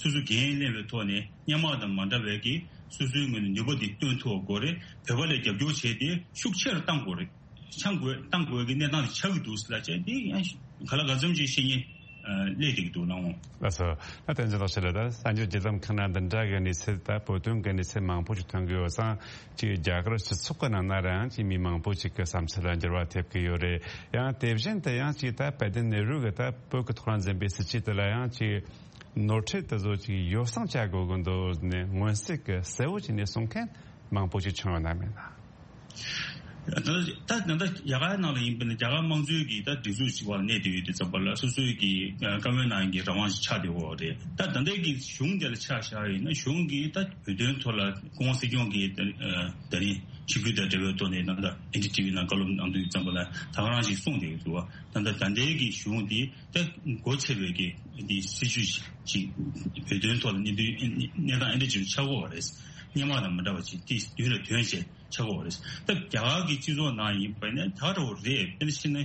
སོ་སོ་འགན་ལེན་པའི་ཐོག་ནས་སྔོན་མ་དང་མ་འདྲ་བའི་གི་སོ་སོའི་ངོས་ནས་ནུས་པ་དེ་བཏོན་ཐུབ་དགོས་རེད། བོད་པ་ལ་རྒྱབ་སྐྱོར་བྱས་ཏེ་ཤུགས་ཆེ་རུ་གཏང་དགོས་རེད། ཆང་དགོས་བཏང་དགོས་ཀྱི་གནས་སྟངས་དེ་ཆགས་ཀྱི་འདུག་ཟེར་ལ་བྱས་འདི་ཡང་ག་ལ་ག་ཙམ་ཞིག་བཤད་ཉེས་སླེབས་བསྡད་ཀྱི་འདུག་ལགས་འོང་། ལགས་སོ། ད་བསྟན་འཛིན་ལགས་ཤེད་ལ་ད་གསར་འགྱུར་བརྒྱུད་ལམ་ཁག་ན་འདི་འདྲ་གི་གནས་ཚུལ་ད་བོད་དོན་གྱི་གནས་ཚུལ་མང་པོ་ཞིག་ཐོན་གྱི་ཡོད་ཙང་ཅིག་རྒྱ་གར་སྤྱི་ཚོགས་ཀྱི་ནང་ན་རང་ཅིག་མི་མང་པོ་ཞིག་གི་བསམ་ཚུལ་ལ་འགྱུར་བ་ཐེབས་ཀྱི་ཡོད་རེད། ཡང་དེ་བཞིན་དུ་ཡང་ཅིག་ད་དཔལ་ལྡན་ནེ་རུ་གི་ད་བོད་ཀྱི་ཐོག་ལ་འཛིན་པའི་སྲིད་བྱུས་དེ་ལ་ཡང་ཅིག་ནོར་འཁྲུལ་དེ་ཚོ་ཅིག་ཡོ་བསྲང་བྱ་དགོས་ཀྱི་འདུག་ནས་མངོན་གསལ་གྱི་གསལ་བོ་བྱས་ནས་གསུང་མཁན་མང་པོ་ཞིག་བྱུང་ཡོད་ན་མེད་ན། ད་ད་ད་རྒྱ་གར་ནང་ལ་ཡིན་པ་ན་རྒྱ་གར་དམངས་གཙོའི་གི་ད་སྒྲིག་འཛུགས་ཅིག་བར་གནས་བསྡད་ཡོད་དུས་ཙམ་པ་ལ་སོ་སོའི་གི་བཀའ་མོལ་གནང་གི་རང་དབང་ཞིག་ཆགས་བསྡད་ཡོད་རེད། ད་ད་ལྟའི་གི་གཞུང་དེ་ལ་ཆ་བཞག་ཡིན་ན་གཞུང་གིས་ད་བོད་དོན་ཐོག་ལ་སྐུ་ངོ་སྲིད་སྐྱོང་གིས་ད་རིང་ ཆིབས་བསྒྱུར་དང་འབྲེལ་བའི་ཐོག་ནས་ད་ལྟ་ཨེན་ཌི་ཊི་ཝི་ནང་བཀའ་སློབ་གནང་དུས་ཙམ་པ་ལ་ད་ག་རང་ཞིག་གསུངས་བསྡད་ཡོད་འདུག་བ། ད་ལྟ་ད་ལྟའི་གི་གཞུང་འདི་ད་སྒོ་ཕྱེ་བའི་གི་འདི་སྲིད་ཇུས་ཅིག་བོད་དོན་ཐོག་ལ་གནས་དུས་གནས་སྟངས་ཨེ་འདྲ་ཅིག་ཆགས་ཀྱི་ཡོད་རེད། སྔོན་མ་དང་མ་འདྲ་བ་ཅིག་དེ་མདུན་ལ་ཐོན་བྱས་ཆགས་ཀྱི་ཡོད་རེད། ད་རྒྱ་གར་གྱི་སྤྱི་ཚོགས་ནང་ཡིན་པ་ནས་ད་ག་འདྲ་བོ་རེད། དཔེར་ན་བཤད་ན།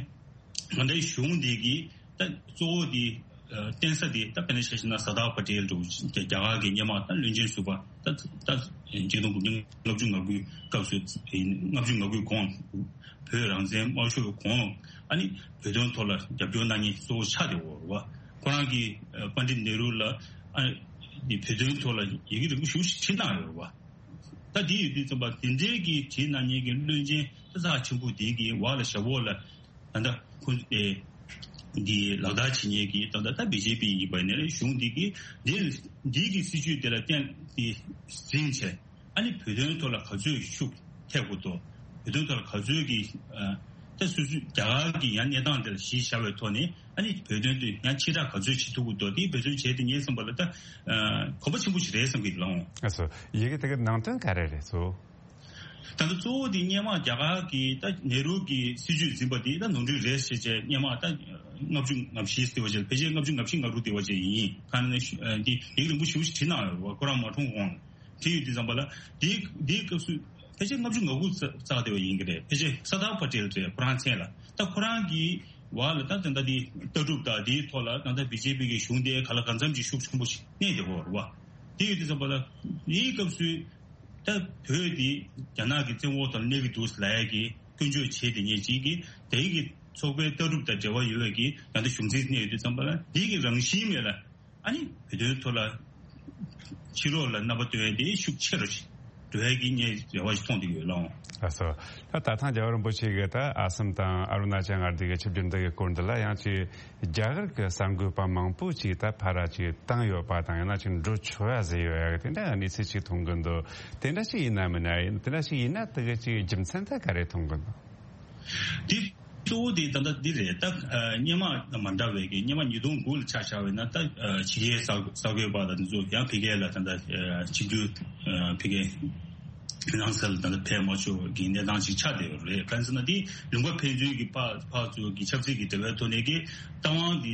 ང་འདྲའི་གཞུང་འདི་གི་ད་གཙོ་བོ་འདི་ཨ་བརྟེན་ས་འདི་ད་དཔེར་ན་ཆ་བཞག་ན་སར་དར་པ་ཊེལ་འདྲ་བོ་རྒྱ་རྒྱ་གར་གྱི་སྔོན་མ་ད་བློན་ཆེན་ཟུར་པ་ད་ད་ཆིག་སྟོང་དགུ་བརྒྱ་ལྔ་བཅུ་ང་དགུའི་སྐབས་སུ་ལྔ་བཅུ་ང་དགུའི་གོང་བོད་རང་བཙན་དམར་ཤོག་གོང་ཨ་ནི་བོད་དོན་ཐོག་ལ་རྒྱབ་སྐྱོར་གནང་མཁན་གཙོ་བོ་ཆགས་བསྡད་ཡོད་རེད་བ། ཁོ་རང་གིས་ཨ་པཎ་ཌིཏ་ནེ་རུ་ལ་ཨ་ནི་བོད་དོན་ཐོག་ལ་ཡི་གེ་རིང་པོ་ཞེ་པོ་ཞིག་བྲིས་གནང་ཡོད་རེད་བ། ད་འདི་ཡོད་དུས་ཙམ་པ་དེ་འདྲའི་གི་བྲིས་གནང་མཁན་གྱི་བློན་ཆེན་ད་རྩ་ཆེན་པོ་དེ་གི་འོག་ལ་ཞབས་འོག་ལ་ད་ལྟ་ཁོ་ཨེ་འདི་ལག་བསྟར་བྱེད་མཁན་གྱི་ད་ལྟ་ད་བི་ཇེ་པི་ཡིན་པ་ནས་གཞུང་འདི་གི་འདི་འདི་གི་སྲིད་ཇུས་དེ་ལ་བརྟེན་ཏེ་འཛིན་བྱས་ཨ་ནི་བོད་དོན་ཐོག་ལ་ག་ཚོད་ཤུགས་ཐེབས་དགོས་འདུག་བོད་དོན་ཐོག་ལ་ག་ཚོད་ཀྱི་ཨ་ད་སོ་སོའི་རྒྱ་གར་གྱི་ཡང་གནས་སྟངས་དེ་ལ་གཞི་བཞག་པའི་ཐོག་ནས་ཨ་ནི་བོད་དོན་དེ་ཡང་ཕྱིར་བསྒྲགས་ག་ཚོད་བྱེད་ཐུབ་ཀྱི་འདུག་དེ་བོད་དོན་བྱས་ཏེ་ངས་བསམ་པ་ལ་ད་ཨ་གོམ་པ་ཆེན་པོ་ཞིག་རེད་བསམ་གྱི་འདུག་ལགས། ཨ་སོ། ཡི་གེ་དེ་གའི་ནང་དོན་ག་རེ་རེད་སོ། ད་ལྟ་གཙོ་བོ་དེ་སྔོན་མ་རྒྱ་གར་གྱི་ད་ནེ་རུ་གྱི་སྲིད་ཇུས་འཛིན་པ་དེ་ད་ནོར་འཁྲུལ་རེད་ཟེར་བྱས་སྔོན་མ་ད་ལྔ་བཅུ་ང་བཞི་ཟེར་བ་བྱས་ཕལ་ཆེར་ལྔ་བཅུ་ང་བཞི་ང་དྲུག་དེ་བ་བྱས་ཡིན། གང་ནས་འདི་ཡིག་རིང་པོ་ཞེ་པོ་ཞིག་བྲིས་གནང་ཡོད་རེད་བ། ཁོ་རང་མ་གྲོངས་གོང་བྲིས་ཡོད་དུས་ཙམ་པ་ལ་དེའི་དེའི་སྐབས་སུ་ཕལ་ཆེར་ལྔ་བཅུ་ང་དགུ་རྩ་རྩ་དེ་བ་ཡིན་གྱི་རེད། ཕལ་ཆེར་སར་དར་པ་ཊེལ་རེད། ཁོ་རང་མཚན་ལ་ད་ཁོ་རང་གི་བར་ལ་ད་ད་ལྟ་དེ་ལྟ་གྲུབ་དང་དེའི་ཐོག་ལ་ད་ལྟ་བི་ཇེ་པི་གི་གཞུང་དེ་ག་ལ་གང་འཚམ་ཅིག་ཤུགས་ཆེན་པོ་ཞིག་གནས་བསྡད་ཡོད་རེད་བ། དེ་ཡོད་དུས་ཙམ་པ་ལ་དེའི་སྐབས་སུ་ད་བོད་དེ་རྒྱ་ནག་གི་བཙན་འོག་ཐོག་གནས་ཀྱི་འདུག་ལབ་ཡ་གི་སྐྱོན་བརྗོད་བྱས་དེ་ཉིད་ཅིག་གིས་དེ་གི་ཚོགས་པའི་ལྟ་གྲུབ་དང་འབྲེལ་བ་ཡོད་པའི་གི་ད་ལྟ་གཞུང་འཛིན་གནས་ཡོད་དུས་ཙམ་པ་ལ་དེ་གི་རང་བཞིན་མེད་ལ། ཨ་ནི་བོད་དོན་ཐོག་ལ་ཕྱི་ལོགས་ལ་རྣམ་པ་སྟོན་ཡ་དེ་ཤུགས་ཆེ་རུ་འགྲོ་ཡ་གི་ངས་རེ་བ་ཞིག་མཐོང་བསྡད་ཡོད་ལགས། ལགས་སོ། ད་ད་ཐེངས་རྒྱལ་བ་རིན་པོ་ཆེ་གིས་ད་ཨ་སམ་དང་ཨ་རུ་ན་ཅལ་མངའ་སྡེ་གི་ཆིབས་བསྒྱུར་འདི་གི་སྐོར་འདི་ལ་ཡང་ཅིག་རྒྱ་གར་གྱི་གསར་འགོད་པ་མང་པོ་ཅིག་ད་ཕར་ར་ཅིག་བཏང་ཡོད་པ་དང་ཡང་ན་ཅིག་འགྲོ་ཆོག་ཡ་ཟེར་ཡོད་ཡ་གི་དེ་འདྲ་གནས་ཚུལ་ཅིག་མཐོང་གི་འདུག་དེ་འདྲ་ཞིག་ཡིན་ན་མིན་ན་ཡིན་དེ་འདྲ་ཞིག་ཡིན་ན་དེ་གི་ཅིག་རྒྱུ་མཚན་ད་ག་རེ་མཐོང་གི་འདུག་དེ་གཙོ་བོ་དེ་ད་ལྟ་འདི་རེད། ད་ཨ་སྔོན་མ་དང་མ་འདྲ་བའི་གི་སྔོན་མ་ཉིས་སྟོང་དགུ་ལ་ཆ་བཞག་པ་ཡིན་ན་ད་ཨ་ཕྱི་རྒྱལ་གསར་གསར་འགོད་པ་དང་དེ་ཚོ་ཡང་ཕ་གི་ལ་ད་ལྟ་ཨ་ཆིབས་བསྒྱུར་ཨ་ཕ་གི་རང་སར་ལ་ད་ལྟ་ཕེབས་མ་ཆོག་གི་གནས་སྟངས་ཅིག་ཆགས་བསྡད་ཡོད་རེད། གང་ཟེར་ན་དེ་ལུང་པ་ཕན་ཚུན་གྱི་ཕར་ཕར་ཚུར་གྱི་ཆབ་སྲིད་ཀྱི་འབྲེལ་བའི་ཐོག་ནས་ཀྱི་རྟ་དབང་དེ་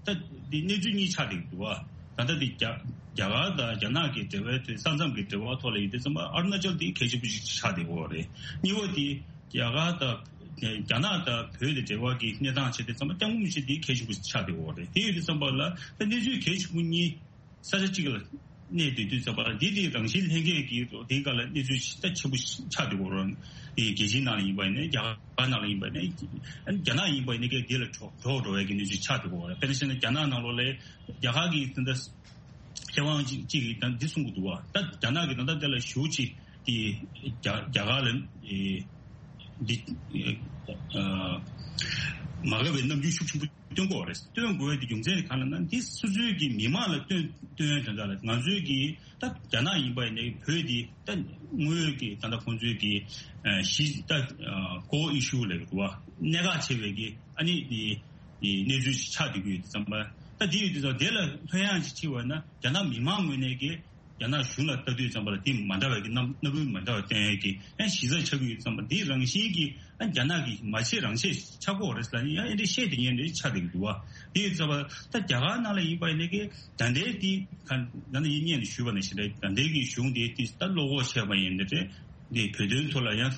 ད་དེ་གནས་ཚུལ་གཉིས་ཆགས་བསྡད་འདུག་བ། ད་ལྟ་དེ་རྒྱ་རྒྱ་གར་དང་རྒྱ་ནག་གི་འབྲེལ་བའི་ཐོག་ས་མཚམས་ཀྱི་འབྲེལ་བ་ཐོག་ལ་ཡིན་དུས་ཙམ་པ་ཨ་རུ་ན་ཅལ་དེ་གལ་ཆེན་པོ་ཞིག་ཆགས་བསྡད་ཡོད་རེད། གཉིས་པ་དེ་རྒྱ་གར་དང་རྒྱ་ནག་དང་བོད་དེ་འབྲེལ་བ་གི་གནས་སྟངས་བྱས་དུས་ཙམ་པ་སྐྱབས་མགོན་རིན་པོ་ཆེ་དེ་གལ་ཆེན་པོ་ཆགས་བསྡད་ཡོད་རེད། དེ་ཡོད་དུས་ཙམ་པ་ལ་ད་གནས་ཚུལ་གལ་ཆེན་པོ་གཉིས་ས་ཆ་གཅིག་ལ་གནས་བསྡད་དུས་ཙམ་པ་ལ་འདི་དེ་རང་བཞིན་ལྷན་སྐྱེས་ཀྱི་དེའི་སྒང་ལ་གནས་ཚུལ་ད་ཆེན་པོ་ཆགས་བསྡད་ཡོད་རེད། དེ་རྒྱལ་སྤྱིའི་ནང་ལ་ཡིན་པ་ཡིན་ན་རྒྱ་གར་ནང་ལ་ཡིན་པ་ཡིན་ན་རྒྱ་ནག་ཡིན་པ་ཡིན་ན་ཀྱང་འདི་ལ་གྲོགས་གྲོགས་འགྲོ་བའི་གི་གནས་ཚུལ་ཆགས་བསྡད་ཡོད་རེད། དཔེར་ན་བཤད་ན་རྒྱ་ནག་ནང་ལོགས་ལ་རྒྱ་གར་གྱི་ད་ལྟ་མཁས་དབང་གཅིག་གིས་ད་འདི་གསུང་གི་འདུག་བ། ད་རྒྱ་ནག་གིས་ད་ལྟ་དེ་ལ་ཞེ་པོ་ཅིག་དེ་རྒྱ་རྒྱ་གར་ལ་ཨེ་འདི་ཨ་མ་དགའ་བའི་རྣམ་འགྱུར་ཤུགས་ཆེན་པོ་སྟོན་དགོས་པ་རེད། སྟོན་དགོས་པའི་དེ་རྒྱུ་མཚན་གང་ལ་ན་འདི་སོ་སོའི་གི་མི་མང་ལ་སྟོན་སྟོན་དོན་དག་ལ་ང་ཚོའི་གི་ད་རྒྱ་ནག་ཡིན་པ་ཡིན་ནའི་བོད་འདི་ད་དངོས་ཡོད་ཀྱི་ད་ལྟ་ཁོང་ཚོའི་གི་ཨ་གཞི་ད་ཨ་core issue ལབ་དགོས་པ་གནད་འགག་ཆེ་བའི་གི་ཨ་ནི་དེ་དེ་གནས་ཚུལ་ཞིག་ཆགས་བསྡད་ཀྱི་ཡོད་དུས་ཙམ་པ་ད་དེ་ཡོད་དུས་ཙམ་དེ་ལ་ལྷོད་ཡངས་ཅིག་ཕྱིན་པ་ན་རྒྱ་ནག་མི་མང་ངོས་ནས་ཀྱི་རྒྱ་ནག་གཞུང་ལ་ལྟ་དུས་ཙམ་པ་ལ་དེ་མ་འདྲ་བའི་གི་རྣམ་རྣམ་འགྱུར་མ་འདྲ་བ་སྟོན་ཡས་ཀྱི་ཡང་གཞི་རྩ་ཆགས་ཀྱི་ཡོད་དུས་ཙམ་པ་དེ་རང་བཞིན་གྱི་ཨ་རྒྱ་ནག་གི་མ་བྱེད་རང་བྱེད་ཆགས་ཀྱི་ཡོད་རེད་ཟེར་ལ་ཡང་ཨེ་འདྲ་བཤད་དེ་ངས་འདྲ་ཆགས་བསྡད་ཀྱི་འདུག་བ། དེ་ཡོད་ཙམ་པ་ད་རྒྱ་གར་ནང་ལ་ཡིན་པ་ཡིན་ནའི་གི་ད་ལྟའི་དེ་ག་ད་ནི་ཡིན་སྔོན་ནས་ཞུས་པ་ནང་བཞིན་རེད། ད་ལྟའི་གི་གཞུང་དེ་དེ་ད་བློ་ཁོག་ཆེ་བ་ཡིན་ནི་རེད། འདི་བོད་དོན་ཐོག་ལ་ཡང་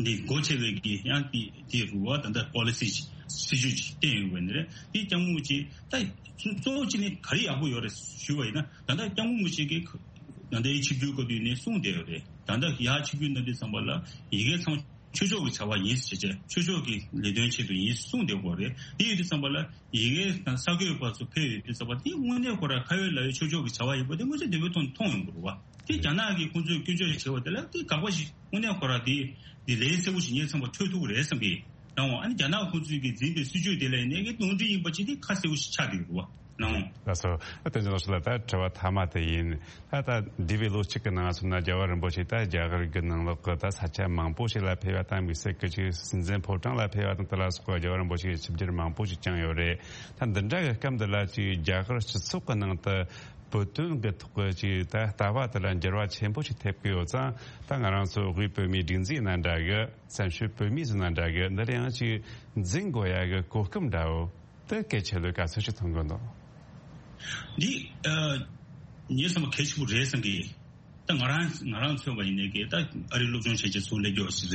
འདི་སྒོ་ཕྱེ་བའི་གི་ཡང་འདི་འདི་རུ་བ་ད་ལྟ་policy ཅིག་སྲིད་ཇུས་ཅིག་བཏིང་ཡོད་པ་ནི་རེད། འདི་སྐྱབས་མགོན་ཆེ་ད་གཙོ་བོ་ཅི་ནི་ག་རེ་ཡག་པོ་ཡོད་རེད་ཞུས་པ་ཡིན་ན་ད་ལྟ་སྐྱབས་མགོན་ཆེ་གི་ད་ལྟའི་ཆིབས་བསྒྱུར་སྐབས་དུས་ནས་གསུངས་བསྡད་ཡོད་རེད། ད་ལྟ་ཡར་ཆིབས་བསྒྱུར་གནང་དུས་ཙམ་པ་ལ་ཡི་གེ་ཚང་ཆོས་ཕྱོགས་ཀྱི་བྱ་བ་ཡིན་ཟེར་བྱས་ཆོས་ཕྱོགས་ཀྱི་ལས་དོན་ཆེད་དུ་ཡིན་གསུངས་བསྡད་ཡོད་རེད། འདི་ཡོད་དུས་ཙམ་པ་ལ་ཡི་གེ་དང་གསར་འགོད་པ་ཚོ་ཕེབས་ཡོད་དུས་ཙམ་པ་འདི་དངོས་གནས་ཁོ་ར་ཁ་ཡོད་ལག་ཡོད་ཆོས་ཕྱོགས་ཀྱི་བྱ་བ་ཡིན་པ་འདི་དངོས་ཆ་བདེ་པོའི་ཐོག་ནས་མཐོང་ཡོང་གི་རེད་བ། དེ་རྒྱ་ནག་གིས་ཁོང་ཚོས་སྐྱོན་བརྗོད་བྱས་པ་དེ་ལ་དེ་དགག་པ་ཞིག་དངོས་གནས་ཁོ་ར་དེ་དེ་ལན་གསལ་པོ་ཞིག་ངའི་ཚང་མ་འཕྲོད་ཐུབ་ཀྱི་རེད་བསམ་གི་རང་བ། ཨ་ནི་རྒྱ་ནག་ཁོང་ཚོས་ཀྱི་འཛིན་པའི་སྲིད་ཇུས་དེ་ལ་ཡིན་ནའི་གི་ནོར་འཁྲུལ་ཡིན་པ་ཅིག་དེ་ཁ་གསལ་པོ་ཞིག་ཆགས་བསྡད་ཡོད་རེད་བ། ལགས་སོ། ཨ་དོན་ཆེན་ལགས་སོ། ལ་ད་དྲི་བ་མཐའ་མ་དེ་ཡིན། ད་ད་འདས་པའི་ལོ་གཅིག་གི་ནང་སོང་ན་རྒྱལ་བ་རིན་པོ་ཆེ་ད་རྒྱ་གར་གྱི་ནང་ལོགས་ཀྱི་ད་ས་ཆ་མང་པོ་ཞིག་ལ་ཕེབས་པ་དང་དམིགས་བསལ་གྱི་ཅིག་སྲིད་འཛིན་ཕོ་བྲང་ལ་ཕེབས་པ་དང་དེ་ལ་སོགས་པ་རྒྱལ་བ་རིན་པོ་ཆེའི་ཆིབས་བསྒྱུར་མང་པོ་ཞིག་བསྐྱངས་ཡོད་རེད། ད་འདི་འདྲ་གི་སྐབས་འདི་ལ་ཅིག་རྒྱ་གར་སྤྱི་ཚོགས་ཀྱི་ནང་དུ། བོད་དོན་གྱི་ཐོག་གི་ཅིག་ད་ལྟ་བ་དེ་ལ་འགྱུར་བ་ཆེན་པོ་ཞིག་ཐེབས་ཀྱི་ཡོད་ཙང་། ད་ང་རང་ཚོ་དབུས་བོད་མིའི་སྒྲིག་འཛུགས་ཡིན་ན་འདྲ་གི། བཙན་བྱོལ་བོད་མིའི་ཟིན་ན་འདྲ་གི། འདི་ལ་ཡང་ཅིག་འཛིན་དགོས་ཡ་གི་གོ་སྐབས་འདྲ་བོ་དེ་གལ་ཆེ་ལོས་ག་ཚོད་ཅིག་མཐོང་གི་འདུག་འདི་ཨ་ངས་བསམ་པ་གལ་ཆེན་པོ་རེད་བསམ་གི། ད་ང་རང་ང་རང་མཚོན་པ་ཡིན་ནའི་གི། ད་ཨ་རི་སློབ་སྦྱོང་བྱེད་ཆེད་ཚུར་སླེབས་རྒྱུ་ཞིག་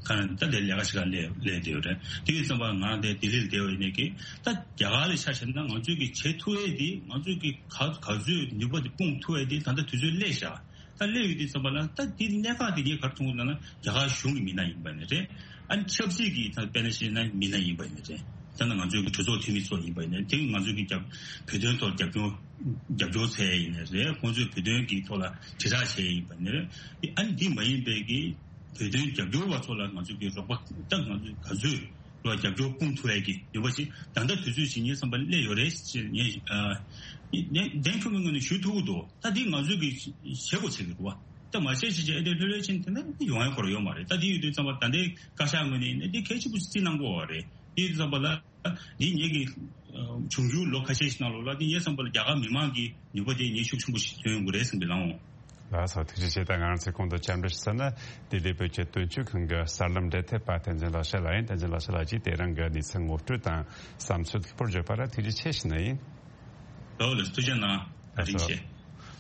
རེད། གང་ད་དེ་ལས་ཀ་ཞིག་ག་སླེབས་སླེབས་བསྡད་ཡོད་རེད། དེ་ཡིན་ཙམ་པ་ང་རང་དེ་ལྡི་ལིར་བསྡད་པ་ཡིན་ནའི་གི། ད་རྒྱ་གར་ལ་ཆ་བཞག་ན་ང་ཚོས་གི་བྱེད་ཐུབ་ཡས་དེ། ང་ཚོས་གི་ག་ག་ཚོད་ནུས་པ་དེ་སྤུངས་ཐུབ་ཡས་དེ་ད་ལྟ་དུས་ཚོད་སླེབས་བཞག་ད་སླེབས་ཡོད་དུས་ཙམ་པ་ལ། ད་དེ་གནད་འགག་དེ་ངས་ག་རེ་མཐོང་གི་ལབ་ན། རྒྱ་གར་གཞུང་གི་མི་སྣ་ཡིན་པ་ནི་རེད། ཨ་ནི་ཆབ་སྲིད་ཀྱི་ད་དཔེར་ན་བཤད་ན་མི་སྣ་ཡིན་པ་ནི་རེད། ད་ནི་ང་ཚོའི་གི་གྲོས་ཚོགས་འཐུས་མི་ཚོ་ཡིན་པ་ནི། དེ་ང་ཚོའི་གི་རྒྱབ་བོད་དོན་ཐོག་རྒྱབ་སྐྱོར་རྒྱབ་སྐྱོར་བྱས་ཡིན་ནི་རེད། ཁོང་ཚོས་བོད་དོན་གྱི་ཐོག་ལ་དྲིལ་བསྒྲགས་བྱས་ཡིན་པ་ནི་རེད། ཨ་ནི་འདི་མ་ཡིན་པའི་གི་བོད་དོན་རྒྱབ་སྐྱོར་བ་ཚོ་ལ་ང་ཚོ་གི་རོགས་པ། ད་ང་ཚོས་ག་ཚོད་ལ་རྒྱབ་སྐྱོར་སྤུངས་ཐུབ་ཡས་ཀྱི་ནུས་པ་ཞིག་ད་ལྟ་དུས་ཚོད་ཅིག་ངའི་བསམ་པ་སླེབས་ཡོད་རེད་ཅེས་ངས་ཨ་ནས་གདེང་ཁྲོམ་གྱི་ངོས་ནས་ཞུ་ཐུབ་ཀྱི་འདུག་ད་འདི་ང་ཚོས་ཀྱི་བྱེད་དགོས་བྱེད་ཀྱི་རེད་བ། ད་མ་བྱས་བྱས་བྱས་ཨེ་འདྲ་ལྷོད་ལྷོད་ཕྱིན་དེ་ན་ཡོང་ཡ་ཁོ་རང་ཡོད་མ་རེད། ད་འདི་ཡོད་དུས་ཙམ་པ་ད་ལྟའི་བཀའ་ཤག་ངོས་ནས་ཡིན་ན་འདི་གལ་ཆེན་པོ་ཞིག་རྩིས་གནང་དགོས་པ་རེད། དེ་ཡོད་དུས་ཙམ་པ་ལ། འདི་ངེད་ཀྱི་ཨ་འབྱུང་འགྱུར་ལོ་ཁ་ཤས་ཤིག་ནང་ལོགས་ལ། འདི་ངའི་བསམ་པ་ལ་རྒྱ་གར་མི་མང་གི་ནུས་པ་དེ་ངས་ཤུགས་ཆེན་པོ་ཞིག་ཐོན་ཡོང་གི་རེད་བསམ་པའི་ལམ་འོང་། ལགས་སོ། ཐུགས་རྗེ་ཆེ། ད་ང་རང་ཚོའི་གོང་དུ་བཅར་འདྲི་ཞུ་ས་ནི་ལྡི་ལི་བོད་ཀྱི་དོན་གཅོད་ཁང་གི་གསར་ལམ་འབྲེལ་མཐུད་པ་བསྟན་འཛིན་ལགས་བྱས་ལ་ཡིན། བསྟན་འཛིན་ལགས་བྱས་ལགས་ཀྱིས་དེ་རིང་གི་གནས་ཚུལ་ངོ་སྤྲོད་དང་བསམ་ཚུལ་ལྷུག་པོར་བརྗོད་པ་ལ་ཐུགས་རྗེ་ཆེ་ཞུ་ནི་ཡིན། ལགས་ལགས། ཐུགས་རྗེ་གནང་། བཀའ་དྲིན་ཆེ། ལགས་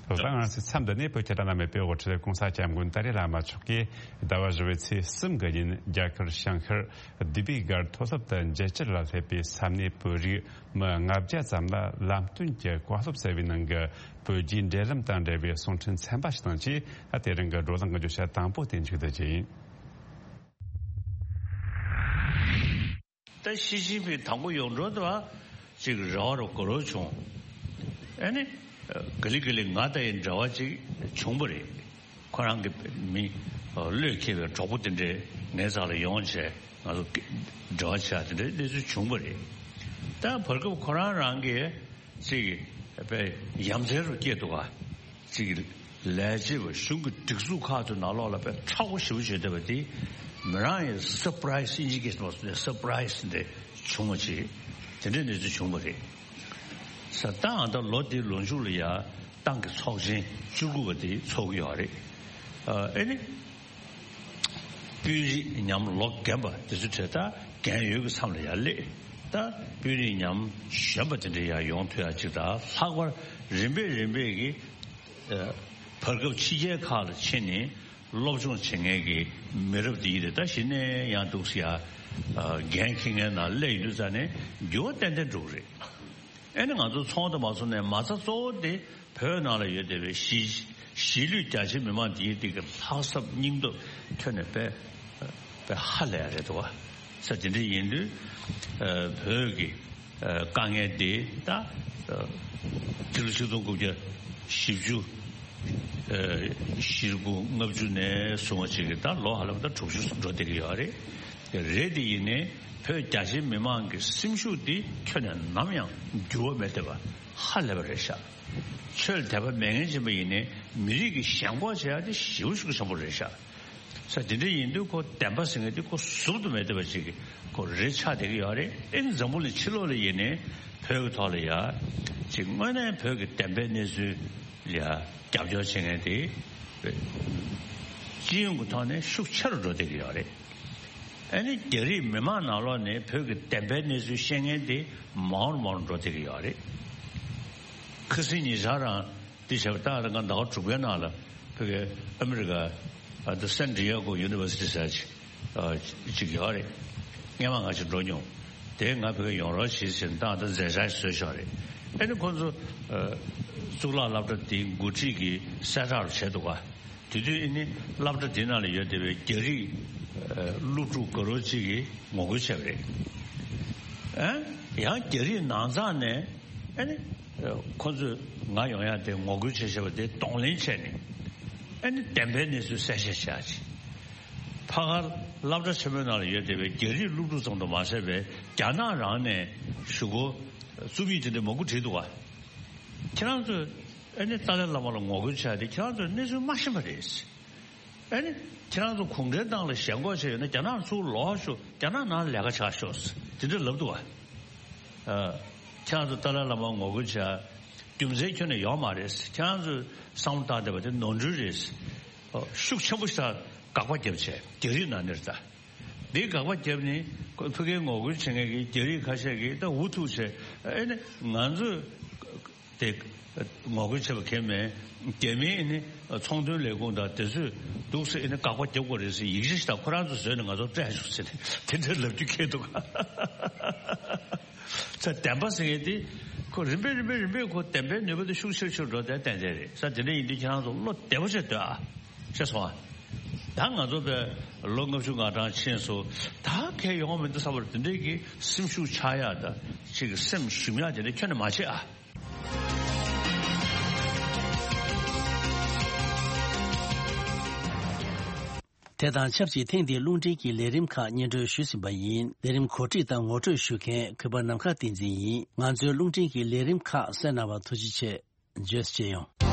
སོ། ད་ང་རང་ཚོའི་མཚམས་འདི་ནས་བོད་ཀྱི་བླ་ན་མེད་པའི་དབུ་ཁྲིད་༸གོང་ས་༸སྐྱབས་མགོན་ཏཱ་ལའི་བླ་མ་མཆོག་གིས་ཟླ་བ་བཞི་པའི་ཚེས་གསུམ་གྱི་ཉིན་རྒྱ་གར་བྱང་ཤར་ལྡི་པའི་སྒར་མཐོ་སློབ་ཏུ་མཇལ་བཅར་ལ་སླེབས་པའི་ས་གནས་བོད་རིགས་མི་ལྔ་བརྒྱ་ཙམ་ལ་ལམ་སྟོན་གྱི་བཀའ་སློབ་སྩལ་བའི་ནང་གི་བོད་རྒྱའི་འབྲེལ་ལམ་དང་འབྲེལ་བའི་གསུང་འཕྲིན་ཚན་པ་ཞིག་དང་བཅས། ད་དེ་རིང་གི་བགྲོ་གླེང་གི་བརྗོད་བྱ་དང་པོ་དེ་མཇུག་བསྡུ་རྒྱུ་ཡིན། ད་ཞི་ཅིན་ཕིང་དང་པོ་ཡོང་འགྲོ་དུས་ཅིག་རེ་བ་རུ་དགའ་རབ་བྱུང་། ཨ་ནི་ག་ལེ་ག་ལེ་ང་དང་ཡང་འབྲེལ་བ་ཅིག་བྱུང་བ་རེད། ཁོ་རང་གི་མི་བློས་འཁེལ་བའི་གྲོགས་པོ་དེ་འདྲས་ངའི་རྩ་ལ་ཡོང་བྱས། ང་ཚོ་འབྲེལ་བ་བྱས། དེ་འདྲའི་གནས་ཚུལ་བྱུང་བ་རེད། ད་བར་སྐབས་ཁོ་རང་རང་གིས་ཅིག་དཔེ་ཡ་མཚན་རུ་སྐྱེས་འདུག་ག་ཅིག་ལས་བྱེད་པ་གཞུང་གི་སྒྲིག་འཛུགས་ཁག་ཏུ་ནང་ལོགས་ལ་དཔེ་མཁྲེགས་པོ་ཞེ་པོ་བྱེད་བསྡད་པ་དེ། མི་རང་ཡང་སར་པ་རའི་སི། དབྱིན་ཇིའི་སྐད་ནང་སར་པ་རའི་སི་འདྲ་བྱུང་བ་ཅིག་དེ་འདྲའི་གནས་ཚུལ་བྱུང་བ་རེད། ས་ད་ཨ་ད་ལོ་འདིའི་ལོ་མཇུག་ལ་ཡ་ཏང་གི་ཚོགས་ཆེན་བཅུ་དགུ་པ་དེ་ཚོགས་ཀྱི་ཡོད་རེད། ཨ་ཨེ་ནི། དཔོན་རིགས་ཉམས་ལོ་རྒན་པ་དེ་ཚོ་གྲས་ད་རྒན་ཡོལ་གྱི་མཚམས་ལ་ཡར་སླེབས། ད་དཔོན་རིགས་ཉམས་གཞོན་པ་དེ་འདྲ་ཡར་ཡོང་ཐུབ་ཡ་ཅིག་དང་། ལྷག་པར་རིམ་པས་རིམ་པས་ཀྱིས་ཨ་བར་སྐབས་ཕྱི་རྒྱལ་ཁག་ལ་ཕྱིན་ནས་སློབ་སྦྱོང་བྱེད་མཁན་གྱི་མི་རབས་དེ་ཡིན་རེད། ད་གཞི་ནས་ཡང་འདུག་སེ་ཡ་ཨ་འགན་འཁྱེར་མཁན་ནང་སླེབས་ཡོང་དུས་ཙ་ནས་འགྱུར་བ་ཏན་ཏན་འགྲོ་གི་རེད། ཨེ་ནི་ང་ཚོ་ཚོང་དང་མ་ཚོང་ནས་མ་རྩ་གཙོ་བོ་དེ་བོད་ནང་ལ་ཡོད་བསྡད་པའི་གཞིས་གཞིས་ལུས་རྒྱ་ཆེའི་མི་མང་དེའི་དེ་གི་ལྷག་བསམ་སྙིང་སྟོབས་ཐོག་ནས་དཔེ་དཔེ་ཧ་ལས་ཡ་རེད་འདུག་བ། ས་དེ་འདྲ་ཡིན་དུས་ཨ་བོད་ཀྱི་ཨ་དཀའ་ངལ་དེ་ད་ཨ་སྤྱི་ལོ་ཆིག་སྟོང་དགུ་བརྒྱ་བཞི་བཅུ་ཨ་བཞི་དགུ་ལྔ་བཅུ་ནས་བཟུང་བ་ཅིག་གི་ད་ལོ་ཧ་ལམ་ད་དྲུག་ཅུ་འགྲོ་བསྡད་ཀྱི་ཡོད་རེད། རེད་དེ་ཡིན་ནའི་བོད་རྒྱ་ཆེའི་མི་མང་གི་སེམས་ཤུགས་འདི་ཁྱོན་ནས་ནམ་ཡང་འགྱུར་བ་མེད་བསྡད་པ་ཧ་ལས་པ་རེད་ཤག་ཆོས་ལ་དད་པ་མེད་མཁན་ཅིག་ཡིན་པ་ཡིན་ནའི་མི་རིགས་ཀྱི་ཞེན་ཁོག་བྱེད་ཡ་དེ་ཞེ་པོ་ཞེ་པོ་ཆེན་པོ་རེད་ཤག་ས་དེ་འདྲ་ཡིན་དུས་ཁོ་བདེན་པ་ཟེར་མཁན་དེ་ཁོ་ཟུར་དུ་མེད་བསྡད་པ་ཅིག་ཁོ་རེད་ཆགས་བསྡད་ཀྱི་ཡོད་རེད། ཨེ་ནི་འཛམ་བུ་གླིང་ཕྱི་ལོགས་ལ་ཡིན་ནའི་བོད་ཀྱི་ཐོག་ལ་ཡ་ཅིག་དངོས་གནས་བོད་ཀྱི་བདེན་པའི་གནས་ཚུལ་ལ་ཡ་རྒྱབ་སྐྱོར་བྱེད་མཁན་དེ་སྤྱི་ཡོངས་ཀྱི་ཐོག་ནས་ཤུགས་ཆེ་རུ་འགྲོ་བསྡད་ཀྱི་ཡོད་རེད། ཨ་ནི་རྒྱ་རིགས་མི་མང་ནང་ལོགས་ནས་བོད་ཀྱི་བདེན་པའི་གནས་ཚུལ་བཤད་མཁན་དེ་མང་རུ་མང་རུ་འགྲོ་བསྡད་ཀྱི་ཡོད་རེད། ཁ་སང་ཉེ་ཆར་རང་འདི་བྱས་པ་ད་རང་ག་ཟླ་བ་དྲུག་པའི་ནང་ལ་བོད་ཀྱི་ཨ་མི་རི་ཀ་ཨ་ད་སན་ཌི་ཡེ་གོ་ཡུ་ནི་ཝར་སི་ཊི་ཟེར་ཅིག་ཨ་ཅིག་ཡོད་རེད། སྔོན་མ་ང་ཅིག་འགྲོ་མྱོང་། དེ་ང་བོད་ཀྱི་ཡོང་རོགས་བྱེད་ཟེར་ནས་ད་ད་མཛད་འཆར་ཞིག་བཟོས་བཞག་རེད། ཨ་ནི་ཁོང་ཚོ་ཨ་གཙུག་ལག་སློབ་གྲྭ་དེའི་འགོ་ཁྲིད་ཀྱི་གསལ་བསྒྲགས་རུ་བྱས་འདུག་ག་དེ་དུས་ཨ་ནི་སློབ་གྲྭ་དེ་ནང་ལ་ཡོད་བསྡད་པའི་རྒྱ་རིགས་ཨ་སློབ་ཕྲུག་དགའ་རབ་ཅིག་གིས་ངོ་རྒོལ་བྱས་པ་རེད། ཨ་ཡང་རྒྱ་རིགས་ནང་ཚང་ནས་ཨ་ནི་ཨ་ཁོ་ཚོས་ང་ཡོང་ཡ་དེ་ངོ་རྒོལ་བྱས་བྱས་པ་དེ་གདོང་ལེན་བྱས་ནས་ཨ་ནི་བདེན་པའི་གནས་ཚུལ་གསལ་བཤད་བྱས་ཅིག་ཕ་གར་སློབ་གྲྭ་ཆེན་མོའི་ནང་ལ་ཡོད་བསྡད་པའི་རྒྱ་རིགས་སློབ་ཕྲུག་ཙམ་དུ་མ་ཟད་པའི་རྒྱ་ནག་རང་ནས་གཞུག་གུ་རྩོམ་ཡིག་དེ་འདྲ་མང་པོ་བྲིས་འདུག་ག་ཁྱེད་རང་ཚོས་ཨ་ནི་ཏཱ་ལའི་བླ་མ་ལ་ངོ་རྒོལ་བྱས་ཏེ་ཁྱེད་རང་ཚོས་གནས་ཚུལ་མ་ཤེས་པ་རེད། ཨ་ནི་ཁྱེད་རང་ཚོ་གུང་ཁྲན་ཏང་ལ་ཞེན་ཁོག་བྱས་ཡོད་ན་རྒྱ་ནག་ཚུར་ལོག་ཤོག་རྒྱ་ནག་ནང་ལས་ཀ་བྱ་ཤོག་དེ་འདྲ་ལབ་འདུག་ག་ཨ་ཁྱེད་རང་ཚོ་ཏཱ་ལའི་བླ་མ་ངོ་རྒོལ་བྱས། རྒྱུ་མཚན་ཁྱོན་ནས་ཡོད་མ་རེད། ཁྱེད་རང་ཚོས་བསམ་བློ་བཏང་བསྡད་པ་དེ་ནོར་འཁྲུལ་རེད། ཨོ། ཤུགས་ཆེན་པོ་ཞིག་དང་དགག་པ་བརྒྱབ་བྱས། རྒྱ་རིགས་ནང་ནས་རེད་ད། འདི་དགག་པ་བརྒྱབ་ནས་ཁོ་ཕ་གིར་ངོ་རྒོལ་བྱེད་མཁན་གྱི་རྒྱ་རིགས་ཁ་ཤས་ཀྱིས་ད་འུ་ཐུག་བྱས། ཨེ་ནི་ང་ཚོས་དེ་ངོ་རྒོལ་བྱེད་པ་གང་ཡང་མེད། རྒྱ་མིའི་ནི་ཚོང་དོན་ལས་ཁུངས་དང་དེ་ཚོས་འདུག་སེ་ནི་དགག་པ་རྒྱབ་དགོས་རེད་ཟེར་ཡིག་ཆ་ཞིག་དང་ཁོ་རང་ཚོས་བཟོས་ནས་ང་ཚོར་སྤྲད་ཤོག་ཟེར་ནས་དེ་འདྲ་ལབ་རྒྱུ་ཁེལ་འདུག་ཚེ་བདེན་པ་ཟེར་མཁན་དེ་ཁོ་རིམ་པས་རིམ་པས་རིམ་པས་ཁོ་བདེན་པའི་ནུས་པ་དེ་ཤུགས་ཆེར་ཆེར་འགྲོ་བསྡད་ཏན་ཏན་རེད་ཟེར། དེ་འདྲ་ཡིན་དུས་ཁྱེད་རང་ཚོ་བློ་བདེ་པོ་བྱས་སྡོད་ཨ། ཤེས་སོང་ཨ། ད་ང་ཚོ་བས་ལོ་ལྔ་བཅུ་ང་གྲངས་ཕྱིན་སོང་། ད་གལ་ཡོང་མི་འདུག་བསམ་པར་དེ་འདྲའི་གི་སེམས་ཤུགས་ཆག་ཡག་དང་ཅིག་སེམས་ཞུམ་ཡག་དེ་འདྲ་ཁྱོན་ནས་མ་བྱེད་ཨ། དེ་དང་ཆབས་ཅིག་ཐེངས་འདིའི་རླུང་འཕྲིན་གྱི་ལས་རིམ་ཁག་སྙན་སྒྲོན་ཞུས་ཟིན་པ་ཡིན། ལས་རིམ་གོ་སྒྲིག་དང་ངོ་སྤྲོད་ཞུ་མཁན་གུས་པ་ནམ་མཁའ་བསྟན་འཛིན་ཡིན། ང་ཚོའི་རླུང་འཕྲིན་གྱི་ལས་རིམ་ཁག་གསན་གནང་བར་ཐུགས་རྗེ་ཆེ། བརྗོད་གཅེས་ཡོང་།